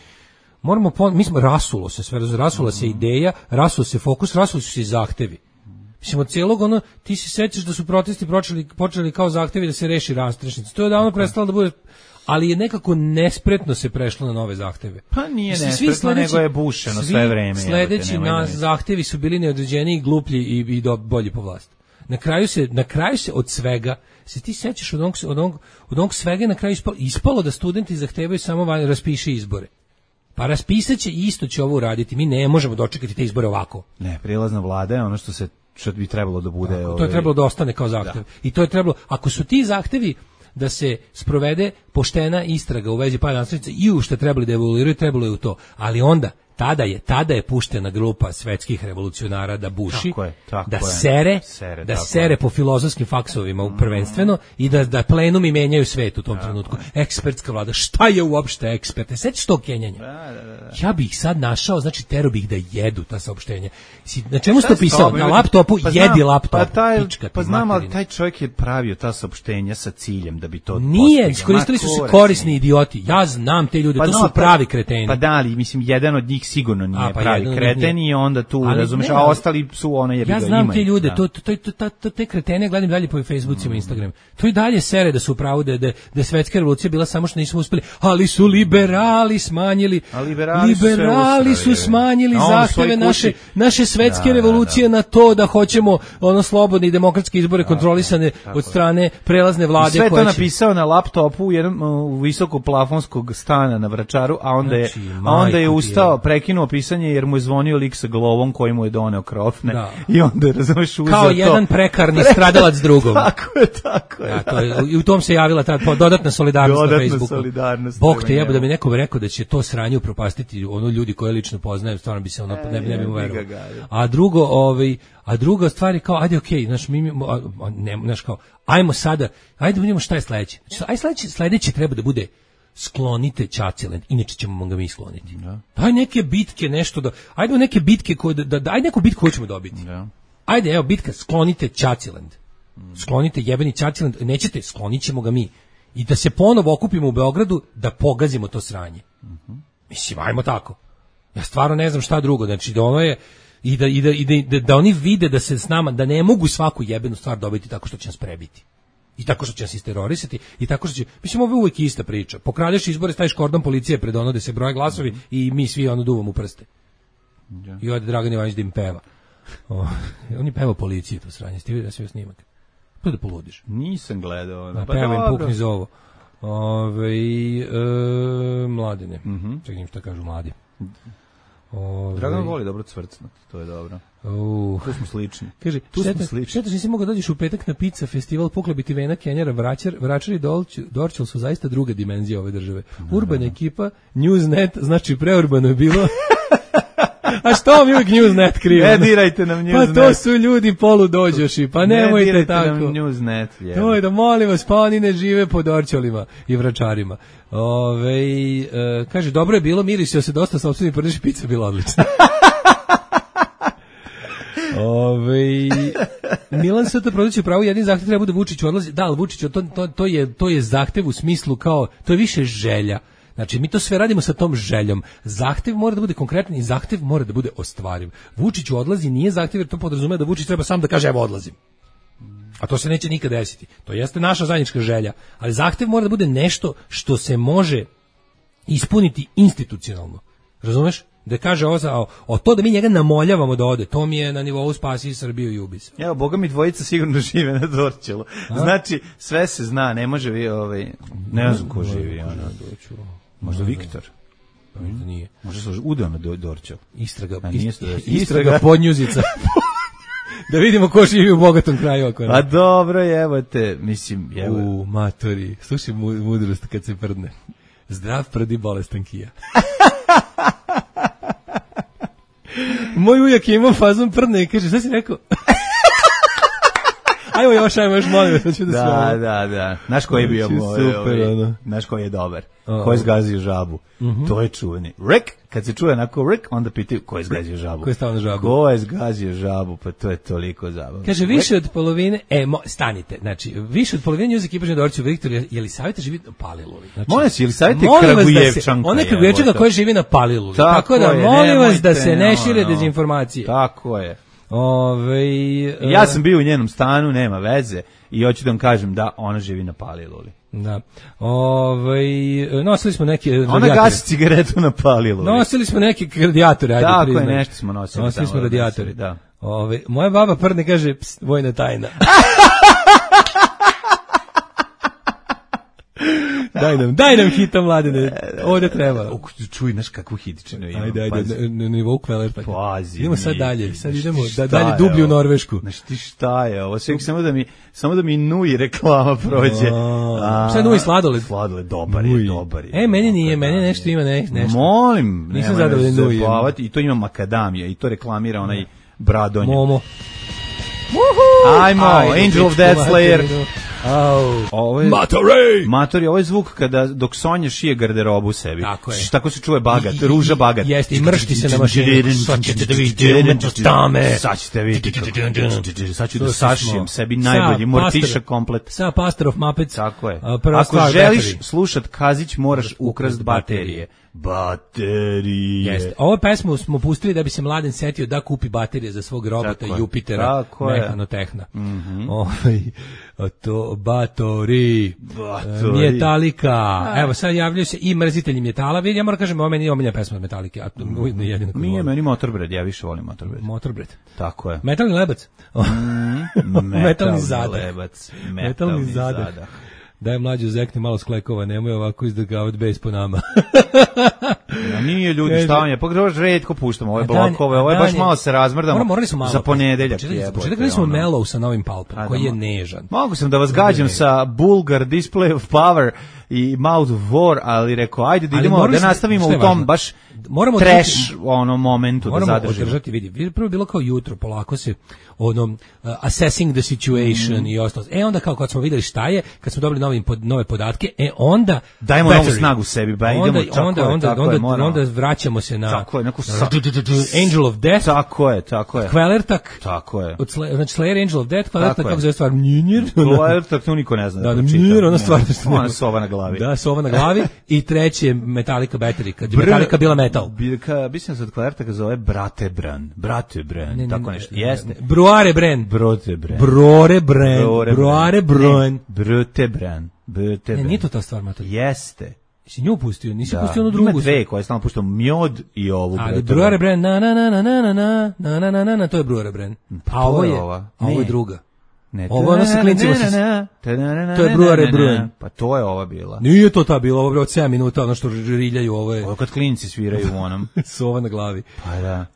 Mi smo rasulo se sve, rasula se ideja, rasulo se fokus, rasuli su se i zahtevi. Mislim, od cijelog ti se sećaš da su protesti počeli kao zahtevi da se reši rastrešnica. To je davno prestalo da bude, ali je nekako nespretno se prešlo na nove zahteve. Pa nije nespretno, nego je bušeno sve vreme. Sledeći zahtevi su bili neodređeniji, gluplji i bolji po vlast. Na kraju se od svega, se ti sećaš od onog svega na kraju ispalo da studenti zahtevaju samo raspiši izbore. Pa raspisat će i isto će ovo uraditi. Mi ne možemo dočekati te izbore ovako. Ne, prijelazna vlada je ono što bi trebalo da bude. To je trebalo da ostane kao zahtev. I to je trebalo, ako su ti zahtevi, da se sprovede poštena istraga u vezi pada nastavnica i u što trebali da evoluiraju, trebalo je u to. Ali onda, tada je puštena grupa svetskih revolucionara da buši, da sere po filozofskim faksovima prvenstveno i da plenumi menjaju svet u tom trenutku. Ekspertska vlada, šta je uopšte eksperte? Sjetiš tog kenjanja? Ja bih ih sad našao, znači tero bih da jedu ta saopštenja. Na čemu ste pisao? Na laptopu, jedi laptop. Pa znam, ali taj čovjek je pravio ta saopštenja sa ciljem da bi to nije, iskoristili su se korisni idioti. Ja znam te ljude, to su pravi kreteni. Pa da, ali mislim, jedan od njih sigurno nije pravi kreten i onda tu, razumeš, a ostali su ono jebi ga imaju. Ja znam te ljude, te kretene gledam dalje po Facebookima i Instagramu. To i dalje sere da su u pravu da svetska revolucija bila samo što nismo uspeli, ali su liberali smanjili. Liberali su smanjili zahteve naše svetske revolucije na to da hoćemo ono slobodne i demokratske izbore kontrolisane od strane prelazne vlade. Sve to napisao na laptopu u visokoplafonskog stana na Vračaru, a onda je ustao, prekinuo pisanje jer mu je zvonio lik sa glovom koji mu je doneo krofne i onda je, razumeš, uzeo kao jedan prekarni stradalac drugom. Tako je. I u tom se javila ta dodatna solidarnost na Facebooku. Bog te jebe da mi neko rekao da će to sranje upropastiti ono ljudi koje lično poznajem, stvarno bi se ono ne bi mu verovao. A druga stvar je kao, ajde okej, znaš kao, ajmo sada, ajde vidimo šta je sledeće. Znači, sledeće treba da bude sklonite Čačilend, inače ćemo ga mi skloniti. Daj neke bitke, nešto da, ajde neke bitke ajde neku bitku koju ćemo dobiti. Ajde, evo bitka, sklonite Čačilend. Sklonite jebeni Čačilend, nećete, sklonit ćemo ga mi. I da se ponovo okupimo u Beogradu da pogazimo to sranje. Mislim, ajmo tako. Ja stvarno ne znam šta drugo, znači da ono je da oni vide da se s nama, da ne mogu svaku jebenu stvar dobiti tako što će nas prebiti. I tako što će nas isterorisati, i tako što će, mislim, ovo je uvijek ista priča. Pokradeš izbore, staviš kordon policije pred ono da se broje glasovi i mi svi ono duvamo u prste. I ode Dragan Ivanić da im peva. On je pevao policiji to sranje, ste vidio da sve snimak. Pa da poludiš. Nisam gledao. Peva im pukni zovo. Mladine. Čekaj šta kažu mladi. Dragan voli dobro cvrcnut, to je dobro. Tu smo slični. Kaže, šteta nisi mogao dođeš u petak na pizza festival, poklebiti Vena, Kenjara, Vračar i Dorčel su zaista druga dimenzija ove države. Urbana ekipa, Newsnet, znači preurbano je bilo. A što mi uvijek Newsnet krivamo? Ne dirajte nam Newsnet. Pa to su ljudi poludođoši, pa nemojte tako. Ne dirajte nam Newsnet. To je da molim vas, pa oni ne žive po Dorčelima i Vračarima. Kaže, dobro je bilo, mirisio se dosta, sopstveni prdeši, pizza bila odlična. Milan Sota produći pravo, jedin zahtev treba da Vučić odlazi. Da, ali Vučić, to je zahtev u smislu kao, to je više želja. Znači, mi to sve radimo sa tom željom. Zahtev mora da bude konkretan i zahtev mora da bude ostvariv. Vučić odlazi, nije zahtev jer to podrazumeva da Vučić treba sam da kaže evo odlazim. A to se neće nikad desiti. To jeste naša zajednička želja. Ali zahtev mora da bude nešto što se može ispuniti institucionalno. Razumeš? Da kaže o to da mi njega namoljavamo da ode, to mi je na nivou spasi Srbiju i ubi se. Evo, boga mi dvojica sigurno žive na Dorčelu. Znači, sve se zna, ne može ne znam ko živi. Možda Viktor. Možda nije. Možda se udeo na Dorčelu. Istraga podnjuzica. Da vidimo ko živi u bogatom kraju. A dobro, evo te, mislim, evo. U matori, slušaj mudrost kad se prdne. Zdrav prdi, bolestan kija. Moj ujak je imao fazon prdne i kaže, šta si rekao? Ajmo još, molim vas. Da. Znaš koji je bio super, znaš koji je dobar? Ko je zgazio žabu? To je čuveni. Rick, kad se čuje onako Rick, onda pitaju ko je zgazio žabu. Ko je stavio na žabu? Ko je zgazio žabu, pa to je toliko zabavno. Kaže, više od polovine, stanite, znači, više od polovine News ekipa Žedorci u Viktor, je li savjeta živi na Paliluli? Znači, molim se, je li savjeta Kragujevčanka? Ona Kragujevčanka koja živi na Paliluli. Tako da, molim vas da se ne šire dezinformacije. Tako je. Ja sam bio u njenom stanu, nema veze, i hoću da vam kažem da ona živi na Paliluli. Da. Nosili smo neke radijatori. Ona gasi cigaretu na Paliluli. Nosili smo neke radijatore, ajde tako priznaj. Tako je, nešto smo nosili. Nosili smo radijatore. Da. Moja baba prdne kaže, vojna tajna. Daj nam hita, Mladene. Ovde treba. Čuj, znaš kakvu hitičinu imam. Ajde, na nivou Kvelerta. Pazi. Idemo sad dalje. Sad idemo dalje dublje u Norvešku. Znaš ti šta je ovo? Samo da mi Nui reklama prođe. Šta je Nui sladoled? Sladoled, dobar je. Meni nije, meni nešto ima nešto. Molim. Nisam zadovoljan Nui. I to ima makadamija i to reklamira onaj Bradonja. Momo. Ajmo, Angel of Death Slayer. Ovo je Matori, ovo je zvuk dok Sonja šije garderobu sebi. Tako je. Tako se čuje bagat, ruža bagat. Jeste, i mršti se na mašini. Sad ćete da vidite umetnost tame. Sad ćete vidjeti. Sad ću da sašijem sebi najbolji mortiša komplet. Sa Pastor of Muppets. Tako je. Ako želiš slušat Kazić, moraš ukrast baterije. Jeste. Ovu pesmu smo pustili da bi se Mladen setio da kupi baterije za svog robota Jupitera Mehanotehna. To Batori. Metallica. Evo sad javljaju se i mrzitelji metala. Ja moram kažem, ovo meni nije omiljena pesma od Metallice. Nije meni Motorbred, ja više volim Motorbred. Motorbred. Tako je. Metalni lebac. Metalni zadah. Metalni zadah. Daj mlađu zekni malo sklekova, nemoj ovako izdrgavati bes po nama. Nije ljudi, šta vam je, pogledaš redko puštamo ove blokove, ovo je baš malo se razmrdamo za ponedeljak. Početak smo Mellow sa novim Palpom, koji je nežan. Mogu sam da vas gađam sa Bulgar, Display of Power i Mouth of War, ali rekao, ajde da idemo, da nastavimo u tom baš trash momentu da zadržimo. Moramo održati, vidi, prvo bilo kao jutro, polako se assessing the situation i ostalo. Onda kao kad smo vidjeli šta je, kad smo dobili nove podatke, onda dajmo novu snagu sebi, ba idemo, onda vraćamo se na Angel of Death. Tako je. Kvelertak. Tako je. Znači Slayer, Angel of Death, Kvelertak, kako zove stvar? Mnjir. Kvelertak, to niko ne zna. Da, Mnjir, ona stvar. Ona sova na glavi. Da, sova na glavi. I treće Metallica Battery, kad je Metallica bila metal. Mislim se od Kvelertaka zove Bratebran, tako nešto. Jeste. Bruarebren. Nije to ta stvar, Mator. Jeste. Si nju pustio, nisi pustio onu drugu. Ima dve koje stalno puštao, Mjod i ovu. Ali Bruarebren, na, to je Bruarebren. A ovo je druga. Ovo ono sa klincima to je Bruarebren. Pa to je ova bila. Nije to ta bila, ovo je od 7 minuta, ono što riljaju, ovo je. Ovo kad klinci sviraju u onom. Sova na glavi. Pa da.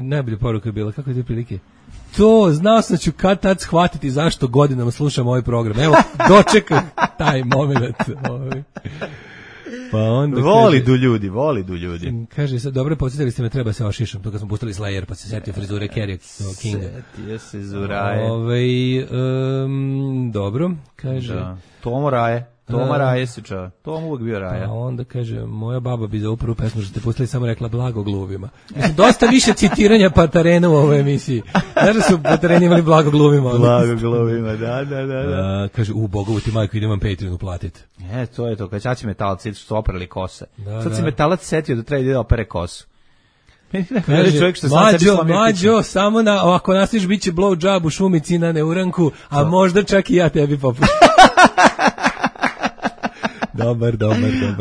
Najbolja poruka je bila, kako je te prilike? To, znao sam ću kad tad shvatiti zašto godinama slušam ovaj program. Evo, dočekam taj moment. Pa onda volidu ljudi. Kaže, sad, dobro, podsjetili ste me, treba se ošišam, to kad smo pustili Slayer, pa se setio frizure Kerry Kinga. Setio se Zuraje. Dobro, kaže. Da. Toma Raje se čava. Tom uvijek bio Raja. A onda kaže, moja baba bi za uprvu pesmu što ste pustili samo rekla blago gluvima. Mislim, dosta više citiranja Patarena u ovoj emisiji. Znaš da su Patareni imali blago gluvima? Blago gluvima, da. Kaže, Bogovu ti majku, idem vam Patreon uplatiti. To je to, kad čači metalci su oprali kose. Sad se metalac setio da treba da opere kosu. Kaže, mlađo, samo ako nastiš bit će blow job u šumici na neuranku, a možda čak i ja tebi popušim. Dobar.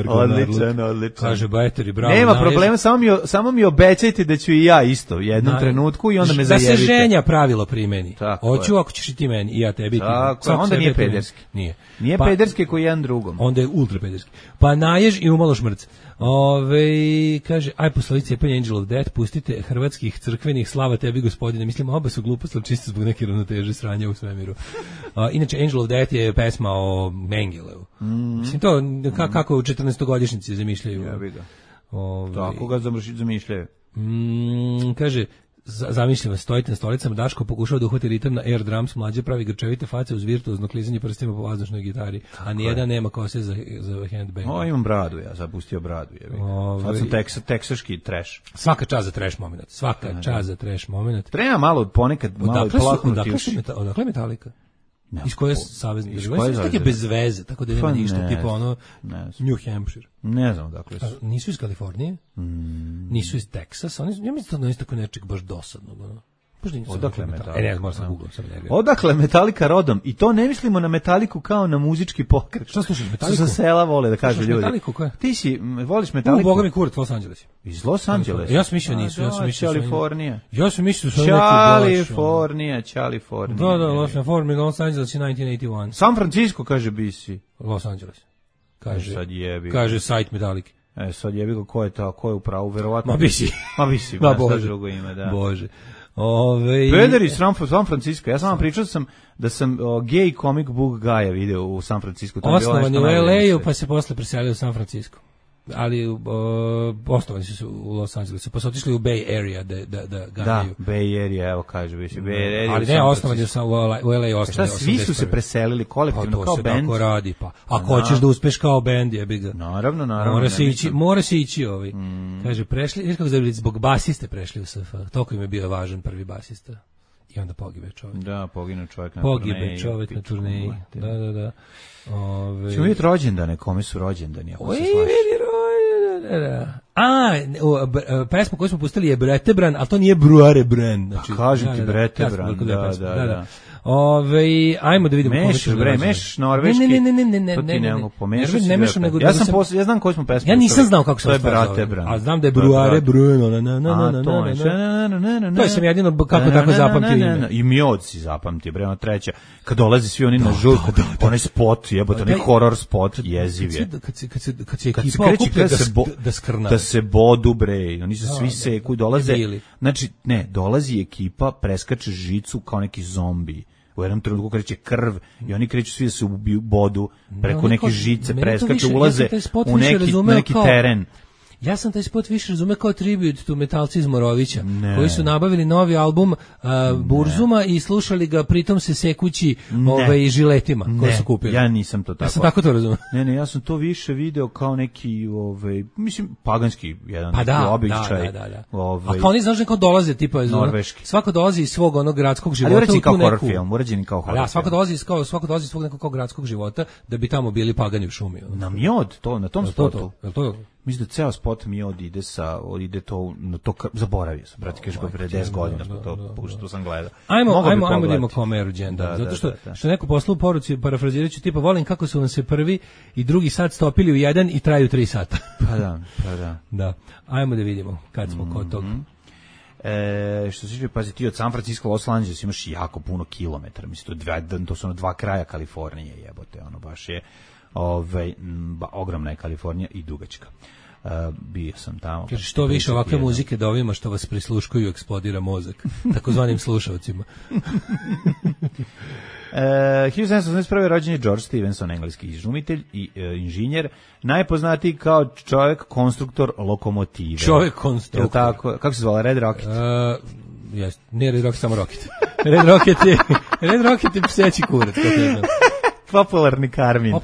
Odličan. Kaže Bajteri, bravo. Nema problema, samo mi obećajte da ću i ja isto u jednom trenutku i onda me zajebite. Da se ženja pravilo primeni. Hoću ako ćeš i ti meni i ja tebi. Tako, onda nije pederski. Nije pederski koji jedan drugom. Onda je ultra pederski. Pa najež i umalo šmrc. Kaže, aj poslovi cepanje Angel of Death, pustite hrvatskih crkvenih, slava tebi gospodine. Mislim, oba su gluposti, ali čisto zbog neke ravnoteže sranja u svemiru. Inače, Angel of Death je pesma o Mengeleu. Mislim, to kako u 14-godišnjici zamišljaju. Ja bih ga. Tako ga zamišljaju. Kaže, zamišljam, stojite na stolicama, Daško pokušao da uhvati ritam na air drums, mlađe pravi grčevite face uz virtuozno klizanje prstima po vazdušnoj gitari, a nijedan nema kose za handbang. Imam bradu, ja zapustio bradu. Sad sam teksaški trash. Svaka čast za trash moment. Treba malo ponekad malo plahnuti još. Odakle Metallica? Iz koje savezne države? Tako je bez veze, tako da nema ništa, tipa ono New Hampshire. Ne znam dakle. Nisu iz Kalifornije, nisu iz Teksasa, ja mislim da je tako nečeg baš dosadnog. Odakle Metallica? Ne, moram sam Google, sam nervio. Odakle Metallica rodom? I to ne mislimo na Metaliku kao na muzički pokret. Šta slušaš, Što Metaliku? sa sela vole da kažu ljudi. Metaliku, koja? Ti voliš Metaliku? Boga mi kurac, Los Angeles. Iz Los Angelesa? Ja sam mislio nisu, ja sam mislio Kalifornija. Ja sam mislio da su neki baš. Kalifornija. Da, Los Angeles je 1981. San Francisco, kaže BC. Los Angeles. Kaže, sad jebi. Kaže sajt Metallica. Sad jebi ga, ko je u pravu, verovatno. Ma BC. Ma BC, Ma Bože. Drugo ime, da. Bože. Pederi iz San Francisco. Ja sam vam pričao da sam gay comic book guy video u San Francisco. Osnovan je u LA-u, pa se posle preselio u San Francisco. Ali osnovani su u Los Angelesu, pa su otišli u Bay Area da ganjaju. Da, Bay Area, evo kaže bi se. Bay Area. Ali ne, osnovani je u LA osnovani. Šta, svi su se preselili kolektivno pa kao se band? Tako radi, pa. Ako hoćeš da uspeš kao band, jebi ga. Naravno. Mora se ići ovaj. Kaže, prešli, kako zbog basiste prešli u SF. Toliko im je bio važan prvi basista. I onda pogibe čovjek. Da, pogine čovjek na turneji. Pogibe čovjek na turneji. Da. Ćemo vidjeti rođendane, kome su rođendani, ako se slaši. Pesma koju smo pustili je Bretebran, ali to nije Bruare Bren. Znači, kažem ti Bretebran, da. Ajmo da vidimo meš norveški. Ne mešam, nego ja znam koju smo pesmu. Ja nisam znao kako se to je Bretebran. A znam da je Bruare Bren. To sam jedino kako tako zapamtio ime. I Mjod si zapamtio, bre, ona treća. Kad dolazi svi oni na žurku, onaj spot, jebote, onaj horror spot, jeziv je. Kad se ekipa okuplja da skrna. Da se bodu, bre, oni se svi seku i dolaze. Znači, ne, dolazi ekipa, preskače žicu kao neki zombi. U jednom trenutku kreće krv i oni kreću svi da se bodu preko neke žice, preskaču, ulaze u neki teren. Ja sam taj spot više razumeo kao tribute to metalci iz Morovića, koji su nabavili novi album Burzuma i slušali ga pritom se sekući žiletima koje su kupili. Ja nisam to tako. Ja sam tako to razumeo. Ne, ja sam to više video kao neki, mislim, paganski jedan običaj. Da. A kao oni znaš neko dolaze, tipa iz norveški. Svako dolazi iz svog onog gradskog života. Ali kao horror film, urađeni kao horror film. Svako dolazi iz svog nekog gradskog života da bi tamo bili pagani u šumi. Na Mjod, na tom spotu. To mislim da ceo spot Mjod ide to na to, zaboravio sam, brate, kažeš pre 10 godina smo to sam gledao. Ajmo da vidimo kome je rođendan, zato što neko poslao u poruci, parafrazirajući, tipa, volim kako su vam se prvi i drugi sat stopili u jedan i traju 3 sata. Pa da. Da, ajmo da vidimo kad smo kod toga. Što se tiče, pazi, ti od San Francisco Los Angeles imaš jako puno kilometara, mislim, to su dva kraja Kalifornije, jebote, ono baš je ogromna je Kalifornija i dugačka. Bio sam tamo. Kaže, što više ovakve muzike da ovima što vas prisluškuju eksplodira mozak, takozvanim slušalcima. 1781. rođen je George Stephenson, engleski izumitelj i inženjer, najpoznatiji kao čovjek konstruktor lokomotive. Čovjek konstruktor. Tako, kako se zvala, Red Rocket? Nije Red Rocket, samo Rocket. Red Rocket je pseći kurac. Popularni karmin.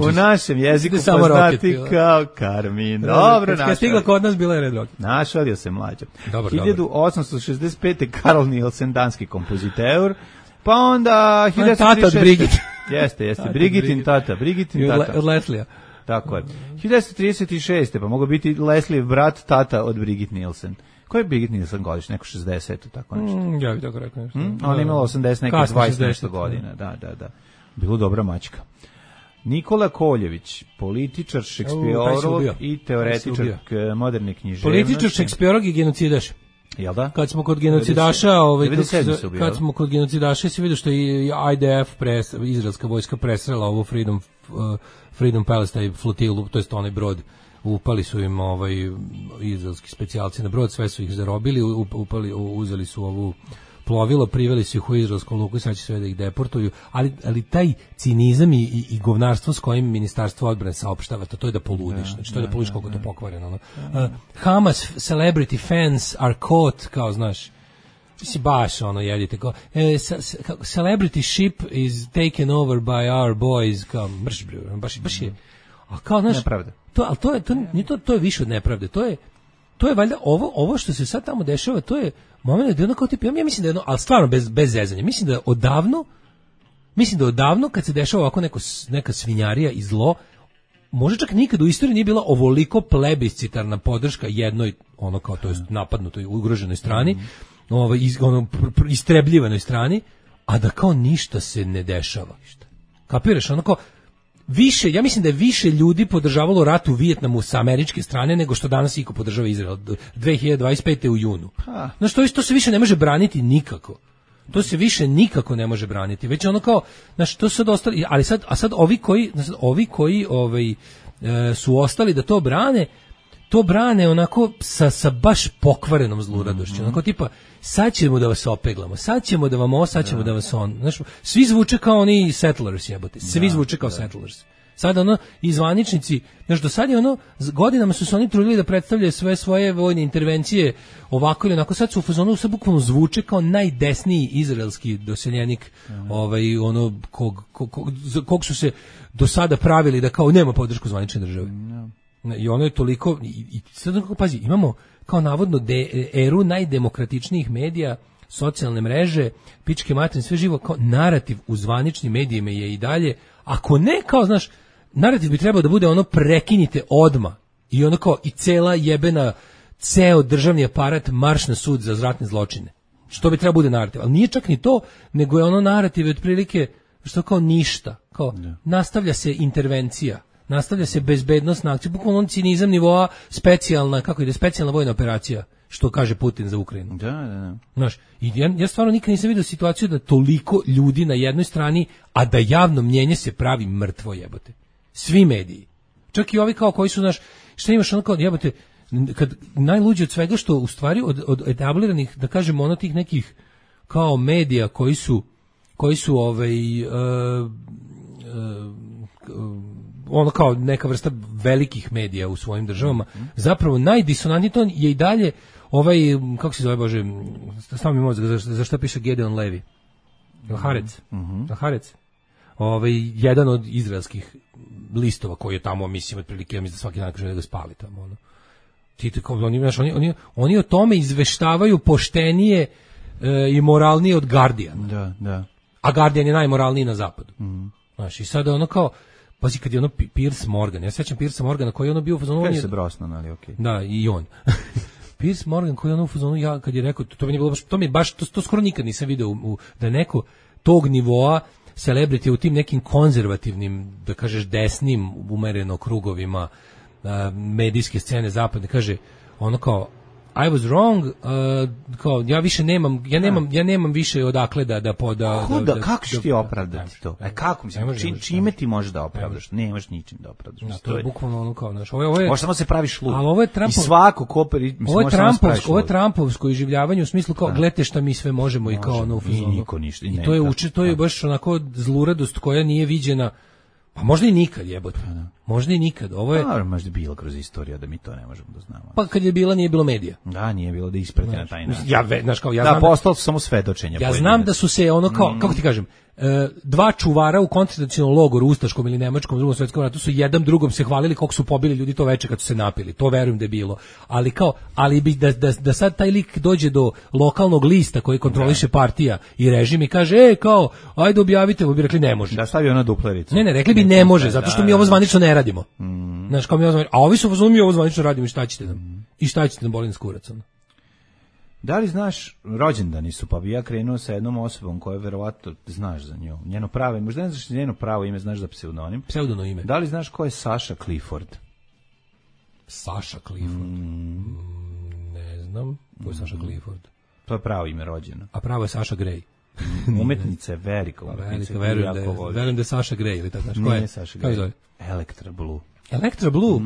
U našem jeziku poznati kao karmin. Dobro, kad stigla kod nas bila je Red Rocket. Našalio se mlađa. 1865. Karl Nielsen, danski kompoziteur. Pa onda... Tata od Brigitte. Jeste. Brigitin tata. Od Leslija. Tako je. 1936. pa mogu biti Leslie brat tata od Brigitte Nielsen. Ko je Brigitte Nielsen godiš? Neko 60, tako nešto. Ja bih tako rekao nešto. Ona je imala 80, neke 20 nešto godina. Da. Bilo dobra mačka. Nikola Koljević, političar, šekspiorolog i teoretičar moderne književnosti. Političar, šekspiorolog i genocidaš. Jel da? Kad smo kod genocidaša, se vidio što je IDF izraelska vojska presrela ovu Freedom Palace, taj flotilu, to jest onaj brod. Upali su im izraelski specijalci na brod, sve su ih zarobili, uzeli su ovu plovilo, priveli su ih u izraelskom luku i sad će sve da ih deportuju, ali taj cinizam i govnarstvo s kojim ministarstvo odbrane saopštava, to je da poludiš, znači to je da poludiš koliko to pokvareno. Hamas celebrity fans are caught, kao znaš, si baš jedite, kao celebrity ship is taken over by our boys, kao mrš, baš je, a kao znaš, nepravda. To je više od nepravde, to je valjda ovo što se sad tamo dešava, to je moment da je ono kao tip, ja mislim da je ono, ali stvarno bez zezanja, mislim da odavno kad se dešava ovako neka svinjarija i zlo, možda čak nikad u istoriji nije bila ovoliko plebiscitarna podrška jednoj, ono kao to je napadnutoj, ugroženoj strani, istrebljivanoj strani, a da kao ništa se ne dešava. Kapiraš, onako, više, ja mislim da je više ljudi podržavalo rat u Vijetnamu sa američke strane nego što danas iko podržava Izrael 2025. u junu. Znaš, to se više ne može braniti nikako. To se više nikako ne može braniti. Već ono kao, znaš, to sad ostali, ali sad ovi koji su ostali da to brane onako sa baš pokvarenom zluradošću. Onako tipa, sad ćemo da vas opeglamo, sad ćemo da vam sad ćemo da vas on. Znaš, svi zvuče kao oni settlers, jebote. Svi zvuče kao settlers. Sad ono, i zvaničnici, znaš, do sad je ono, godinama su se oni trudili da predstavljaju sve svoje vojne intervencije ovako ili onako, sad su u fazonu, sad bukvalno zvuče kao najdesniji izraelski doseljenik, ono, kog su se do sada pravili da kao nema podršku zvanične države. I ono je toliko, i sad kako pazi, imamo kao navodno eru najdemokratičnijih medija, socijalne mreže, pičke materine, sve živo, kao narativ u zvaničnim medijima je i dalje, ako ne, kao, znaš, narativ bi trebao da bude ono prekinite odma i ono kao i ceo državni aparat marš na sud za ratne zločine. Što bi trebao bude narativ, ali nije čak ni to, nego je ono narativ otprilike što kao ništa, kao nastavlja se intervencija, nastavlja se bezbednosna akcija, bukvalno on cinizam nivoa specijalna, specijalna vojna operacija, što kaže Putin za Ukrajinu. Da. Znaš, i ja stvarno nikad nisam vidio situaciju da toliko ljudi na jednoj strani, a da javno mnjenje se pravi mrtvo, jebote. Svi mediji. Čak i ovi kao koji su, znaš, šta imaš ono kao, jebote, kad najluđe od svega što u stvari od etabliranih, da kažemo, ono tih nekih kao medija koji su ono kao neka vrsta velikih medija u svojim državama, zapravo najdisonantniji ton je i dalje kako se zove, Bože, stavim mi mozak, za šta piše Gedeon Levi? Harec. Jedan od izraelskih listova koji je tamo, mislim, otprilike, ja mislim da svaki dan kaže da ga spali tamo, ono. Oni o tome izveštavaju poštenije i moralnije od Guardiana. Da. A Guardian je najmoralniji na zapadu. Znaš, i sada ono kao, pazi, kad je ono Piers Morgan, ja sećam Piersa Morgana koji je ono bio u fazonu... Kaj se Brosnan, ali okej. Da, i on. Piers Morgan koji je ono u fazonu, ja kad je rekao, to mi je baš, to skoro nikad nisam video da neko tog nivoa celebrity u tim nekim konzervativnim, da kažeš desnim umereno krugovima medijske scene zapadne, kaže ono kao, I was wrong, kao ja više nemam, ja nemam više odakle kako ćeš ti opravdati to? Kako mislim, čime ti možeš da opravdaš? Nemaš ničim da opravdaš. To je bukvalno ono kao, znaš, ovo je samo se praviš lud. Ali ovo je Trumpov, i svako koperi, ovo je Trumpovsko iživljavanje u smislu kao gledajte šta mi sve možemo i kao ono u fazonu. Niko ništa. I to je baš onako zluradost koja nije viđena. Pa možda i nikad, jebote. Možda i nikad. Ovo je... možda je bilo kroz istoriju da mi to ne možemo da znamo. Pa kad je bila, nije bilo medija. Da, nije bilo da isprati na taj način. Ja znam postalo su samo svedočenja. Ja znam da su se ono kao, kako ti kažem, dva čuvara u koncentracionom logoru, ustaškom ili nemačkom, Drugom svetskom ratu su jedan drugom se hvalili kako su pobili ljudi to veče kad su se napili. To verujem da je bilo. Ali bi da sad taj lik dođe do lokalnog lista koji kontroliše partija i režim i kaže, kao, ajde objavite, bi rekli ne može. Da stavi ona duplericu. Ne, rekli bi ne može, zato što mi ovo zvanično ne radimo. Znaš, kao mi ovo zvanično, a ovi su mi ovo zvanično radimo i šta ćete nam? I šta ćete nam bolim s kuracom? Da li znaš, rođendani su, pa bi ja krenuo sa jednom osobom koja verovatno znaš za nju. Njeno pravo, možda ne znaš njeno pravo ime, znaš za pseudonim. Pseudono ime. Da li znaš ko je Sasha Clifford? Sasha Clifford? Ne znam. Ko je Sasha Clifford? To je pravo ime rođeno. A pravo je Sasha Grey. Umetnica je velika umetnica. Verujem da je Sasha Grey ili tako. Nije Sasha Grey. Electra Blue. Electra Blue,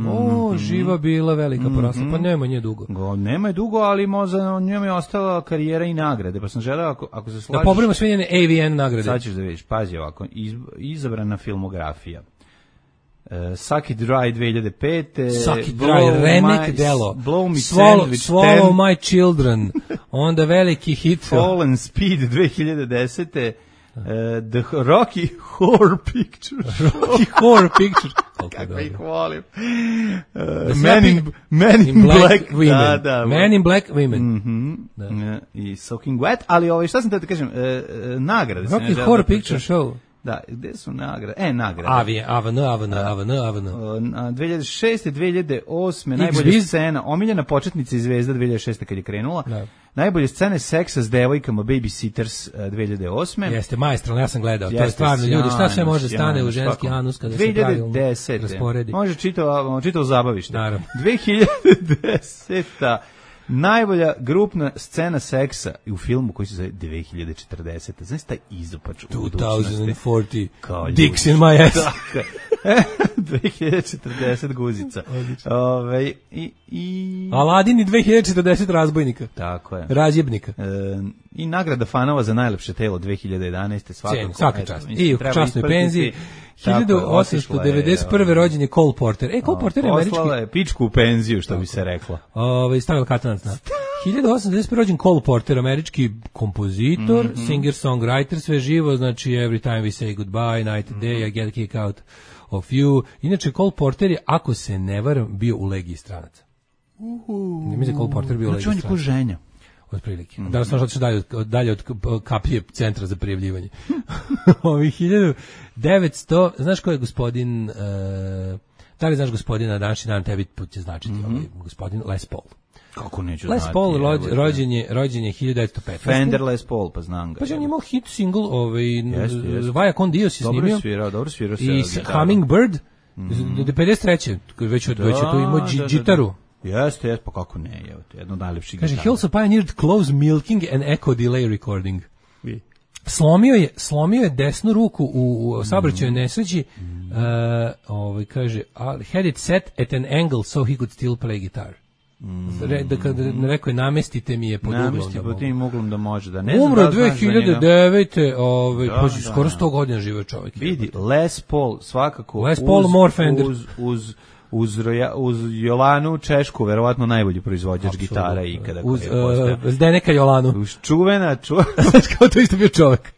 živa bila, velika porasla, pa nema nje dugo. Nema je dugo, ali možda njom je ostala karijera i nagrade, pa sam želeo, ako se slažeš... Da pobrimo sve njene AVN nagrade. Sad ćeš da vidiš, pazi ovako, izabrana filmografija. Suck It Dry 2005. Suck It Dry, remek delo. Blow Me Sandwich 10. Swallow My Children, onda veliki hit. Fallen Speed 2010. The Rocky Horror Picture. Rocky Horror Picture. Kako ih volim. Man in Black Women. Da, Man in Black Women. I Soaking Wet, ali šta sam te da kažem, nagrade. Rocky Horror Picture Show. Da, gde su nagrade? Nagrade. AVN. 2006. 2008. najbolja scena, omiljena početnica i zvezda 2006. kad je krenula. Da. Najbolje scene seksa s devojkama, Babysitters 2008. Jeste, maestralno, ja sam gledao. To je stvarno, ljudi, šta sve može stane u ženski anus kada se pravilno rasporedi. Može čitao zabavište. Naravno. 2010. Najbolja grupna scena seksa u filmu koji se zove 2040. Znaš taj izopač u budućnosti? 2040. Dicks in my ass. 2040 guzica. Aladin i 2040 razbojnika. Tako je. Razjebnika. I nagrada fanova za najlepše telo 2011. Svaka čast. I u časnoj penziji. 1891. rođen je Cole Porter. Cole Porter je američki... Poslala je pičku u penziju, što bi se reklo. Stavila katanac na. 1891. rođen Cole Porter, američki kompozitor, singer-songwriter, sve živo, znači Every Time We Say Goodbye, Night and Day, I Get a Kick Out of You. Inače, Cole Porter je, ako se ne varam, bio u Legiji stranaca. Ne mislim da Cole Porter bio u Legiji stranaca. Znači on je ko ženja. Otprilike. Da vas možete dalje od kapije centra za prijavljivanje. Ovih 1900, znaš ko je gospodin, da li znaš gospodina današnji dan, tebi će značiti gospodin Les Paul. Kako neću Les znati. Paul rođen je 1915. Fender Les Paul, pa znam ga. Pa on imao hit single, Vaja con Dios je snimio. Dobro svirao. I Hummingbird, 53. Već je tu imao džitaru. Jeste, pa kako ne, jedno od najlepših gitara. Kaže, he also pioneered close milking and echo delay recording. Slomio je desnu ruku u saobraćajnoj nesreći, kaže, had it set at an angle so he could still play guitar. Rekao je, namestite mi je pod uglom. Namesti pod tim uglom da može. Umro 2009. Pa skoro 100 godina živio čovjek. Vidi, Les Paul svakako Les Paul more Fender. Uz Jolanu Češku, verovatno najbolji proizvođač gitara ikada. Uz Zdeneka Jolanu. Uz čuvena. Kao to isto bio čovjek.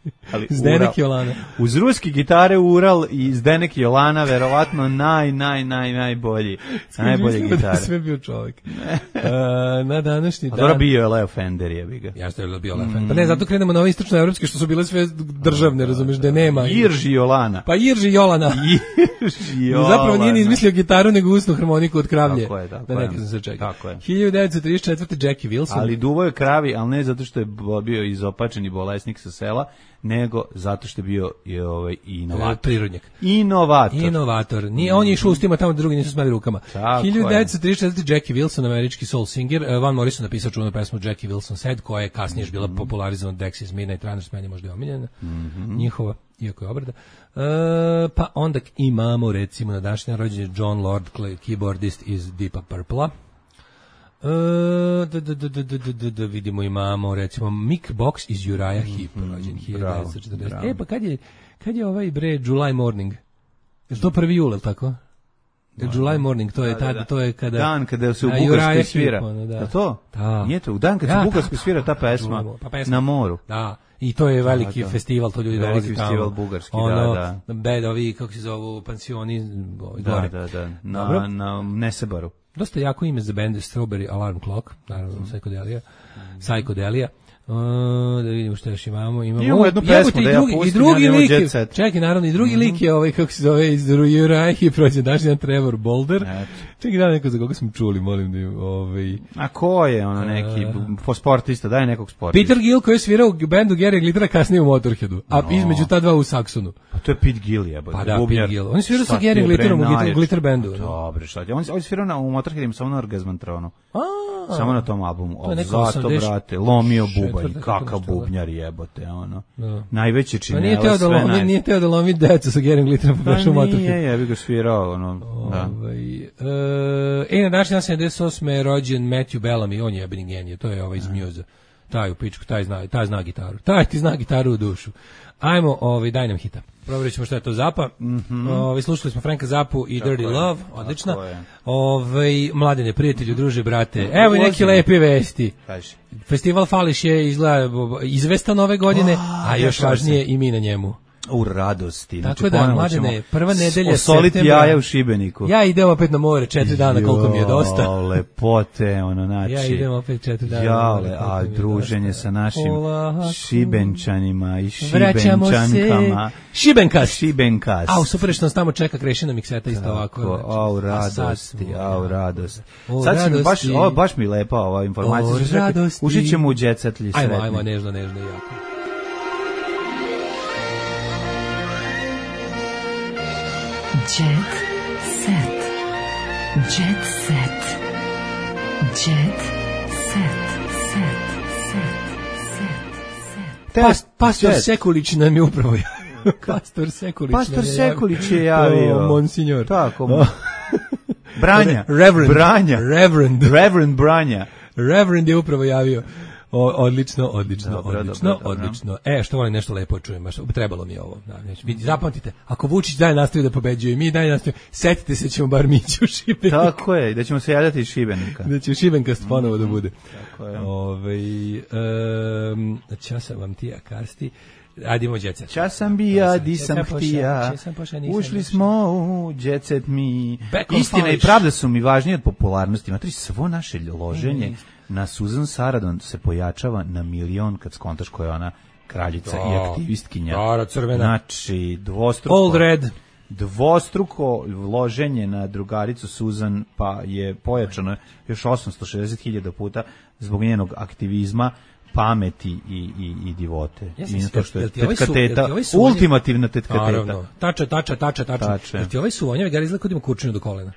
Zdenek Jolana. Uz ruski gitare Ural i Zdenek Jolana, verovatno najbolji. Najbolje gitare. Sve bio čovjek. Na današnji dan. Dobro bio je Leo Fender, jebi ga. Jeste je bio Leo Fender. Pa ne, zato krenemo na ove istočnoevropske što su bile sve državne, razumeš, da nema. Irži Jolana. Pa Irži Jolana. Zapravo nije ni izmislio gitaru, nego usnu harmoniku od kravlje. Tako je. Da neka sam se čeka. 1934. Jackie Wilson. Ali duvo je kravi, ali ne zato što je bio izopačeni bolesnik sa sela, nego zato što je bio inovator. Prirodnjak. Inovator. Nije, on je išao ustima tamo, drugi nisu smeli rukama. 1934. Jackie Wilson, američki soul singer. Van Morrison napisao čuvenu pesmu Jackie Wilson Said, koja je kasnije bila popularizovana od Dexys Midnight Runners, meni možda je omiljena. Njihova, iako je obrada. Pa onda imamo, recimo, na današnji rođendan je John Lord, keyboardist iz Deep Purple-a. Da vidimo, imamo recimo Mick Box iz Uriah Heep, rođen 1940. Pa kad je ovaj July Morning? Je to 1. jul, ili tako? July Morning, to je kada dan kada se u Bugarskoj svira. Da to? Da. Nije to, u dan kad se u Bugarskoj svira ta pesma na moru. Da. I to je veliki festival, to ljudi dolazi tamo. Festival bugarski, da. Bedovi, kako se zovu, pansioni, gore. Da. Na Nesebaru. Dosta jako ime za band Strawberry Alarm Clock, naravno Psychodelia. Da vidimo što još imamo. Imamo jednu pesmu da ja pustim, i drugi lik. Čekaj, naravno, i drugi lik je kako se zove, iz Uriah i prođe dašnji Trevor Boulder. Čekaj, da neko za koga smo čuli, molim da A ko je neki sportista, daj nekog sportista. Peter Gill, koji je svirao u bandu Gary Glittera, kasnije u Motorheadu, a između ta dva u Saxonu. Pa to je Pete Gill, jebote. Pa da, Pete Gill. On je svirao sa Gary Glitterom u Glitter bandu. Dobro, šta je. On je svirao u Motorheadu samo na Orgazmantronu. Samo na tom albumu. Zato, brate, lomio bubanj, kakav bubnjar jebote, najveće činelo, sve najveće. Nije teo da lomi decu sa Gary Glitterom, pa prešao Motorhead. Nije, ja bih ga svirao, da. Na današnji dan 78. je rođen Matthew Bellamy, on je jebeni genije, to je iz Muse. Taj u pičku, taj zna gitaru. Taj ti zna gitaru u dušu. Ajmo, daj nam hita. Provjerit ćemo što je to Zappa. Slušali smo Franka Zappu i Dirty Love, odlična. Mladene, prijatelju, druže, brate. Evo i neke lepe vesti. Festival Fališ je izvestan ove godine, a još važnije i mi na njemu. U radosti. Tako Znači, da, ponovo mladene, ćemo prva nedelja osoliti septembra. jaja u Šibeniku. Ja idem opet na more 4 dana, koliko mi je dosta. Jo, lepote, ono, znači. Ja idem opet 4 dana. Jale, koliko a mi je druženje dosta. sa našim Polako. Šibenčanima i Vraćamo se. Šibenčankama. Šibenkas. Šibenkas. A, super što nas tamo čeka Krešina mikseta isto ovako. Tako, znači. au A sad radosti, smo, au radost. O Sad si mi baš, radosti. ovo baš mi lepa ova informacija. O Sad rekao, radosti. ušit ćemo u djecetlji sretni. Ajmo, nežno jako. Jet set. Jet set. Jet set. Pastor Sekulić nam je upravo Pastor Sekulić. Pastor Sekulić je javio. Monsignor. Tako. Branja. Reverend. Branja. Reverend Branja. Reverend je upravo javio. Odlično. Što volim nešto lepo čujem, trebalo mi je ovo. Zapamtite, ako Vučić dalje nastavi da pobeđuje i mi dalje nastavimo, setite se ćemo bar mići u Šibenik. Tako je, da ćemo se javljati iz Šibenika. Da će Šibenkast ponovo da bude. Tako je. Čas sam vam tija karsti. Adimo djecet. Čas sam bija, di sam htija, ušli smo u djecet mi. Istina i pravda su mi važnije od popularnosti. Matri, svo naše loženje na Susan Sarandon se pojačava na 1.000.000 kad skontaš koja je ona kraljica i aktivistkinja. Crvena. Znači, dvostruko. Old Red. Dvostruko loženje na drugaricu Susan pa je pojačano još 860.000 puta zbog njenog aktivizma, pameti i divote. I to što je tetkateta, ultimativna tetkateta. Tača. Jer ti ovaj suvonjavi Gari izgleda kod ima kurčinu do kolena.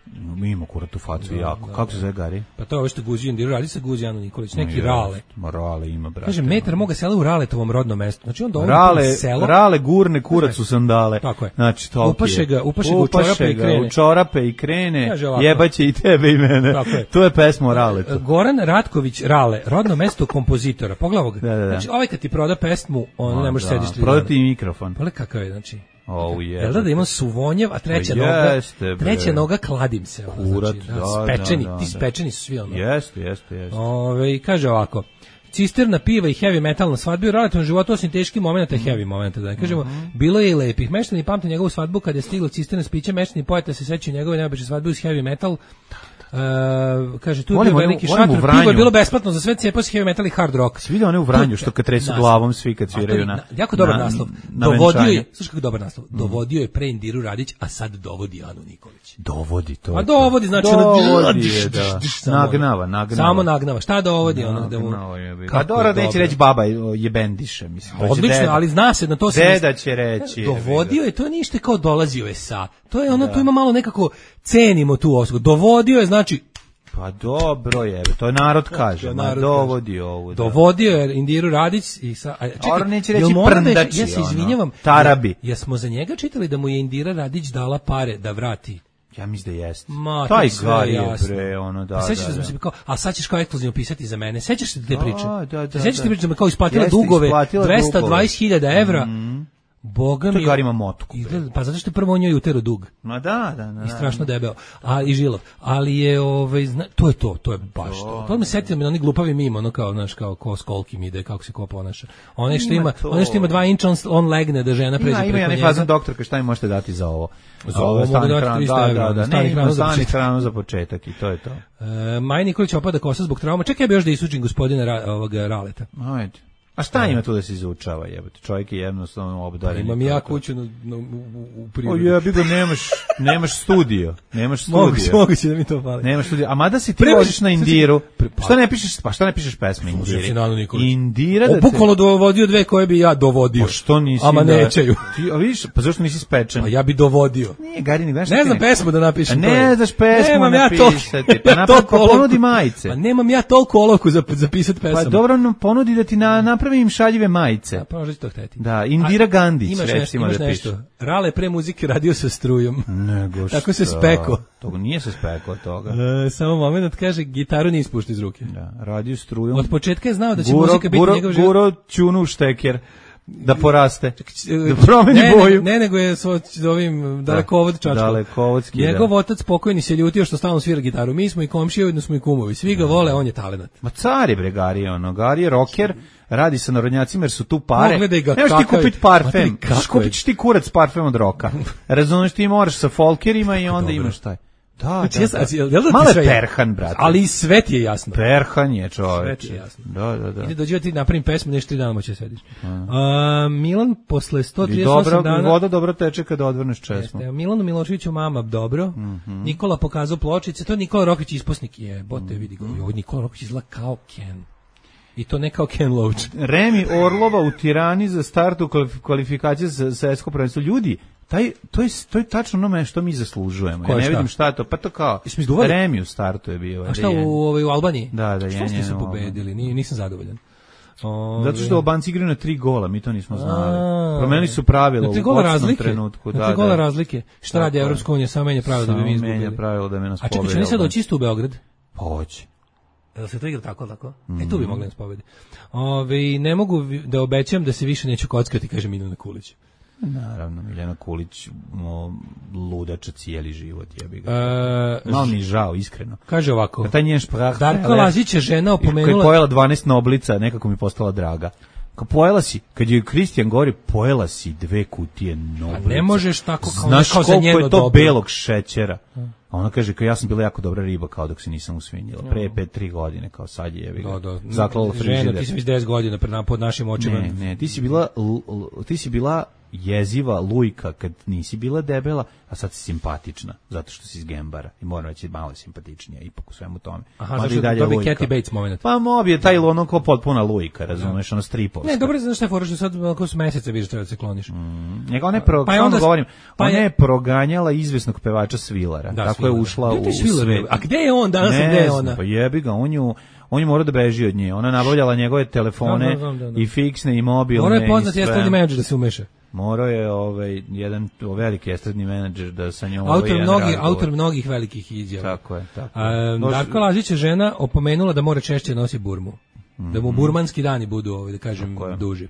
Ima kurat u facu jako. Kako se zove Gari? Pa to je ovo što guzi Indiru, radi se guzi Anu Nikolić, neki Rale. Rale ima, brate. Kaže, metar moga sela u Raletovom rodnom mestu. Znači on dovodi selo. Rale gurne kurac u sandale. Tako je. Znači, to upaše ga u čorape i krene. Jebaće i tebe i mene. To je pesma o Raletu. Goran Ratković Rale, rodno mesto kompozitora. Pogledaj ovog. Znači, ovaj kad ti proda pesmu, on ne može sediš 3 dana. Prodati mikrofon. Pogledaj kakav je, znači. Jel da imam suvonjev, a treća noga kladim se. Kurat, spečeni, ti spečeni su svi ono. Jeste. Kaže ovako, cisterna piva i heavy metal na svadbi u relativnom životu, osim teških momenta i heavy momenta, da ne kažemo, bilo je i lepih. Meštani pamte njegovu svadbu kad je stiglo cisterna s pićem, meštani poeta se sećaju njegove neobične svadbe uz heavy metal. Kaže, tu je bio veliki šator, pivo je bilo besplatno za sve, cijepao se heavy metal i hard rock. Svi vidio one u Vranju što kad tresu glavom svi kad sviraju na jako dobar naslov. Dovodio je, slušaj kako dobar naslov. Dovodio je pre Indiru Radić, a sad dovodi Anu Nikolić. Dovodi to. A dovodi, znači nagnava. Samo nagnava. Šta dovodi ono da mu? A dobro neće reći baba jebendiše, mislim. Odlično, ali zna se na to se deda će reći. Dovodio je, to nije ništa kao dolazio je sa. To je ono, tu ima malo nekako cenimo tu osobu. Dovodio je, znači pa dobro je, to je narod kaže, dovodio ovu. Dovodio je Indiru Radić i čekaj, neće reći prndači, ja se izvinjavam, tarabi. Jesmo za njega čitali da mu je Indira Radić dala pare da vrati? Ja mislim da jeste. Taj Gari je bre, ono da. Sećaš da se kao, a sad ćeš kao ekskluzivno pisati za mene. Sećaš se te priče? Da. Sećaš se priče da me kao isplatila dugove 220.000 evra. Boga mi. To Gari ima motku. Pa zato što je prvo on njoj utero dug. Ma da. I strašno debeo. A i žilo. Ali je to je baš to. To me setilo me na oni glupavi mimo, ono kao znaš kao ko s kolkim ide, kako se ko ponaša. One što ima 2 inča on legne da žena pređe preko njega. Ima fazan doktorka, šta mi možete dati za ovo? Za ovo mogu dati 300 evra. Da, stani hranu za početak i to je to. Maj Nikolić opada kosa zbog trauma. Čekaj, ja bi još da isučim gospodina Raleta. Ajde. A šta ima tu da se izučava, jebote? Čovjek je jednostavno obdaren. Imam ja kuću u prirodi. Jebi ga, nemaš studio. Moguće da mi to fali. Nemaš studio. A mada si ti voziš na Indiru, šta ne pišeš pesme Indiri? Indira da te... Bukvalno dovodio 2 koje bi ja dovodio. Pa što nisi? Ama nećeju. A vidiš, pa zašto nisi spečen? Pa ja bi dovodio. Nije, Gari, ne znam pesmu da napišem. Ne znaš pesmu napisati. Pa ponudi majice. Pa nemam ja toliko olovku za pisati pesmu. Pa dobro, ponudi da ti napravi im šaljive majice. Pa možeš to hteti. Da, Indira Gandić, recimo da piše. Rale pre muzike radio sa strujom. Nego što? Tako se speko. Toga nije se speko od toga. Samo moment, kaže, gitaru nije ispušta iz ruke. Da, radio strujom. Od početka je znao da će muzika biti njegov život. Guro ćunu šteker. da poraste, da promeni boju. Ne, nego je s ovim dalekovod čačkom. Dalekovodski, Njegov otac pokojni se ljutio što stalno svira gitaru. Mi smo i komšije, ujedno smo i kumovi. Svi ga vole, on je talenat. Ma car je bre Gari, Gari je rocker, radi sa narodnjacima jer su tu pare. Pogledaj ga, nemaš ti kupiti parfem. Kako Kupit ćeš ti kurac parfem od roka. Razumeš, ti moraš sa folkerima i onda imaš taj. Da. Malo je perhan, brate. Ali i sve ti je jasno. Perhan je, čoveče. Sve ti je jasno. Da. Ide dođe ti napravim pesmu, nešto 3 dana moće sediš. Milan posle 138 I dobra, dana... voda dobro teče kada odvrneš česmu. Milanu Miloševiću mama dobro. Nikola pokazao pločice. To je Nikola Rokvić isposnik. Bote, vidi ga. Nikola Rokvić izgleda kao Ken. I to ne kao Ken Loach. Remi Orlova u Tirani za startu kvalifikacije za svetsko prvenstvo. Ljudi, to je tačno ono što mi zaslužujemo. Ja ne vidim šta je to. Pa to kao Remi u startu je bio. A šta u Albaniji? Da, što ste se pobedili? Nisam zadovoljan. Zato što Albanci igraju na 3 gola, mi to nismo znali. Promenili su pravila u početnom trenutku. Na 3 gola razlike. Šta radi Evropska unija? Samo menja pravila da bi mi izgubili. Menja pravila da bi nas pobedili. A čekaj, će oni sad doći isto u Beograd? Pa hoće. Jel se to igra tako? Tu bi mogli nas pobedi. Ne mogu da obećam da se više neću kockati, kaže Miljana Kulić. Naravno, Miljana Kulić ludača cijeli život, jebi ga. Malo mi žao, iskreno. Kaže ovako. Taj njen šprah. Darko Lazić je žena opomenula... Kad je pojela 12 noblica, nekako mi postala draga. Pojela si, kad je Kristijan govori, pojela si 2 kutije noblica. A ne možeš tako kao znaš za njeno dobro. Znaš koliko je to belog šećera. A ona kaže, kao ja sam bila jako dobra riba, kao dok se nisam usvinjila. Pre 5-3 godine, kao sad je, jebi ga. Zaklala frižider. Žena, ti si već 10 godina pod našim očima. Ne, ti si bila jeziva lujka kad nisi bila debela, a sad si simpatična, zato što si iz Gembara i moram reći malo simpatičnija ipak u svemu tome. Aha, zašto da bi Kathy Bates moment. Pa mobi je taj ono kao potpuna lujka, razumeš, ono stripovska. Ne, dobro, znaš šta je fora što sad ako s meseca vidiš treba da se kloniš. Njega ona je proganjala izvesnog pevača Svilara, tako je ušla u svet. A gde je on danas, gde je ona? Pa jebi ga, on je morao da beži od nje. Ona nabavljala njegove telefone i fiksne i mobilne. Morao je poznati estradni menadžer da se umeša. Morao je jedan veliki estradni menadžer da sa njom autor mnogih velikih izjava. Tako je. Darko Lazić je žena opomenula da mora češće nosi burmu. Da mu burmanski dani budu, da kažem, duži.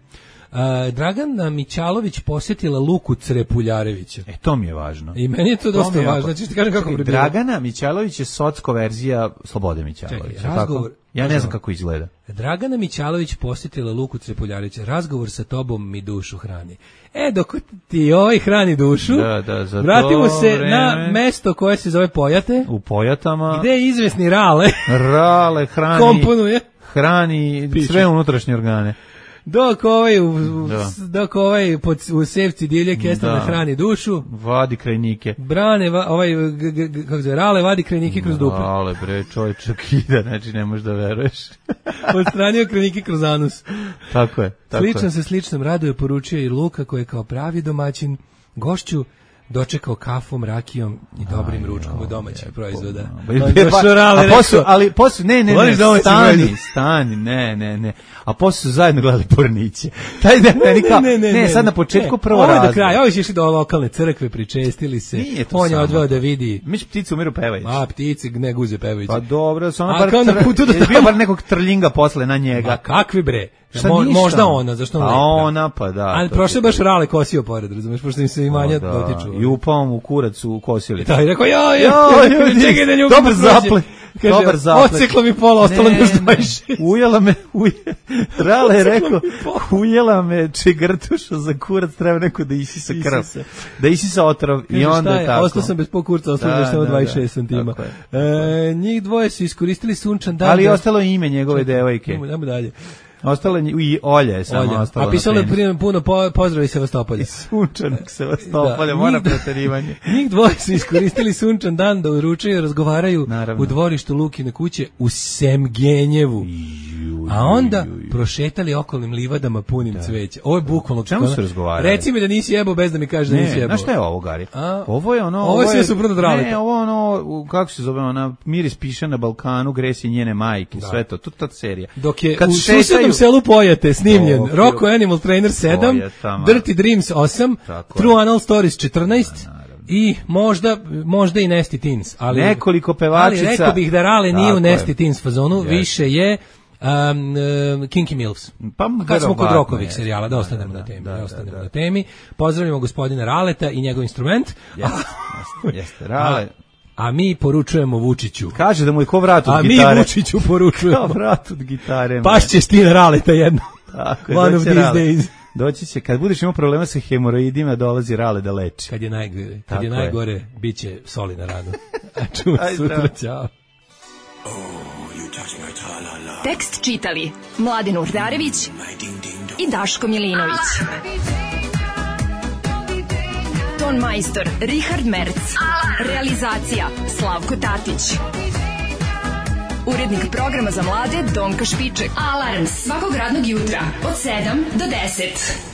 Dragana Mićalović posjetila Luku Crepuljarevića. To mi je važno. I meni je to dosta važno. Znači, ti kažem kako bi bilo. Dragana Mićalović je socko verzija Slobode Mićalovića. Ja ne znam kako izgleda. Dragana Mićalović posjetila Luku Crepuljarevića. Razgovor sa tobom mi dušu hrani. Dok ti hrani dušu, vratimo se na mesto koje se zove Pojate. U Pojatama. Gde je izvesni Rale. Rale komponuje. Hrani sve unutrašnje organe. Dok u sevci divlje kestana hrani dušu, vadi krajnike. Brane, Rale vadi krajnike kroz dupe. Rale, bre, čovječak ide, znači ne možeš da veruješ. Odstranio krajnike kroz anus. Tako je. Slično se sličnom raduje poručio i Luka koji je kao pravi domaćin gošću dočekao kafom, rakijom i dobrim ručkom od domaćih proizvoda. Ali posle, ne, stani, ne. A posle su zajedno gledali Porniće. Taj da ne, sad na početku prvo razlog. Do kraja, ovi su išli do lokalne crkve, pričestili se, on je odveo da vidi. Miš pticu umiru pevajući. Ptice, ne guze pevajući. Pa dobro, su ono bio bar nekog trljinga posle na njega. Ma kakvi bre? Možda ona, zašto ona? A ona, pa da. Ali prošle baš Rale kosio pored, razumeš, pošto im se imanja dotiču. I upao mu kurac u kosili. Da, i rekao, čekaj da ljubim. Dobar zaplet. Odseklo mi pola, ostalo mi još 26. Ujela me, Rale je rekao, ujela me čegrtuša za kurac, treba neko da isisa krv. Da isisa otrov i onda je tako. Ostao sam bez pol kurca, ostalo mi još 26 santima. Njih dvoje su iskoristili sunčan dan. Ali ostalo je ime njegove devojke. Idemo dalje. Ostalo i Olja je samo ostalo. A pisalo je puno pozdravi Sevastopolja. Sunčanog Sevastopolja, mora preterivanje. Njih dvoje su iskoristili sunčan dan da uručuju i razgovaraju u dvorištu Lukine kuće u Semgenjevu. A onda prošetali okolnim livadama punim cveća. Ovo je bukvalno. Čemu su razgovarali? Reci mi da nisi jebao bez da mi kažeš da nisi jebao. Znaš šta je ovo, Gari? Ovo je ono... Ovo je sve suprotno od Raleta. Ne, ovo je ono, kako se zove, ona Miris piše na Balkanu, Gresi njene majke, sve to, ta serija. Dok je u susednom selu Pojate snimljen Rocco Animal Trainer 7, Dirty Dreams 8, True Anal Stories 14, i možda i Nasty Teens. Nekoliko pevačica. Ali rekao bih da Rale nije u Nasty Teens fazonu, više je Kinky Mills. Pa kad smo kod verovatno Rokovih je. serijala, da ostanemo na temi. Na temi. Pozdravljamo gospodina Raleta i njegov instrument. Jeste, Rale. A mi poručujemo Vučiću. Kaže da mu je ko vrat od a gitare. A mi Vučiću poručujemo. Kao vrat od gitare. Pašće Stina Raleta jedno. Tako, one of these days. Doći će, kad budeš imao problema sa hemoroidima, dolazi Rale da leči. Kad je najgore, bit će soli na ranu. A čujem sutra, ćao. Tekst čitali Mladen Urdarević i Daško Milinović. Ton majstor Richard Merc. Realizacija Slavko Tatić. Urednik programa za mlade Donka Špiček. Alarms svakog radnog jutra od 7 do 10.